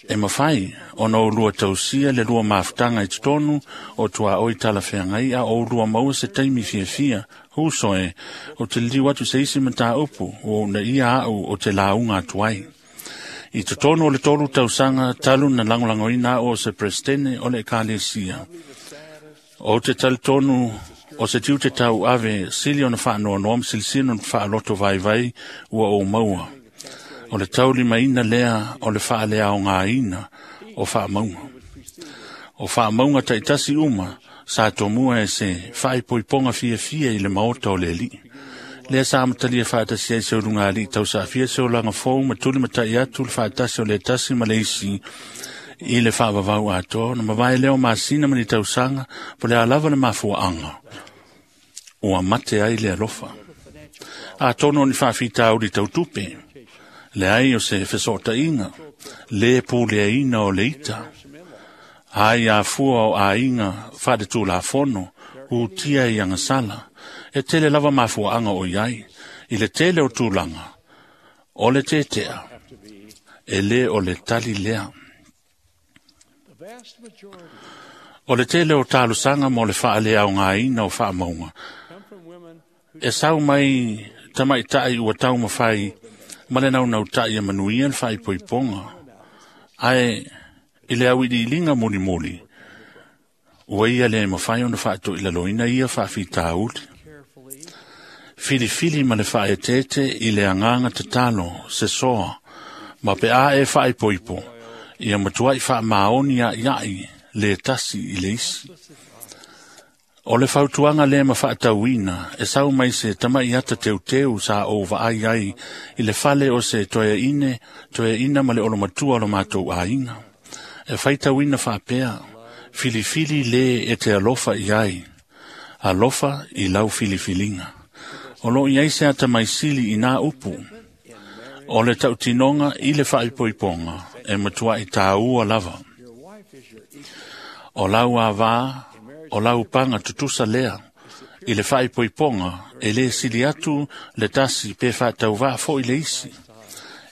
E mafai ona oulua tausia le lua mafutaga i totonu o tuaoi talafeagai a oulua maua se taimi fiafia. Uso e, o te liliu atu se isi mataupu ua uunaia au o te lauga atu ai. I totonu o le tolu tausaga talu na lagolagoina au o se Peresetene o le Ekalesia. O te talitonu o se tiute tauave sili ona faanoanoa ma silisili ona faaloto vaivai ua ou maua. O le taulimaina lea o le faaleaogaina o faamauga. O faamauga taitasi uma sa tomua e se faaipoipoga fiafia i le maota o le Alii. Lea sa amatalia faatasi ai se uluga alii tausaafia se olaga fou ma tulimatai atu le faatasi o le tasi ma le isi i le faavavau atoa, ona mavae lea o masina ma ni tausaga, po o le a lava le mafuaaga ua mate ai le alofa. Atonu o ni faafitauli tautupe, leai o se fesootaiga, le puleaina o le ita, ai afua o aiga faaletulafono, utia i agasala, e tele lava mafuaaga o i ai, i le tele o tulaga, o le tētea, e lē o le tali lea. O le tele o talosaga mo le faaleaogaina o faamauga, e sau mai tamaitai ua taumafai ma le naunautai e manuia le faaipoipoga, ae i le auiliiliga mulimuli, ua ia le mafai ona faatoilaloina ia faafitauli. Filifili ma le faaeteete i le agaga tatalo, se soa, ma pe a e faaipoipo, ia matuai faamaoni aiai le tasi i le isi. O le fautuaga lea ma faatauina e sau mai se tamai ata teuteu sa ou vaai ai i le fale o se toeaine, toeaina ma le olomatua o lo matou aiga. E faitauina faapea, filifili le e te alofa i ai, alofa i lau filifiliga. O loo i ai se atamai sili i nā upu. O le tautinoga i le faaipoipoga e matuai tāua lava. O lau avā, o lau paga tutusa lea, i le faaipoipoga e lē sili atu le tasi pe faatauvaa fo'i le isi.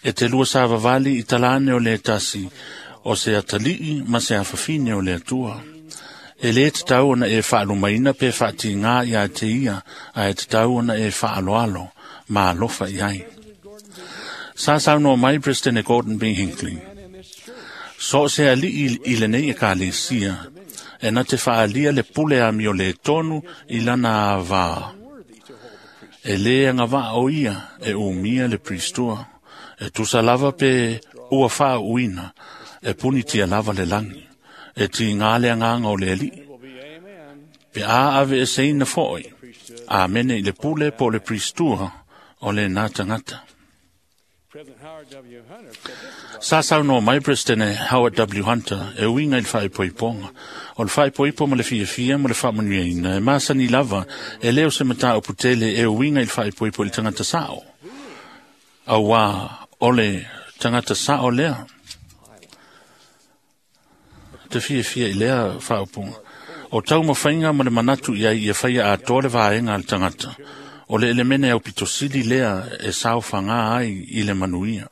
E te lua savavali i talane o le tasi, o se atalii ma se afafine o le Atua. E lē tatau ona e faalumaina pe faatigā iā te ia, ae tatau ona e faaloalo ma alofa i ai. Sa saunoa mai President Gordon B. Hinckley, so o se alii i lenei ekalesia, e na te faalia le pule amio le tonu i lana avā. E lē agavaa o ia e umia le pristua, e tusa lava pe ua faauuina, e punitia lava le lagi, e tigā le agaga o le Alii. Pe a ave e seina fo'i, amene i le pule po o le pristua o lenā tagata. Sa saunoa mai President Howard W. Hunter e uiga i le faaipoipoga. O le faaipoipo ma le fiafia ma le faamanuiaina e masani lava e lē o se mataupu tele e uiga i le faaipoipo i le tagata sa'o. Auā o le tagata sa'o lea. Te fiafia i lea faaupuga. O taumafaiga ma le manatu i ai ia faia atoa le vaega a le tagata. O le elemene aupitosili lea e saofagā ai i le manuia.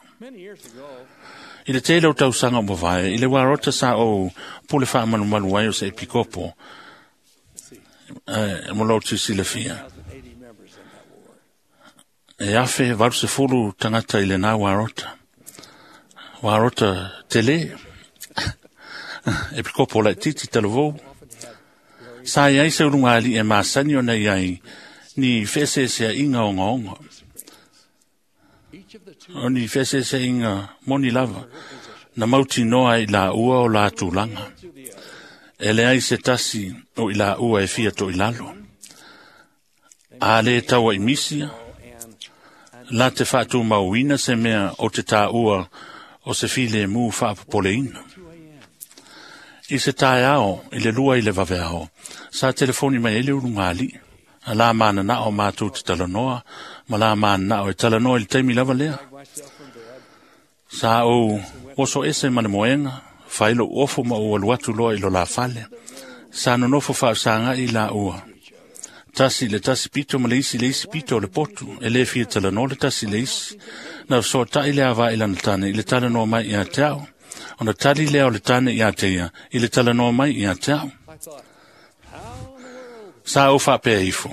I le tele o tausaga o mavae, i le uarota sa ou pule faamalumalu ai o se epikopo, e, mo lou sisilafia. E afe valu sefulu tagata i lenā uarota. Uarota tele, epikopo laititi talavou. Sa i ai se uluga alii e masani ona i ai, ni feeseeseaiga ogaoga. O ni feeseeseaiga moni lava, na mautinoa ai laua o la tulaga. E leai se tasi o i laua e fia toilalo. A lē taua i misia, la te faatumauina se mea o te tāua o se filemu faapopoleina. I se taeao i le lua i le vaveao, sa telefoni mai ai le uluga alii. A la mananao matou te talanoa, ma la mananao e talanoa i le taimi lava lea. Sa ou oso ese ma le moega, fai lou ofo ma ou alu atu loa i lo la fale. Sa nonofo faafesaga'i laua. Tasi le tasi pito ma le isi le isi pito o le potu, e lē fia talanoa le tasi le isi. Na fesoata'i le avā i lana tane i le talanoa mai iā te au. Ona tali lea o le tane ia te ia, i le talanoa mai ia te au. Sa ou faapea ifo.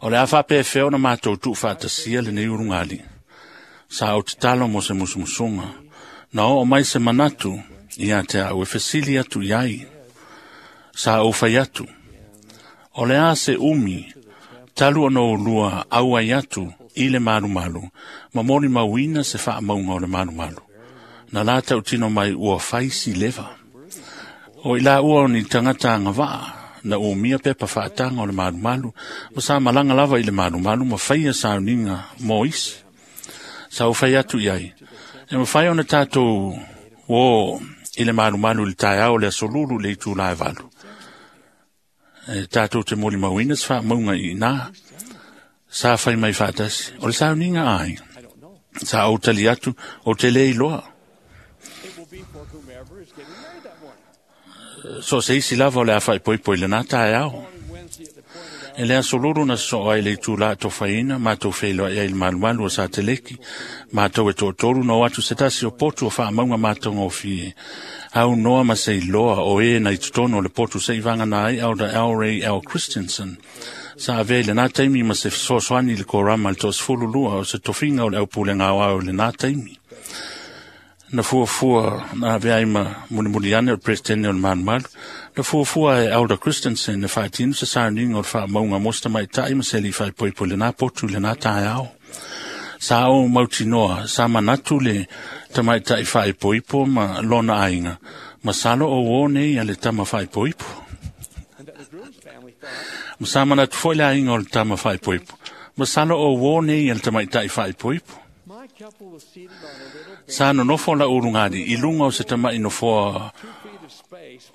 O le a faapea fea ona mātou tuufaatasia lenei ulugalii. Sa ou tatalo mo se musumusuga. Na oo mai se manatu ia te au e fesili atu i ai. Sa ou fai atu. O le a se umi, talu ona oulua auai atu i le malumalu, ma molimauina se faamauga o le malumalu. Na la tautino mai ua fai si leva. O i la ua o ni tagata agavaa, na umia pepa faataga o le malumalu, ma sa malaga lava i le malumalu ma faia sauniga mo isi. Sa ou fai atu i ai, e mafai ona tatou o i le malumalu i le taeao o le aso lulu i le itula e valu. E tatou te molimauina se faamauga i ina. Sa fai mai faatasi, o le sauniga ai. Sa ou tali atu, o te le iloa. So se isi lava o le a faaipoipo i lena taeao. E le aso lulu na sosoo ai le itula tofaina, matou feiloai ai i le malumalu o Sateleki, matou e toatolu na o atu se tasi o potu o faamauga matagofie. Au noa ma se iloa o e na i totonu o le potu se i vagana ai Elder L. Ray L. Christensen. Sa avea i lena taimi ma se fesoasoani i le korama i le toasefulu lua o se tofiga o le aupulega aoao i lena taimi. Na fuafua na avea ai ma mulimuli ane o le presidente o le malumalu. Na fuafua e Elder Christensen e faatino se sauniga o le faamauga mo se tamaitai ma se alii faaipoipo i lena potu i lena taeao. Sa ou mautinoa, sa manatu le tamaitai faaipoipo ma lona aiga, masalo o uō nei a le tama faaipoipo. Ma sa manatu foi le aiga o le tama faaipoipo, masalo o uō nei a le tamaitai faaipoipo. Sa nonofo la ulugalii i luga o se tama'i nofoa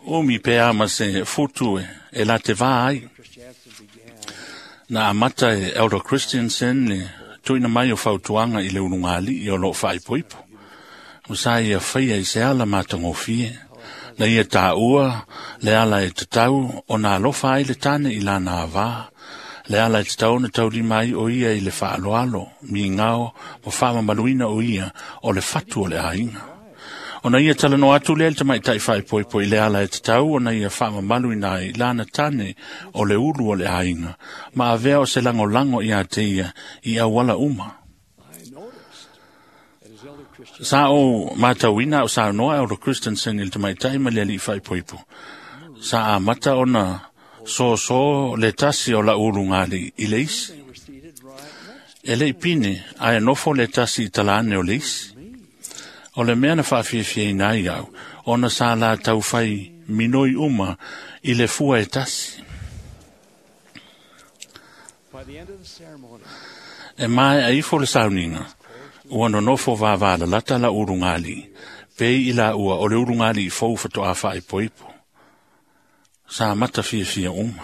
umi pe a ma se futu e, e la te vā ai. Na amata e Elder Christensen le tuuina mai o fautuaga i le ulugalii o loo faaipoipo. Ma sa ia faia i se ala matagofie. Na ia tāua le ala e tatau ona alofa ai le tane i lana avā. Le ala e tatau ona taulima ai o ia i le faaloalo, migao ma faamamaluina o ia o le fatu o le aiga. Ona ia talanoa atu lea i le tamaitai faaipoipo i le ala e tatau ona ia faamamaluina ai lana tane o le ulu o le aiga, ma avea o se lagolago ia te ia i auala uma. Sa ou matauina o saunoa Elder Christensen i le tamaitai ma le alii faaipoipo. Sa amata ona soso le tasi o la ulugalii i le isi. E le i pine, ae nofo le tasi i talane o le isi. O le mea na faafiafiaina ai au, ona sa la taufai minoi uma i le fua e tasi. E maea ifo le sauniga, ua nonofo vavalalata la ulugalii, pei i la ua o le ulugalii fou fatoa faaipoipo. Sa mata fiafia uma.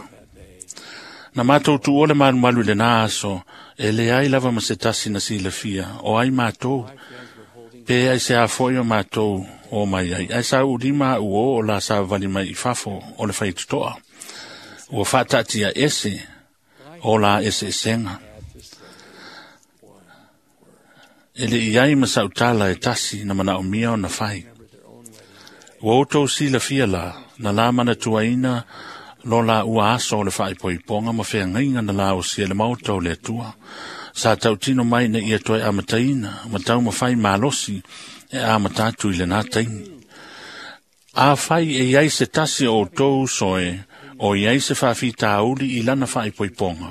Na matou tuua le malumalu i lena aso, e leai lava ma se tasi na silafia, o ai matou, pe ai se afo'i o matou o mai ai. Ae sa ulima a'u o o la savavali mai i fafo o le faitotoa. Ua faataatia ese o la eseesega. E le i ai ma sautala e tasi na manaomia ona fai. Ua outou silafia la, na la manatuaina lo la ua aso o le faaipoipoga ma feagaiga na laosia le maota o le Atua. Sa tautino mai na ia toe amataina, ma taumafai malosi e amata atu i lena taimi. Afai e iai se tasi o outou soe, o iai se faafitauli i lana faaipoipoga,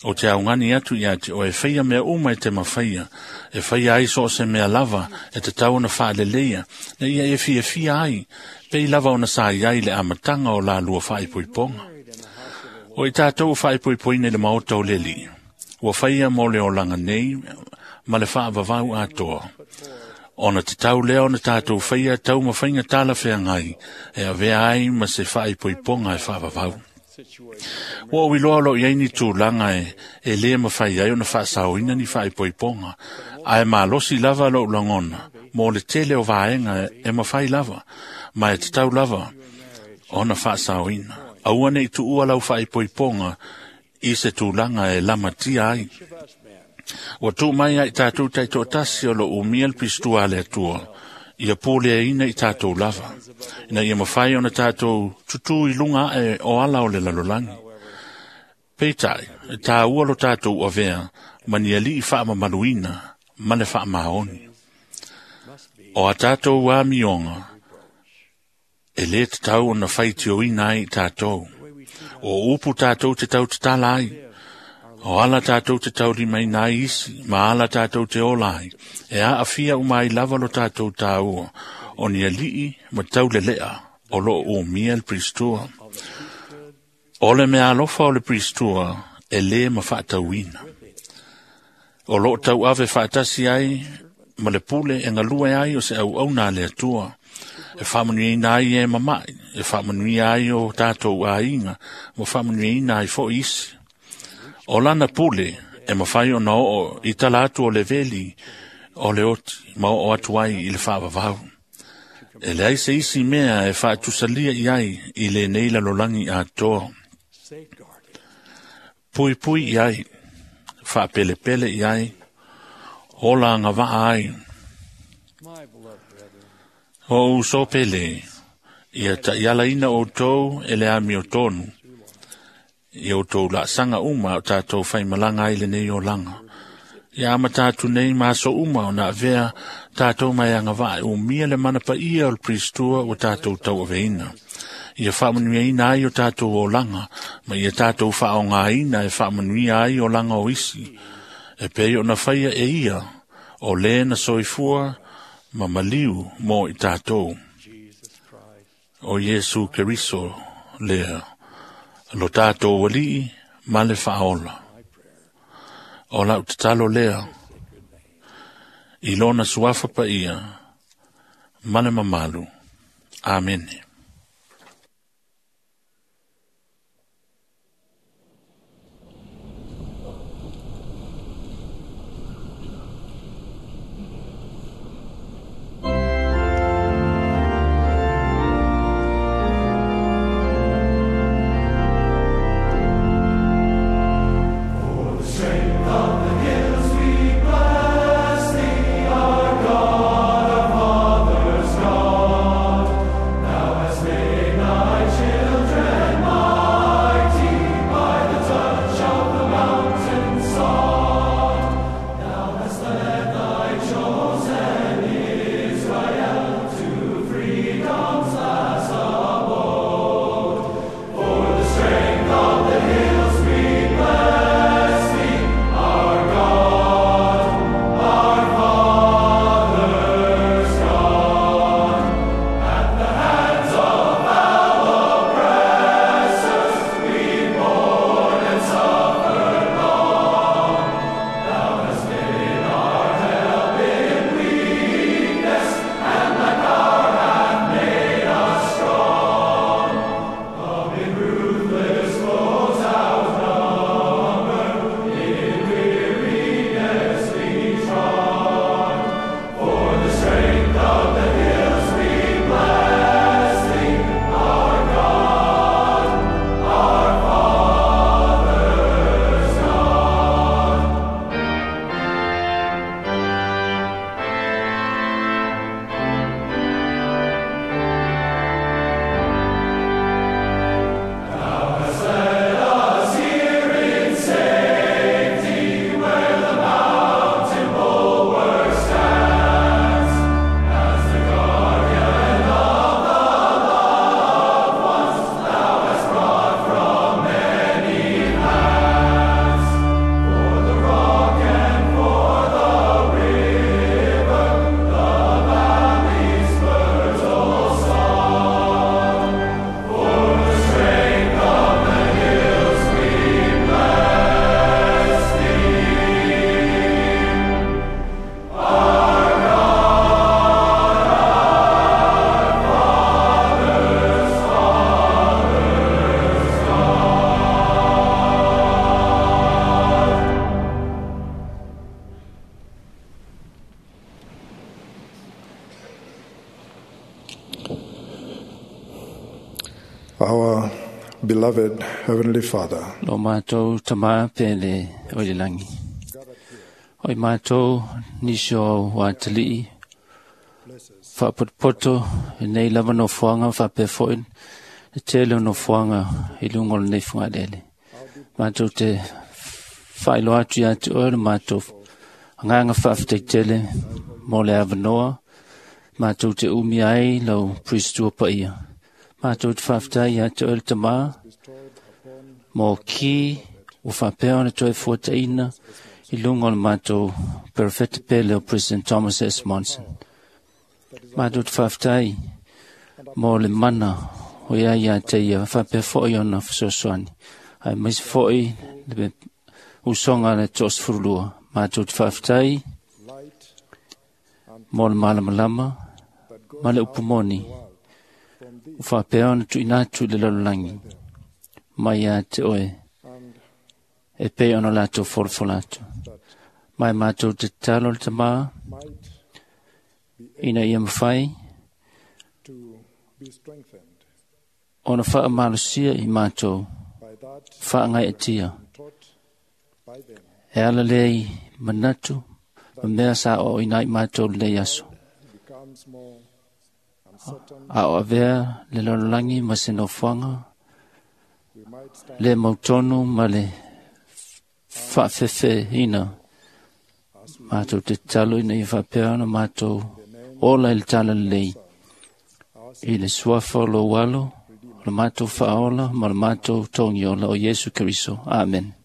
o te augani atu ia te oe faia mea uma e te mafaia, e faia ai so o se mea lava e tatau ona faaleleia, na ia e fiafia ai, pei lava ona sa iai le amataga o lalua faaipoipoga. O i tatou faaipoipoina i le maota o le Alii, ua faia mo le olaga nei ma le faavavau atoa. Ona tatau lea ona tatou faia taumafaiga talafeagai e avea ai ma se faaipoipoga e faavavau. Ua ou iloa o loo iai ni tulaga e, e lē mafai ai ona faasaoina ni faaipoipoga, ae malosi lava lou lagona mo le tele o vaega e mafai lava, ma e tatau lava ona faasaoina. Aua nei tuua lau faaipoipoga i se tulaga e lamatia ai. Ua tuu mai ai tatou taitoatasi o loo umia le pistua a le Atua Ia puleaina i tātou lava, ina ia mawhai ona tātou tutu i lunga e o ala o le lalolagi. Peitai, e tā ua lo tātou avea, ma ni ali i whaamamaluina, ma le whaamaoni. O a tātou a mionga, e le te tau ona whaitio ina ai tātou. O upu tātou te tau te tala ai, o ala tātou te tau lima ina isi, ma ala tātou te ola ai, e a awhia umai lava lo tātou tāua, o ni alii ma tau lelea, o lo o mia le pristua. O le mea alofa o le pristua, e le ma whaatauina. O lo tau ave whaatasi ai, ma le pule e ngalue ai o se au au nā le atua. E whaamanui ai e mamai, e whaamanui ai o tātou āinga, ma whaamanui ai fo isi. O lana pule, e mawhai o na o i tala atu o le veli, o le oti, ma o atu ai i le whaavavau. E le ai se isi mea e whaatusalia i ai i le neila lolangi a toa. Pui pui i ai, whaapelepele i ai, ola ngā waa ai. O uso pele, ia ta iala ina o tau e le ami o tonu. Ia o tau la sanga uma o tātou whai malanga ai le nei o langa. Ia ama tātou nei maso uma o nā vea tātou mai anga waa o mia le mana pa ia o le pristua o tātou tau aveina. Ia whaamanuia ina ai o tātou o langa, ma ia tātou whaonga ina e whaamanuia ai o langa o isi. E pei o na whaia e ia, o le na soifua, ma maliu mo i tātou. O Yesu Keriso lea, lo tātou walii ma le whaola. O lau tatalo lea, i lona suafa pa ia, ma le mamalu. Amene. Now Our beloved Heavenly Father, Lo mātou tama pele o le langi. O i mātou nisho wa talii, faapotopoto i lenei lava nofoaga faapea foʻi le tele o nofoaga i luga o lenei fugalele. Matou te faailoa atu ia te oe le matou agaga faafetai mo le avanoa matou te umi ai lau Priestua paia. Matou te faafetai ia te oe le Tamā mo ki ua faapea ona toe fuataina i luga o le matou perofeta pele o President Thomas S. Monson. Matou te faafetai mo le mana o ia ia te ia faapea foʻi ona fesoasoani. Aemaise foʻi le usoga a le toasefululua. Matou te faafetai mo le malamalama ma le upu moni ua faapea ona tuuina atu i le lalolagi mai ia te oe e pei ona latou folafola atu. Ma e matou te tatalo le Tamā ina ia mafai ona faamalosia i matou faagaeetia e ala lea i manatu ma mea sa aoaoina ai matou lenei aso. A o avea le lalolagi ma se nofoaga le mautonu ma le faafefeina matou te tatalo ina ia faapea ona matou ola i le talalelei i le suafa o lou alo, o le matou faaola ma le matou togiola o Iesu Keriso. Amen.